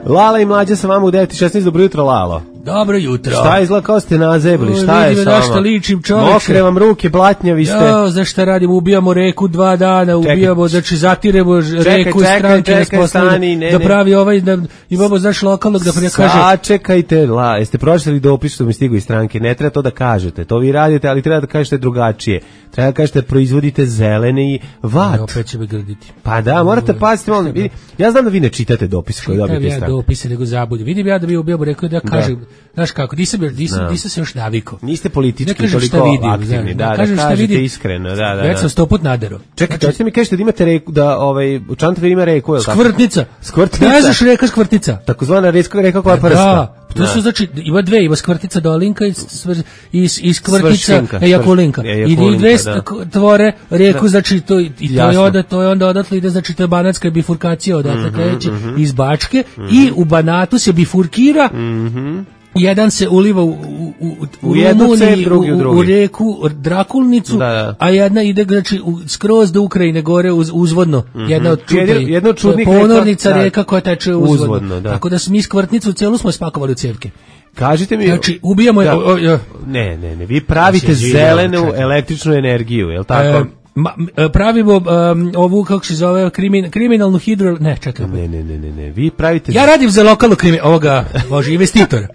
Lala i Mlađa sa vama u devet i šesnaest, dobro jutro, Lalo. Dobro jutro. Šta izgleda kao ste nazebli, šta je sa vama? Zašto ličim, čoveče? Mokre vam ruke, blatnjavi ste. Jo, za šta radimo? Ubijamo reku dva dana, ubijamo, znači zatiremo reku iz stranke nas poslali da pravi ovaj, da imamo, znaš, lokalnog da prije kaže... Sačekajte, la, jeste pročitali dopis što mi stigu iz stranke, ne treba to da kažete, to vi radite, ali treba da kažete drugačije. Treba da kažete proizvodite zeleni vat. Ne, opet će me grditi. Pa da, morate paziti, molim, ja znam da vi ne čitate dopise koje dobijete iz stranke. Ja dopise, nego zabudem. Vidim ja da bi ubijamo reku da kažem. Znaš kako, nisam, nisam, nisam se još navikao. Niste politički toliko vidim, aktivni, da, da, da kažete vidim, iskreno. Da, da, da. Već sam sto put nadero. Čekajte, znači, hoćete mi kažete da imate reku, da ovaj, u Čantaviru ima reku, je li tako? Skvrtnica. Skvrtnica. Ne znaš reka Skvrtnica. Takozvana reka, reka koja prsta. Da, to su znači, ima dve, ima Skvrtica Dolinka i, i, i Skvrtica Ejakulinka. I dve tvore reku, znači, to, i to je, onda, to je onda odatle ide, znači, to je banatska bifurkacija odatle kreće iz Bačke i u Banatu se bifurkira. Jedan se uliva u, u, u, u Rumuniji, u, u, u reku Drakulnicu, da, da. A jedna ide, znači, u, skroz do Ukrajine gore uz, uzvodno. Mm-hmm. Jedna od čudnih, jedna od čudnih ponornica reka, reka koja teče uzvodno. uzvodno da. Tako da smo mi Skvrtnicu celu smo spakovali u cevke. Kažite mi, znači, ubijamo je, da, o, o, ne, ne, ne, vi pravite znači, zelenu živio, električnu energiju, je li tako? E, Ma, pravimo um, ovu, kako se zove, krimin, kriminalnu hidro... Ne, čekaj. Ne, ne, ne, ne, ne, vi pravite... Ja radim za lokalnu krimi... Ovoga, bože, investitora.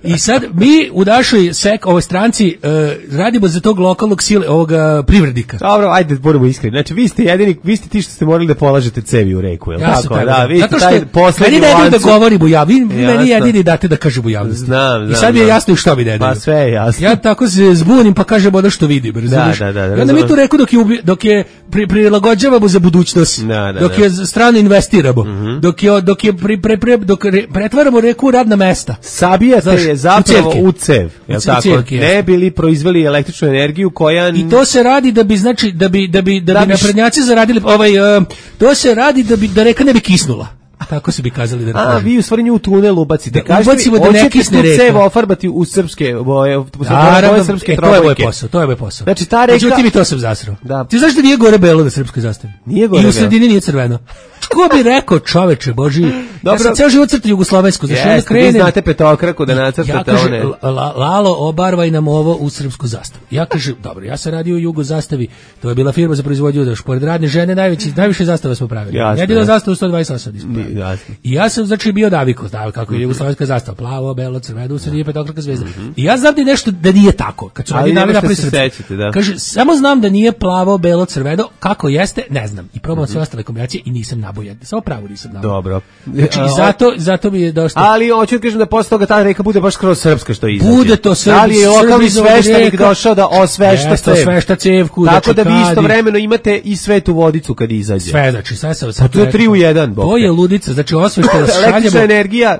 I sad mi u našoj sek, ovoj stranci uh, radimo za tog lokalnog sile, ovoga privrednika. Dobro, ajde, budemo iskreni. Znači, vi ste jedini, vi ste ti što ste morali da polažete cevi u reku, je li ja tako? Taj, da, vi zato ste taj poslednji meni ne da govorim u javnosti, vi meni jedini date da kažem u javnosti. Znam, znam. I sad mi je jasno što mi ne daju. Pa sve je jasno. Ja tako se zbunim pa kažem ono što vidim, razumiješ? Da, da, da. I onda mi tu reku dok je, dok je pri, prilagođavamo za budućnost, da, da, dok da. je strano investiramo, mm-hmm. dok je, dok je pri, pre, pre, dok re, pretvaramo reku u radna mesta. Sabijate Znaš, je zapravo u cev, je tako? Cevke, ne bili proizveli električnu energiju koja... I to se radi da bi, znači, da bi, da bi, da, da bi naprednjaci zaradili, ovaj, uh, to se radi da bi, da reka ne bi kisnula. Tako se bi kazali da. A vi u stvari nju u tunel ubacite. Da, kažete mi, da ne kisne reka. Cev ofarbati u srpske boje, u boje srpske e, trobojke. To je moj posao, to je moj posao. Znači ta reka... Znači, ti mi to sam zasrao. Da. Ti znaš da nije gore belo na srpskoj zastavi? Nije gore I u sredini nije crveno. Ko bi rekao, čoveče, Boži, ja sam ceo život crtao jugoslovensku, znaš, onda krenem... Vi znate petokraku da nacrtate ja kaže, one... La, Lalo, obarvaj nam ovo u srpsku zastavu. Ja kažem, dobro, ja sam radio u Jugo zastavi, to je bila firma za proizvodnju, daš, pored radne žene, najveći, najviše zastava smo pravili. Jedino zastavu sto dvadeset osam ispravili. I ja sam, znači, bio navikao, znao kako je jugoslovenska zastava, plavo, belo, crveno, u sredini petokraka zvezda. I ja znam da nešto da nije tako, kad su oni navili napravi srpsko. Kaže, samo znam da nije plavo, belo, crveno, kako jeste, ne znam. I probam sve ostale kombinacije i nisam nabojen. Samo pravo nisam nabojen. Dobro. Znači, i zato, zato mi je dosta... Ali hoću da kažem da posle toga ta reka bude baš skroz srpska što izađe. Bude to srpska. Da li je lokalni sveštenik došao da osvešta cev? Osvešta cevku. Tako da vi istovremeno imate i svetu vodicu kad izađe. Sve, znači, sve se... Pa to je tri u jedan. To je ludica, znači osvešta šaljemo... Električna energija,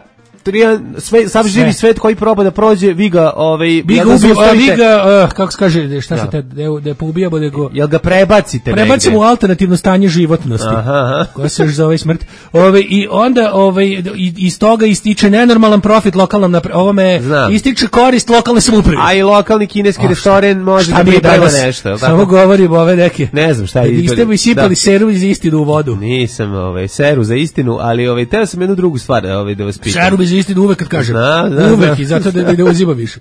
sve, sam živi svet koji proba da prođe, vi ga, ovaj, vi ga, ubi, a, vi ga uh, kako se kaže, šta se te, da poubijamo, nego... Jel ga prebacite Prebacimo u alternativno stanje životnosti, aha, aha. koja se još zove smrt. Ove, I onda ove, iz toga ističe nenormalan profit lokalnom, napre, ovome Znam. ističe korist lokalne samouprave. A i lokalni kineski restoran može da priprema nešto. Samo govorim ove neke. Ne znam šta je. Niste mi sipali seru za istinu u vodu. Nisam ovaj, seru za istinu, ali ovaj, teo sam jednu drugu stvar ovaj, da vas pitam. Seru za istinu uvek kad kažem. Zna, zna, uvek zna. I zato da ne uzima više.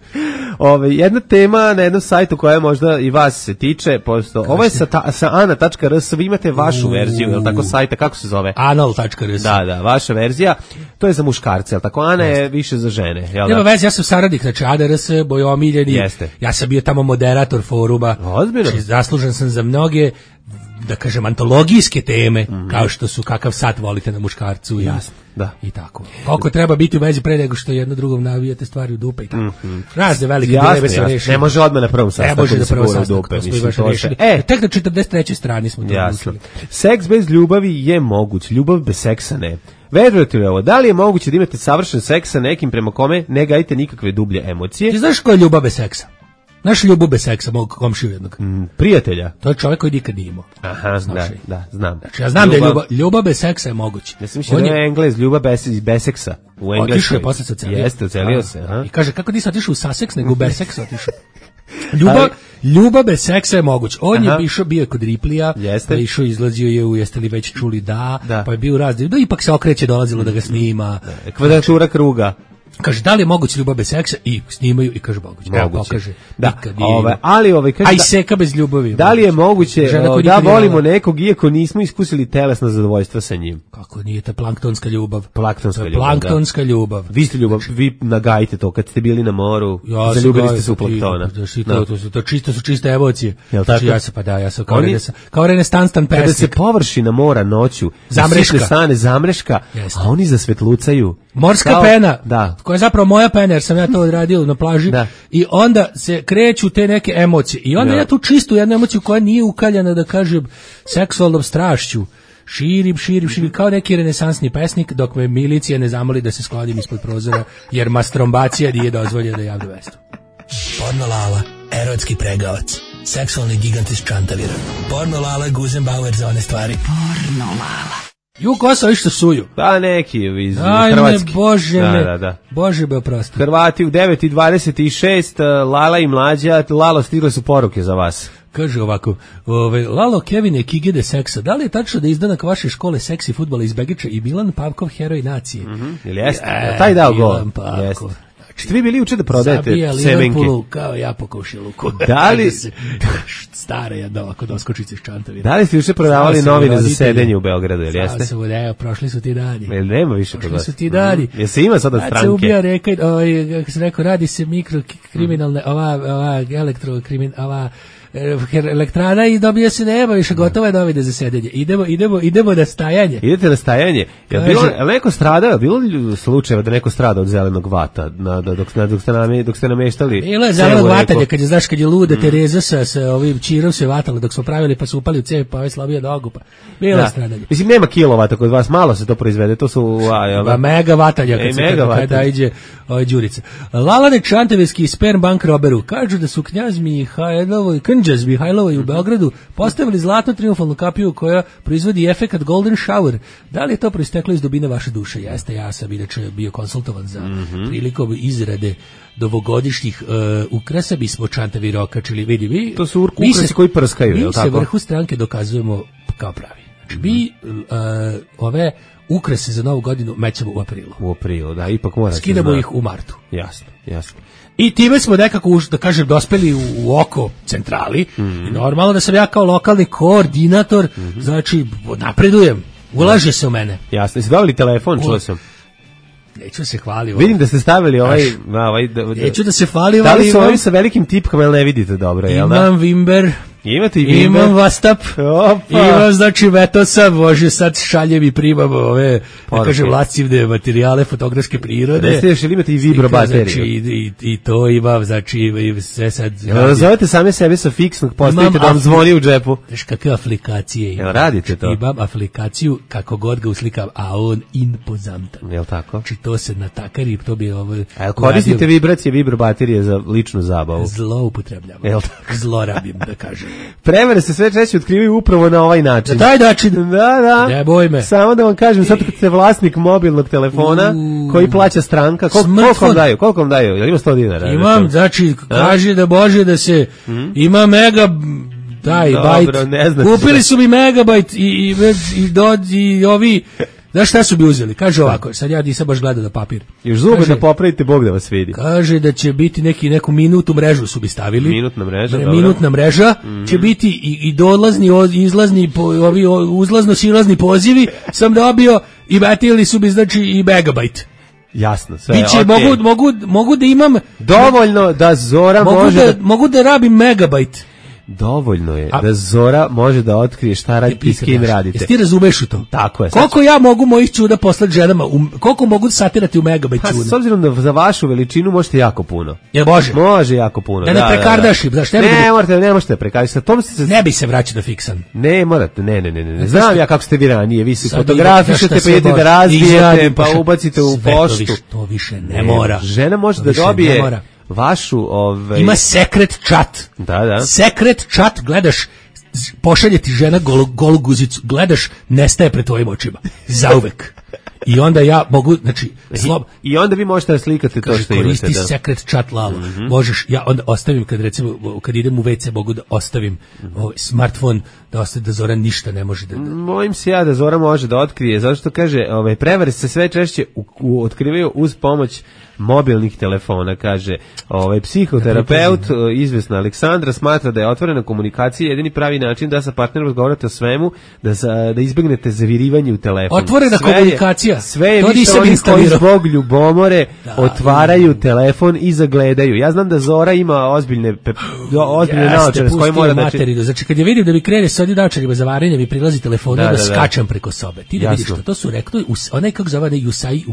Ove, jedna tema na jednom sajtu koja možda i vas se tiče, posto, ovo je sa, ta, sa ana tačka r s, vi imate vašu Uuu. verziju, je li tako sajta, kako se zove? anal tačka r s. Da, da, vaša verzija, to je za muškarce, je li tako? Ana je više za žene. Jel Nema veze, ja sam saradnik, znači A D R S, bojomiljeni, Jeste. Ja sam bio tamo moderator foruma, Ozbiljno. Znači, zaslužen sam za mnoge da kažem, antologijske teme, mm-hmm. kao što su kakav sat volite na muškarcu i, jasno, da. i tako. Koliko treba biti u vezi pre nego što jedno drugom navijate stvari u dupe i tako. Mm-hmm. Razne velike dileme se reši. Ne može odmah na prvom sastanku. Ne može na prvom sastanku. E, tek na četrdeset trećoj strani smo to učili. Seks bez ljubavi je moguć, ljubav bez seksa ne. Verujete li ovo, da li je moguće da imate savršen seks sa nekim prema kome ne gajite nikakve dublje emocije? Ti znaš ko je ljubav bez seksa? Naš ljubav bez seksa, mog komšiju jednog. Mm, prijatelja. To je čovjek koji nikad nije imao. Aha, da, da, znam. Znači, ja znam ljubav, da je ljubav, ljubav bez seksa je moguće. Ja sam mislio da je Englez, ljubav bez, bez seksa. U Engleskoj. Otišao je, posle se ocelio. Jeste, ocelio se. Aha. I kaže, kako nisi otišao u saseks, nego u bez seksa otišao. Ljubav, ljubav bez seksa je moguć. On Aha. je išao, bio je kod Riplija, pa je išao, izlazio je u, jeste li već čuli da, da. pa je bio razdiv, da ipak se okreće, dolazilo da ga snima. Da, kvadratura kruga. Kaže, da li je moguće ljubav bez seksa? I snimaju i kaže moguće. Evo, pokaže. Da, ove, ali ove, kaže, a i seka bez ljubavi. Da li je moguće o, da volimo nekog iako nismo iskusili telesno zadovoljstvo sa njim? Kako nije ta planktonska ljubav? Planktonska ljubav, planktonska da. ljubav. Vi ste ljubav, vi nagajite to kad ste bili na moru, ja zaljubili ste se u planktona. Da, to, to, to, to čisto su čiste emocije. Jel tako? Ja se, pa da, ja sam kao, Oni, rene, kao renestanstan pesnik. Kada se površina mora noću, zamreška, stane, zamreška, Jeste. a oni zasvetlucaju. Morska kao, pena, da. koja je zapravo moja pena, jer sam ja to odradio na plaži, da. i onda se kreću te neke emocije. I onda ja, ja tu čistu jednu emociju koja nije ukaljana, da kažem, seksualnom strašću, širim, širim, širim, kao neki renesansni pesnik, dok me milicija ne zamoli da se sklonim ispod prozora, jer mastrombacija nije dozvoljena javno mesto. Porno Lala, erotski pregavac, seksualni gigant iz Čantavira. Porno Lala, Guzenbauer za one stvari. Porno Lala. Ju Kosovo išto suju. Da, neki iz Ajme, Hrvatski. Bože da, me, da, da. Bože be oprosti. Hrvati u devet i dvadeset šest, Lala i Mlađa, Lalo, stigle su poruke za vas. Kaže ovako, ove, Lalo, Kevine, Kigede seksa, da li je tačno da izdanak vaše škole seksi fudbala iz Begića i Milan Pavkov, heroj nacije? Mm-hmm. Ili jeste? E, taj dao gol. Jeste. Ste vi bili juče da prodajete semenke? Kao ja po komšiluku. Da li... Stara jedna ovako doskočica iz Čantavira. Da li ste juče prodavali novine za sedenje u Beogradu, ili jeste? Samo da, evo, prošli su ti dani. Jel nema više prošli su ti dani. Mm. Jel se ima sada stranke? Kad se ubija reka, ovaj, kako se rekao, radi se mikrokriminalne, ova, ova elektrokrimin, ova... elektrana i dobije se nema više, gotovo je novine za sedenje. Idemo, idemo, idemo na stajanje. Idete na stajanje. Jel bilo, jel neko stradao, bilo li slučajeva da neko strada od zelenog vata na, da, dok, dok, ste nam, dok ste nameštali? Bilo je zelenog vatanja, kad je, znaš, kad je luda mm. Tereza sa, sa ovim čirom se vatala dok smo pravili, pa su upali u cev, pa ovaj slabio nogu, pa bilo je stradanje. Mislim, nema kilovata kod vas, malo se to proizvede, to su... A, ba, mega vatanja, kad e, se kada, kada iđe ovaj Đurica. Lalane Čantavirski sperm bank roberu, kažu da su knjaz Mihajlovo i Knđaz Mihajlovo i u Beogradu postavili zlatnu triumfalnu kapiju koja proizvodi efekat Golden Shower. Da li je to proisteklo iz dubine vaše duše? Jeste, ja sam inače bio konsultovan za mm-hmm. prilikom izrade novogodišnjih uh, ukrasa, bismo Čantavir okačili, vidi vi. To su ukrasi se, koji prskaju, je li tako? Mi se vrhu stranke dokazujemo kao pravi. Znači, mm-hmm. mi uh, ove ukrase za novu godinu mećemo u aprilu. U aprilu, da, ipak mora. Skidamo ih u martu. Jasno, jasno. I time smo nekako, už, da kažem, dospeli u, u oko centrali. Mm-hmm. I normalno da sam ja kao lokalni koordinator, mm-hmm. znači, napredujem. Ulaže se u mene. Jasno, jeste dobili telefon, čuo sam. Neću se hvaliti. Vidim da ste stavili ovaj... Na, ovaj da, da, neću da se hvalim. Da li su ovi sa velikim tipkama, ili ne vidite dobro? Imam da? Wimber. Imate i Wimber? Imam Vastap. Opa. Imam, znači, Vetosa. Može sad šaljem i primam ove, da kažem, lascivne materijale fotografske prirode. Da ste još ili imate i vibro bateriju. Znači, i, i to imam, znači, i sve sad... Jel zovete same sebe sa fiksnog, postavite da vam zvoni u džepu? Znaš, kakve aplikacije imam? Jel radite to? Imam aplikaciju, kako god ga uslikam, a on impozantan. Jel tako? Znači, to se natakari, to bi ovo... A jel koristite vibracije, vibro baterije za ličnu zabavu? Zloupotrebljamo. Jel tako? Zlorabim, da kažem. Prevare se sve češće otkrivaju upravo na ovaj način. Na taj način? Da, da. Ne boj me. Samo da vam kažem, sad kad ste vlasnik mobilnog telefona, uh, koji plaća stranka, kol, koliko vam daju? Koliko vam daju? Jel ima sto dinara? Imam, znači, kaže da Bože da se, hmm? ima mega... Daj, bajt. Kupili su mi megabajt i, i, i, do, i ovi... Znaš šta su bi uzeli? Kaže ovako, sad ja nisam baš gledao na papir. Još zube kaže, da popravite, Bog da vas vidi. Kaže da će biti neki, neku minutu mrežu su bi stavili. Minutna mreža, dobro. Minutna mreža, mm-hmm. će biti i, i dolazni, izlazni, po, ovi uzlazno-silazni pozivi, sam dobio i batili su bi, znači, i megabajt. Jasno, sve, Biće, okay. mogu, mogu, mogu da imam... Dovoljno da Zora mogu može... Da, mogu da rabim megabajt. Dovoljno je a, da Zora može da otkrije šta radite i s kim radite. Jesi ti razumeš u to? Tako je. Koliko sad... ja mogu mojih čuda poslati ženama, um, koliko mogu satirati u megabajt čuda? Pa, s obzirom da za vašu veličinu možete jako puno. Jel može? Može jako puno. Da ne prekardaš, da, da. Ne, ne, morate, ne možete prekardaš. Se... Ne bi se vraćao da fiksan. Ne, morate, ne, ne, ne, ne. Znam ja kako ste vi ranije, vi se fotografišete, pa idete da razvijete, pa ubacite u poštu. To više ne mora. Žena može da dobije vašu, ovaj... Ima sekret chat. Da, da. Sekret chat, gledaš, pošalje ti žena golu, golu guzicu, gledaš, nestaje pred tvojim očima. Zauvek. I onda ja mogu, znači, slob... I onda vi možete da slikate to što imate. Koristi sekret chat Lalo. Mm-hmm. Možeš, ja onda ostavim, kad recimo, kad idem u ve ce, mogu da ostavim mm-hmm. ovaj smartfon, da ostavi da Zora ništa ne može da... Mojim se ja da Zora može da otkrije, zato što kaže, ovaj, prevare se sve češće u, u, otkrivaju uz pomoć mobilnih telefona, kaže ovaj psihoterapeut izvesna Aleksandra smatra da je otvorena komunikacija jedini pravi način da sa partnerom razgovarate o svemu, da sa, da izbegnete zavirivanje u telefon. Otvorena sve komunikacija. Je, sve je više oni koji zbog ljubomore da, otvaraju da. telefon i zagledaju. Ja znam da Zora ima ozbiljne pe, ozbiljne naočare s kojima mora da materiju. Znači kad je vidim da mi krene sa onim naočarima za varenje, mi prilazi telefonu da, da, da skačem preko sobe. Ti da Jasno. Vidiš što to su rekli, onaj kako zove Usai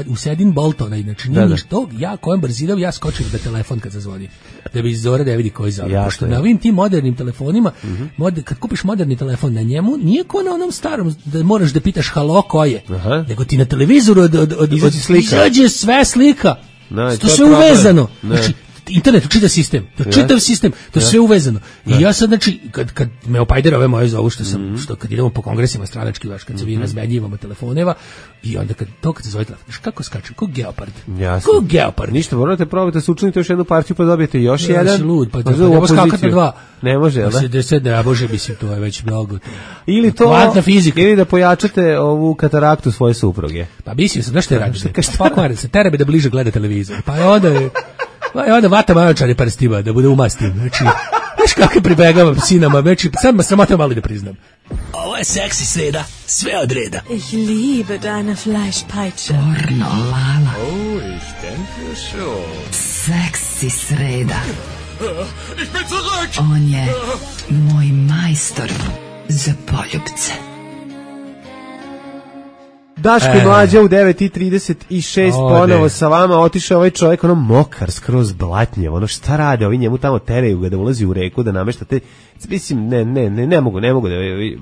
Usain Bolt, onaj, znači nije što ja kojem brzinom ja skočim da telefon kad zazvoni da bi Zora da vidi koji zove. Pošto na ovim tim modernim telefonima mm-hmm. mod, kad kupiš moderni telefon na njemu nije ko na onom starom da moraš da pitaš halo ko je. Aha. Nego ti na televizoru od, od, od, od, izađe sve slika. No, to, to sve problem. Uvezano. Ne. Znači internet, čitav sistem, to čitav sistem, to sve uvezano. I ja sad, znači, kad, kad me opajdera ove moje zovu, što sam, mm-hmm. što kad idemo po kongresima stranački, vaš, kad se vi razmenjivamo telefoneva, i onda kad to kad se zove telefon, kako skačem, ko geopard, Jasno. ko geopard. Ništa, morate probati, sučinite još jednu partiju, pa dobijete još ja, jedan. Lud, pa, pa, pa ja skakati na dva. Ne može, jel da? Se deset, ne, bože, mislim, to je već mnogo. Ili to, kvantna fizika. Ili da pojačate ovu kataraktu svoje supruge. Pa mislim sam, znaš što je radite? Pa kvarite se, terabe da bliže gleda televizor. Pa onda je Pa onda vata majočari parstima, da bude umastim. Znači, znaš kako pribegavam sinama, znači, sad me sramota malo da priznam. Ovo je seksi sreda, sve od reda. Ich liebe deine Fleischpeitsche. Pornolala. Oh, ich denke schon. Seksi sreda. Ich bin zurück! On je moj majstor za poljubce. Daško i Mlađa u devet i trideset šest ponovo sa vama, otišao ovaj čovjek ono mokar, skroz blatnjev, ono šta rade, ovi njemu tamo teraju ga da ulazi u reku, da namešta te, mislim, ne, ne, ne, ne mogu, ne mogu da,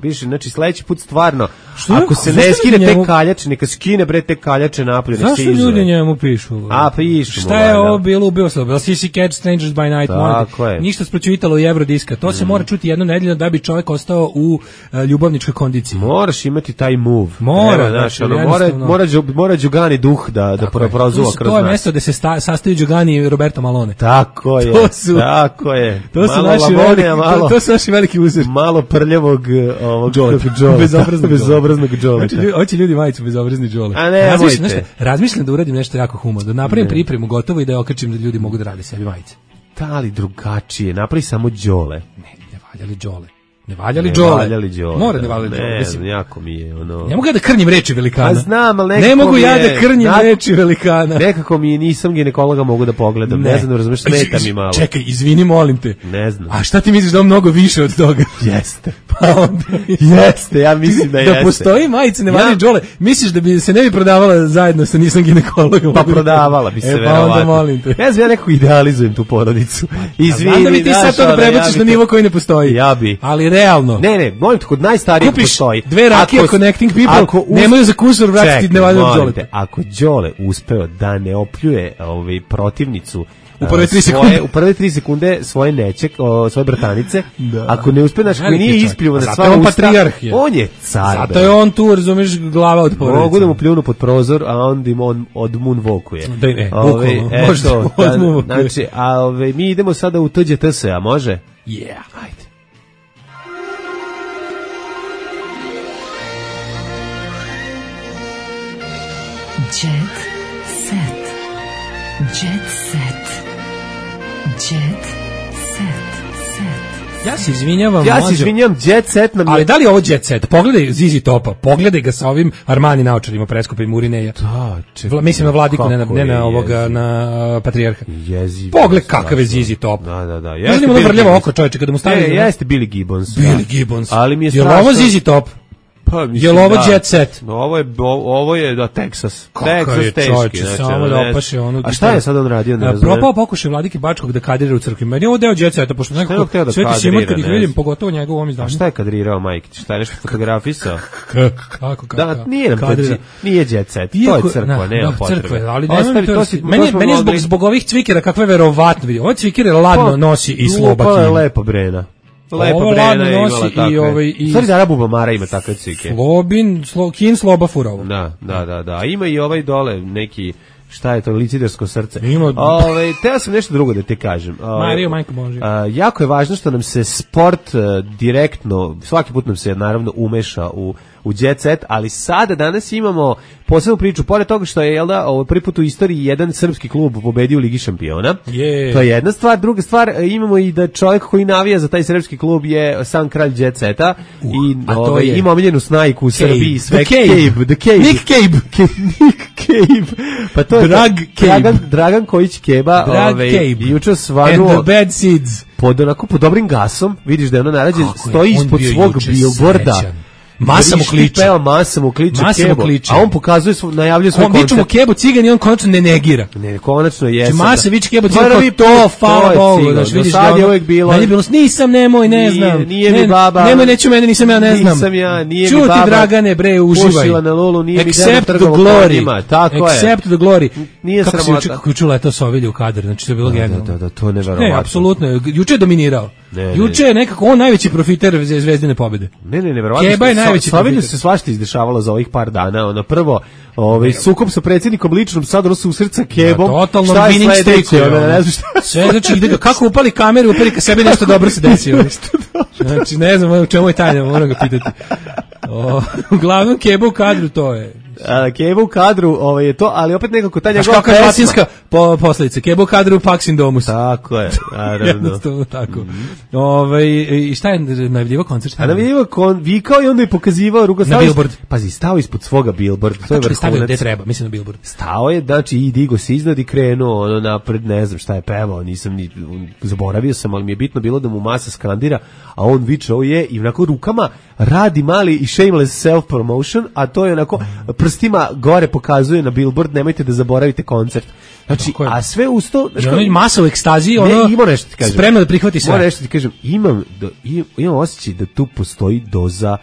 više, znači sledeći put stvarno, što ako se ne skine njemu... te kaljače, neka skine bre te kaljače napolje, nek se izve. Zašto ljudi njemu pišu? A, pišu. Šta je ovo bilo, ubio se, bilo C C Catch, Strangers by Night, Monday, ništa spročuvitalo u Eurodiska, to se mm. mora čuti jedno nedeljno da bi čovjek ostao u uh, ljubavničkoj kondiciji. Moraš imati taj move. Mora, znači, ono, mora, mora, mora Đugani duh da, da prozuva kroz nas. To je mesto gde se sta, sastaju Đugani i Roberto Malone. Tako je, to su, tako je. To su, naši Lavone, veliki, malo, to, to su naši veliki uzor. Malo prljavog ovog Džole. Bezobraznog, bezobraznog Džole. Hoće ljudi majicu bezobrazni Džole. A ne, mojte. Razmišljam da uradim nešto jako humano, da napravim pripremu gotovo i da je okačim da ljudi mogu da rade sebi majice. Da li drugačije, napravi samo Džole. Ne, ne valja li Džole. Ne valja li Džole? Ne valja li Džole. Mora ne valja li Džole. Mislim, ne, jako mi je ono... Ne mogu ja da krnjim reči velikana. A znam, ali nekako ne mogu ja je, da krnjim na, reči velikana. Nekako mi je, nisam ginekologa, mogu da pogledam. Ne, ne znam, razumeš, smeta mi malo. Čekaj, izvini, molim te. Ne znam. A šta ti misliš da on mnogo više od toga? Jeste. Pa onda... jeste, ja mislim da jeste. Da postoji majice, ne valja ja. Džole. Misliš da bi se ne bi prodavala zajedno sa nisam ginekologom? Pa prodavala bi se, e, verovatno. Pa onda molim te. Ja znam, ja nekako idealizujem tu porodicu. Izvini, znam da bi ti sad to da prebaciš na nivo koji ne postoji. Ja bi. Ali realno. Ne, ne, molim te, kod najstarijeg postoji. Dve rakije ako, connecting people uz... nemaju za kusur vratiti ne valja Džole. Ako Đole uspeo da ne opljuje ovaj protivnicu u prve tri sekunde, u prve tri sekunde svoje neće, o, svoje bratanice, da. Ako ne uspe, znači koji nije ispljuo na sva usta, on je car. Zato je on tu, razumeš, glava od porodice. Mogu da mu pljunu pod prozor, a onda im on od moonwalkuje. Da, ne, ove, eto, znači, a ove, mi idemo sada u T Đ T S, a može? Yeah, ajde. Jet set. Jet set. Jet set. Set. Ja se izvinjavam. Ja se izvinjavam, Jet Set nam je... Ali da li je ovo Jet Set? Pogledaj Zizi Topa, pogledaj ga sa ovim Armani naočarima preskupim Urineja. Da, čekaj. Mislim na Vladiku, ne na, ne na ovoga, na Patrijarha. Jeziv. Pogled kakav je Zizi Top. Da, da, da. Jeste Billy vrljavo oko čovječe kada mu stavi. Ne, jeste Billy Gibbons. Billy Gibbons. Ali mi je strašno. Je li ovo Zizi Top? Pa, je li ovo Jet Set? Ovo je, ovo je da, Texas. Kakav je čovječe, znači, samo da opaše ono... A šta je sad on radio? Ne propao pokušaj Vladike Bačkog da kadrira u crkvi. Meni je ovo deo Jet Seta, pošto nekako Sveti Simon kad ih vidim, pogotovo njegov ovom izdanju. A šta je kadrirao, Majkić? Šta je nešto fotografisao? Kako, kako? Da, nije nam kadrira. Nije Jet Set, to je crkva, nema potrebe. Ali meni je zbog ovih cvikera kakve verovatno vidio. Ovo cvikere ladno nosi i Sloba Kina. Ovo je lepo Brena. Lepo Brena je imala takve. I ovaj, i stvari Dara Bubamara ima takve cvike. Slobin, slo, Kin Sloba Furovo. Da, da, da, da. Ima i ovaj dole neki, šta je to, licidersko srce. Ima... Ove, teo sam nešto drugo da te kažem. Ove, Mario, majko Božja. A, jako je važno što nam se sport a, direktno, svaki put nam se naravno umeša u u Jet Set, ali sada danas imamo posebnu priču, pored toga što je, jel da, ovo prvi put u istoriji jedan srpski klub pobedio u Ligi šampiona. Yeah. To je jedna stvar. Druga stvar, imamo i da čovjek koji navija za taj srpski klub je sam kralj Jet Seta uh, i ovaj, ima omiljenu snajku u Srbiji. Sve The Cave. The Cave. Nick Cave. Nick Cave. Pa to je Drag to, Dragan, Dragan Kojić Keba. Drag ovaj, Cave. Juče svanuo. And the bad seeds. Pod, onako, pod dobrim gasom. Vidiš da je ono narađen. Stoji ispod svog billboarda. Masa mu kliče. Peva, masa mu kliče, masa Kebo. Kliče. A on pokazuje, svoj, najavljuje svoj on koncert. On viče mu Kebo cigan i on konačno ne negira. Ne, konačno je. Masa viče Kebo cigan, to, hvala Bogu. Znaš, vidiš da je uvijek bilo. Meni je bilo, nisam, nemoj, ne znam. Nije, nije mi baba. Nemoj, neću mene, nisam ja, ne znam. Nisam ja, nije Čuti, mi baba. Čuti, Dragane, bre, uživaj. Pušila na lulu, nije Accept mi the glory. Tako je. Accept the glory. Nije kako sramota. Si, kako juče letao Sovilje u kadar, znači to je bilo genijalno. Da, da, da, to je neverovatno. Ne, apsolutno, juče je dominirao. Ne, juče je nekako on najveći profiter Zvezdine pobjede. Ne, ne, neverovatno. Keba je najveći profiter. Se svašta izdešavalo za ovih par dana. Ono prvo, ovaj sukob sa predsjednikom ličnom, sad ono susret Kebom. Ja, totalno winning streak. Ono, ne znam šta. Sve znači ide kako upali kameru, upali ka sebi nešto dobro se desilo. Znači ne znam u čemu je tajna, moram ga pitati. O, uglavnom Keba u kadru to je. A, Keba u kadru, ovaj je to, ali opet nekako ta njegova pesma. Kakva latinska po, posljedica, Keba u kadru, Pax in Domus. Tako je, naravno. Jednostavno tako. Mm-hmm. Ove, i šta je najavljivo koncert? A najavljivo kon, vikao i onda je pokazivao rugo. Na billboard. Pazi, stao ispod svoga billboard. To je vrhunac. Stavio gde treba, mislim na billboard. Stao je, znači i digo se iznad i krenuo ono napred, ne znam šta je pevao, nisam ni, zaboravio sam, ali mi je bitno bilo da mu masa skandira, a on viče ovo je i onako rukama radi mali i shameless self-promotion, a to je onako prstima gore pokazuje na billboard, nemojte da zaboravite koncert. Znači, a sve usto... I ono masa u ekstaziji, ono ima nešto ti kažem. Spremno da prihvati sve. Moram nešto ti kažem, imam, do, imam osjećaj da tu postoji doza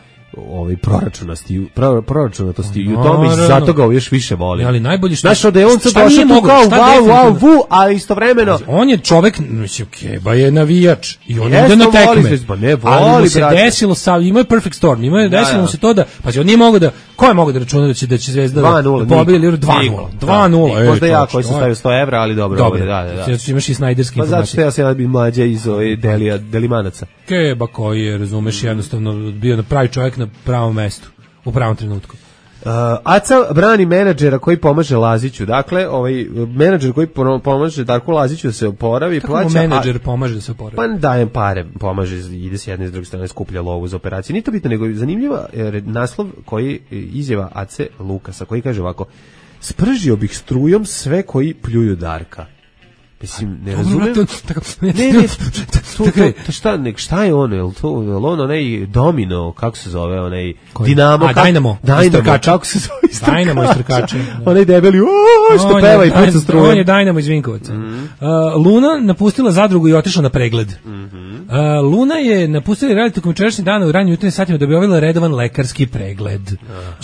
ovaj proračunosti, pro, proračunatosti i u tome i zato ga još više volim. Ali najbolje što... Znaš, da je on sad došao tu kao wow, wow, vu, ali istovremeno... On je čovek, mislim, Keba je navijač i on ide na tekme. Pa ne, voli, ali mu se brate. desilo, sa, ima je perfect storm, ima je da, desilo mu se to da, pa on nije mogao da, ko je mogao da računa da će, da će Zvezda da pobedi dva nula. dva nula. Možda ja koji sam stavio sto evra, ali dobro. Dobro, da, da, da. Imaš i snajderski informacije. Pa zato što ja sam bi mlađa iz ove Delija, Delimanaca. Keba koji je, razumeš, jednostavno bio na pravi čovjek na pravom mestu, u pravom trenutku. Uh, Aca brani menadžera koji pomaže Laziću. Dakle, ovaj menadžer koji pomaže Darku Laziću da se oporavi, kako plaća. Kako menadžer pomaže da se oporavi? Pa dajem pare, pomaže, ide s jedne i s druge strane, skuplja lovu za operaciju. Nije to bitno, nego zanimljiva jer naslov koji izjava Ace Lukasa, koji kaže ovako: spržio bih strujom sve koji pljuju Darka. Mislim, ne razumem. Ne, ne, to, to, šta, nek, šta je ono, je li to, je li ono, onaj Domino, kako se zove, onaj Dinamo, a, Dynamo, Dynamo, kako se zove, istrkač. Dynamo istrkač. Onaj debeli, ooo, što on peva je, i puca struje. On je Dynamo iz Vinkovaca. Mm-hmm. Uh, Luna napustila zadrugu i otišla na pregled. Mm-hmm. Uh, Luna je napustila raditi tokom jučerašnjeg dana u ranijim jutarnjim satima da bi obavila redovan lekarski pregled.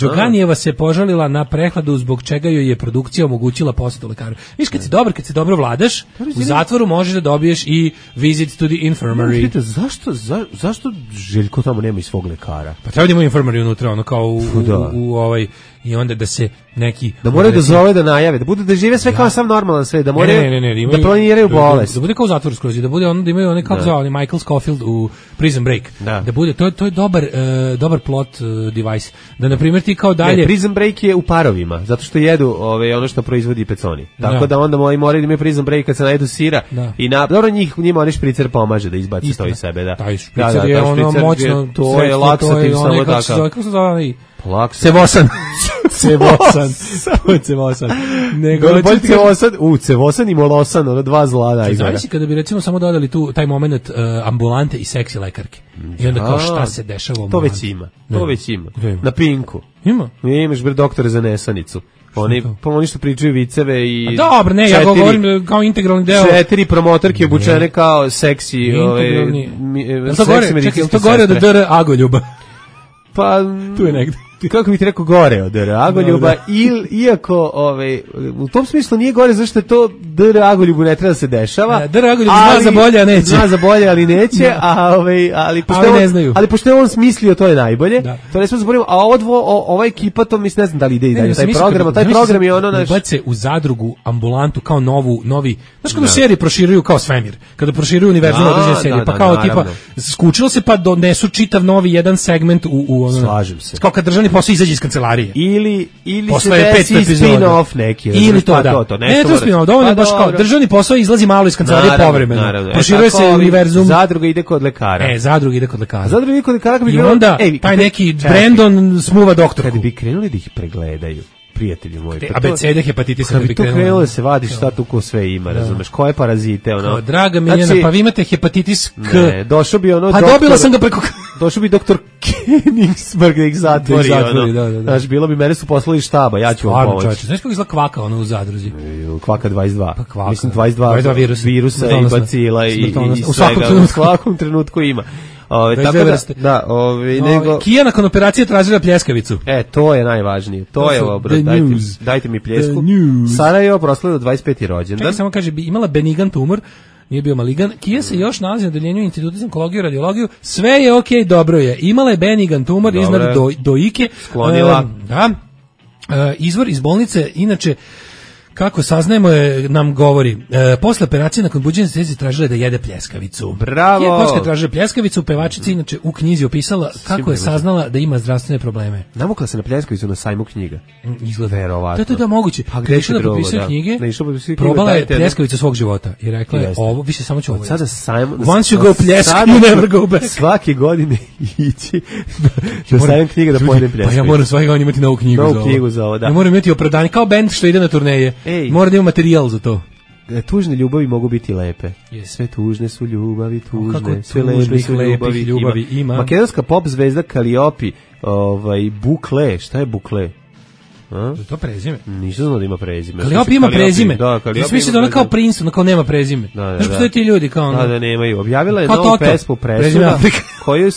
Đokanijeva se požalila na prehladu zbog čega joj je produkcija omogućila posjetu lekaru. Viš, kad si dobar, kad si dobro vladaš, u zatvoru možeš da dobiješ i visit to the infirmary. Vidite, zašto, za, zašto Željko tamo nema i svog lekara? Pa treba da ima infirmary unutra, ono kao u, u, u, u ovaj... i onda da se neki da moraju da zove da najave, da budu da žive sve ja. kao sam normalan sve, da moraju ne, ne, ne, ne, imaju, da planiraju bolest. Da, da bude kao zatvor skroz, da bude ono da imaju one kako zove Michael Scofield u Prison Break. Da, da bude to to je dobar uh, dobar plot uh, device. Da na primjer ti kao dalje ne, Prison Break je u parovima, zato što jedu ove ono što proizvodi peconi. Tako da, da onda moji moraju da imaju Prison Break kad se najedu sira da. i na dobro njih njima oni špricer pomaže da izbaci Istina. to iz sebe, da. Taj špricer da, da, je ono moćno, to je laksativ samo tako. Kako se zove? Plaksa. Cevosan. Cevosan. Cevosan. Nego bolje Cevosan, u Cevosan i Molosan, ono dva zla da izgleda. Zavisi kada bi recimo samo dodali tu taj momenat uh, ambulante i seksi lekarke. I onda kao šta se dešava u To već ima. To već ima. Na Pinku. Ima. Imaš bre doktore za nesanicu. Oni pa oni što pričaju viceve i a dobro, ne, četiri, ja govorim kao integralni deo. Četiri promotorke obučene kao seksi, ovaj seksi medicinski. To gore od D R Agoljuba. Pa tu je negde. Kako bih ti rekao gore od D R Agoljuba, il, iako ovaj, u tom smislu nije gore zašto je to D R Agoljubu ne treba da se dešava. D R Agoljub zna za bolje, a neće. Zna za bolje, ali neće, a, ovaj, ali, pošto ali, on, ne znaju. ali pošto je on smislio, to je najbolje. Da. To ne smo zaboravimo, a odvo, o, ova ekipa, to mislim, ne znam da li ide i dalje. Taj program, kada, taj program je ono naš... Bace u zadrugu ambulantu kao novu, novi, znaš kada u seriji proširuju kao svemir, kada proširuju univerzum na određene serije, pa kao tipa, skučilo se pa donesu čitav novi jedan segment u, u ono... Slažem se. Kao kad državni posao izađe iz kancelarije. Ili ili se desi spin-off neki. Ili to, da. To, to, ne, to spin-off, dovoljno baš kao državni posao izlazi malo iz kancelarije povremeno. Proširuje se univerzum. Zadruga ide kod lekara. E, zadruga ide kod lekara. Zadruga ide kod lekara. I onda taj neki Brandon smuva doktorku. Kad bi krenuli da ih pregledaju, prijatelji moji. A B C D hepatitisa kad bi to krenulo da se vadi šta tu ko sve ima, razumeš, koje parazite, ono. Kao, draga Miljana, znači, pa vi imate hepatitis K. Ne, došao bi ono pa doktor. Dobila sam ga preko došao bi doktor Koenigsberg da ih zatvori, da zatvori, ono. Da, da, da. Znaš, bilo bi, mene su poslali štaba, ja ću vam pomoći. Znaš kako izgleda kvaka ono u zadruzi? Kvaka dvadeset dva. Pa kvaka. Mislim dvadeset dva, dvadeset dva virus, virusa i bacila i, i, i u svakom svega, u svakom trenutku ima. Ove, tako da, da ove, nego... Kija nakon operacije tražila pljeskavicu. E, to je najvažnije. To, to je ovo, bro, dajte, dajte mi pljesku. Sarajevo proslavio dvadeset peti rođendan. Čekaj, samo kaže, imala benigan tumor, nije bio maligan. Kija se još nalazi na odeljenju Instituta za onkologiju i radiologiju. Sve je okej, okay, dobro je. Imala je benigan tumor iznad do, dojike. Sklonila. Uh, da. Uh, izvor iz bolnice, inače, kako saznajemo je, nam govori, e, posle operacije nakon buđenja se tražila da jede pljeskavicu. Bravo! Je posle tražila pljeskavicu, pevačica inače u knjizi opisala kako je saznala da ima zdravstvene probleme. Namukla se na pljeskavicu na sajmu knjiga. Izgleda. Verovatno. Da, da, da, moguće. Pa gde da popisuje knjige, probala je pljeskavicu svog života i rekla je, ovo, više samo ću ovo. Sada sajmu... Once you go pljeska, you never go back. Svake godine ići na sajmu knjiga da pojedem pljeskavicu. Pa ja moram svake godine imati novu knjigu novu za ovo. Knjigu za ovo, da. Ja moram imati opravdanje, kao bend što ide na turneje. Ej. Mora da ima materijal za to. Tužne ljubavi mogu biti lepe. Yes. Sve tužne su ljubavi, tužne, o, sve lepe su ljubavi. ljubavi ima. ima. Makedonska pop zvezda Kaliopi, ovaj, Bukle, šta je Bukle? A? To prezime. Nisam znao da ima prezime. Kaliopi ima prezime. Da, Kaliopi misli da ona kao princ, ona kao nema prezime. Da, da, znaš, postoje ti ljudi kao ono. Da, da, nemaju. Objavila je novu pesmu Presuda, koju,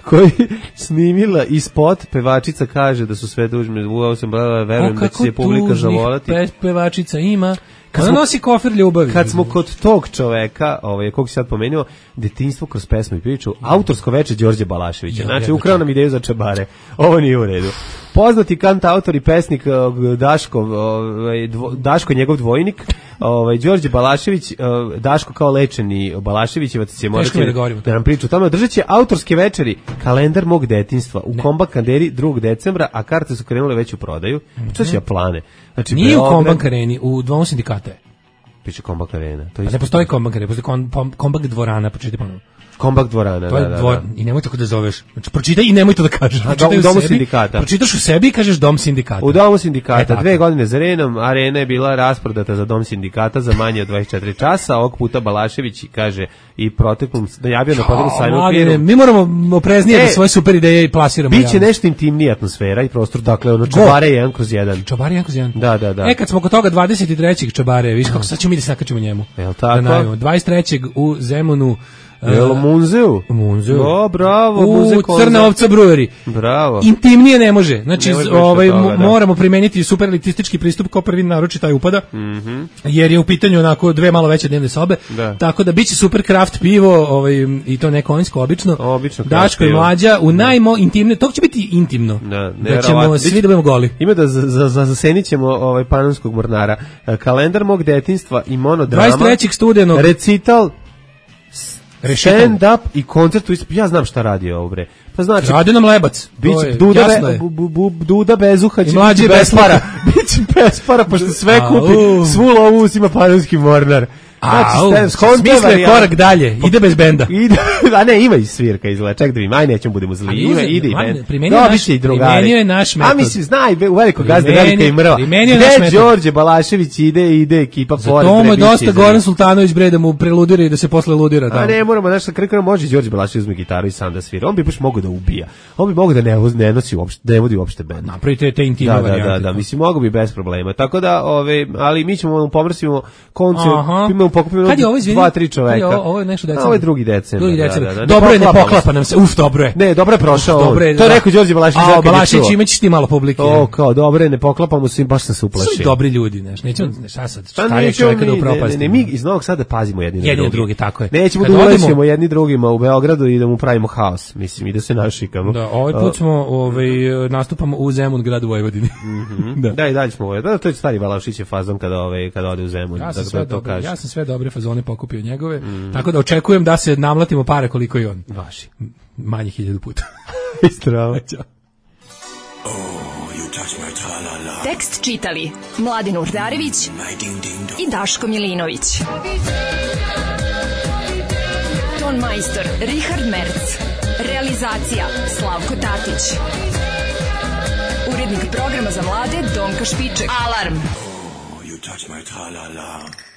koju snimila i spot, pevačica kaže da su sve dužne, uvao sam, verujem da će se publika zavolati. Kako tužnih pevačica ima. Kad ona nosi kofer ljubavi. Kad smo kod tog čoveka, ovaj, kog si sad pomenuo, detinjstvo kroz pesmu i priču, autorsko veče Đorđe Balaševića. Znači, ukrao nam ideju za čabare. Ovo nije u redu. Poznati kantautor i pesnik Daško, ovaj, dvo, Daško njegov dvojnik, ovaj, Đorđe Balašević, Daško kao lečeni Balaševićevac će morati da, da nam priča o tome. Održat će autorske večeri Kalendar mog detinjstva u Kombank Kanderi drugog decembra, a karte su krenule već u prodaju. Što će ja plane? Znači, nije Beograd, u Kombank Areni, u dvom sindikata je. Piše Kombank Arena. To pa ne postoji Kombank Arena, postoji Kombank dvorana, pročitaj ponovno. Kombank dvorana, to je da, da, dvor, da. I nemoj tako da zoveš. Znači, pročitaj i nemoj to da kažeš. U domu sebi, sindikata. Pročitaš u sebi i kažeš dom sindikata. U domu sindikata. E, dve godine za redom, arena je bila rasprodata za dom sindikata za manje od dvadeset četiri časa. Ovog puta Balašević kaže i proteklom, najavio na proteklom sajmu okviru. Mi moramo opreznije e, da svoje super ideje i plasiramo. Biće nešto intimnija atmosfera i prostor, dakle, ono, čabare jedan kroz jedan. Čabare jedan kroz jedan. Da, da, da. E, kad smo kod toga dvadeset trećeg čabare, viš kako sad ćemo mi da se nakačimo njemu. Jel tako? Da dvadeset trećeg u Zemunu Jel Munzeu? Munzeu. O, bravo, u Muzej Crna ovca brewery. Bravo. Intimnije ne može. Znači, ne može ovaj, toga, da. moramo primeniti superelitistički pristup kao prvi naročit taj upada, mm-hmm. jer je u pitanju onako dve malo veće dnevne sobe, da. Tako da biće super craft pivo, ovaj, i to neko konjsko obično. Obično Daško i Mlađa u najmo intimne, to će biti intimno. Da, da ćemo svi da budemo goli. Ima da za, za, za zasenit ćemo ovaj Panonskog mornara. Kalendar mog detinjstva i monodrama. dvadeset trećeg studenog. Recital, stand-up i koncert. Ja znam šta radi ovo, bre. Pa znači, radi nam Lebac. Biće Duda, be, bu, bu, bu, Duda Bezuha će biti bez para. Biće bez para, pošto sve kupi. Svu lovu uzima Panonski mornar. Znači, smisle korak dalje, ide bez benda. Ide, a ne, ima i svirka izgleda, ček da mi, aj nećemo budemo zli, ima, ide i bend. Primenio, primenio je naš metod. A mislim, znaj, u veliko gazda velika i mrva. Gde Đorđe Balašević ide, ide ekipa pored. Zato mu je dosta Goran Sultanović bre da mu preludira i da se posle ludira. A ne, moramo, znaš, krkano može Đorđe Balašević uzme gitaru i sam da svira. On bi baš mogo da ubija. On bi mogo da ne, ne nosi uopšte, da ne vodi uopšte bend. Napravite te intimne varijante. Da, da, da, mislim, mogo bi bez problema. Tako da, ove, ali mi ćemo pomrsimo koncert, imamo pokupimo dva, tri čoveka. Ovo, ovo je nešto decembar. Ovo je drugi decembar. Drugi decembar. Da, da, da. Dobro je, ne poklapa nam se. Uf, dobro je. Ne, dobro je prošao. Uf, dobro je, to je rekao Đorđe Balašević. A, Balašević, imaćeš ti malo publike. O, kao, dobro je, ne poklapamo se, baš sam se uplašio. Su dobri ljudi, znaš. Nećemo, šta sad, šta je čovjeka da upropastimo. Ne, ne, mi iz Novog Sada pazimo jedni na drugi. Jedni na drugi, tako je. Nećemo da ulećemo jedni drugima u Beogradu i da mu pravimo haos, mislim, i da se našikamo. Da, ovaj put smo, ovaj, nastupamo u Zemun, gradu Vojvodini. Da. Da, i dalje smo ovaj. Da, to je stari Balašićev fazon kada, ovaj, kada ode u Zemun. Ja sam, sve, dobre, ja sam sve dobre fazone pokupio njegove, mm. tako da očekujem da se namlatimo pare koliko i on. Vaši. Manje hiljadu puta. Istrava. Tekst čitali Mladin Urdarević i Daško Milinović. Ton majstor Richard Merc. Realizacija Slavko Tatić. Urednik programa za mlade Donka Špiček. Alarm! Oh, you touch my tra-la-la.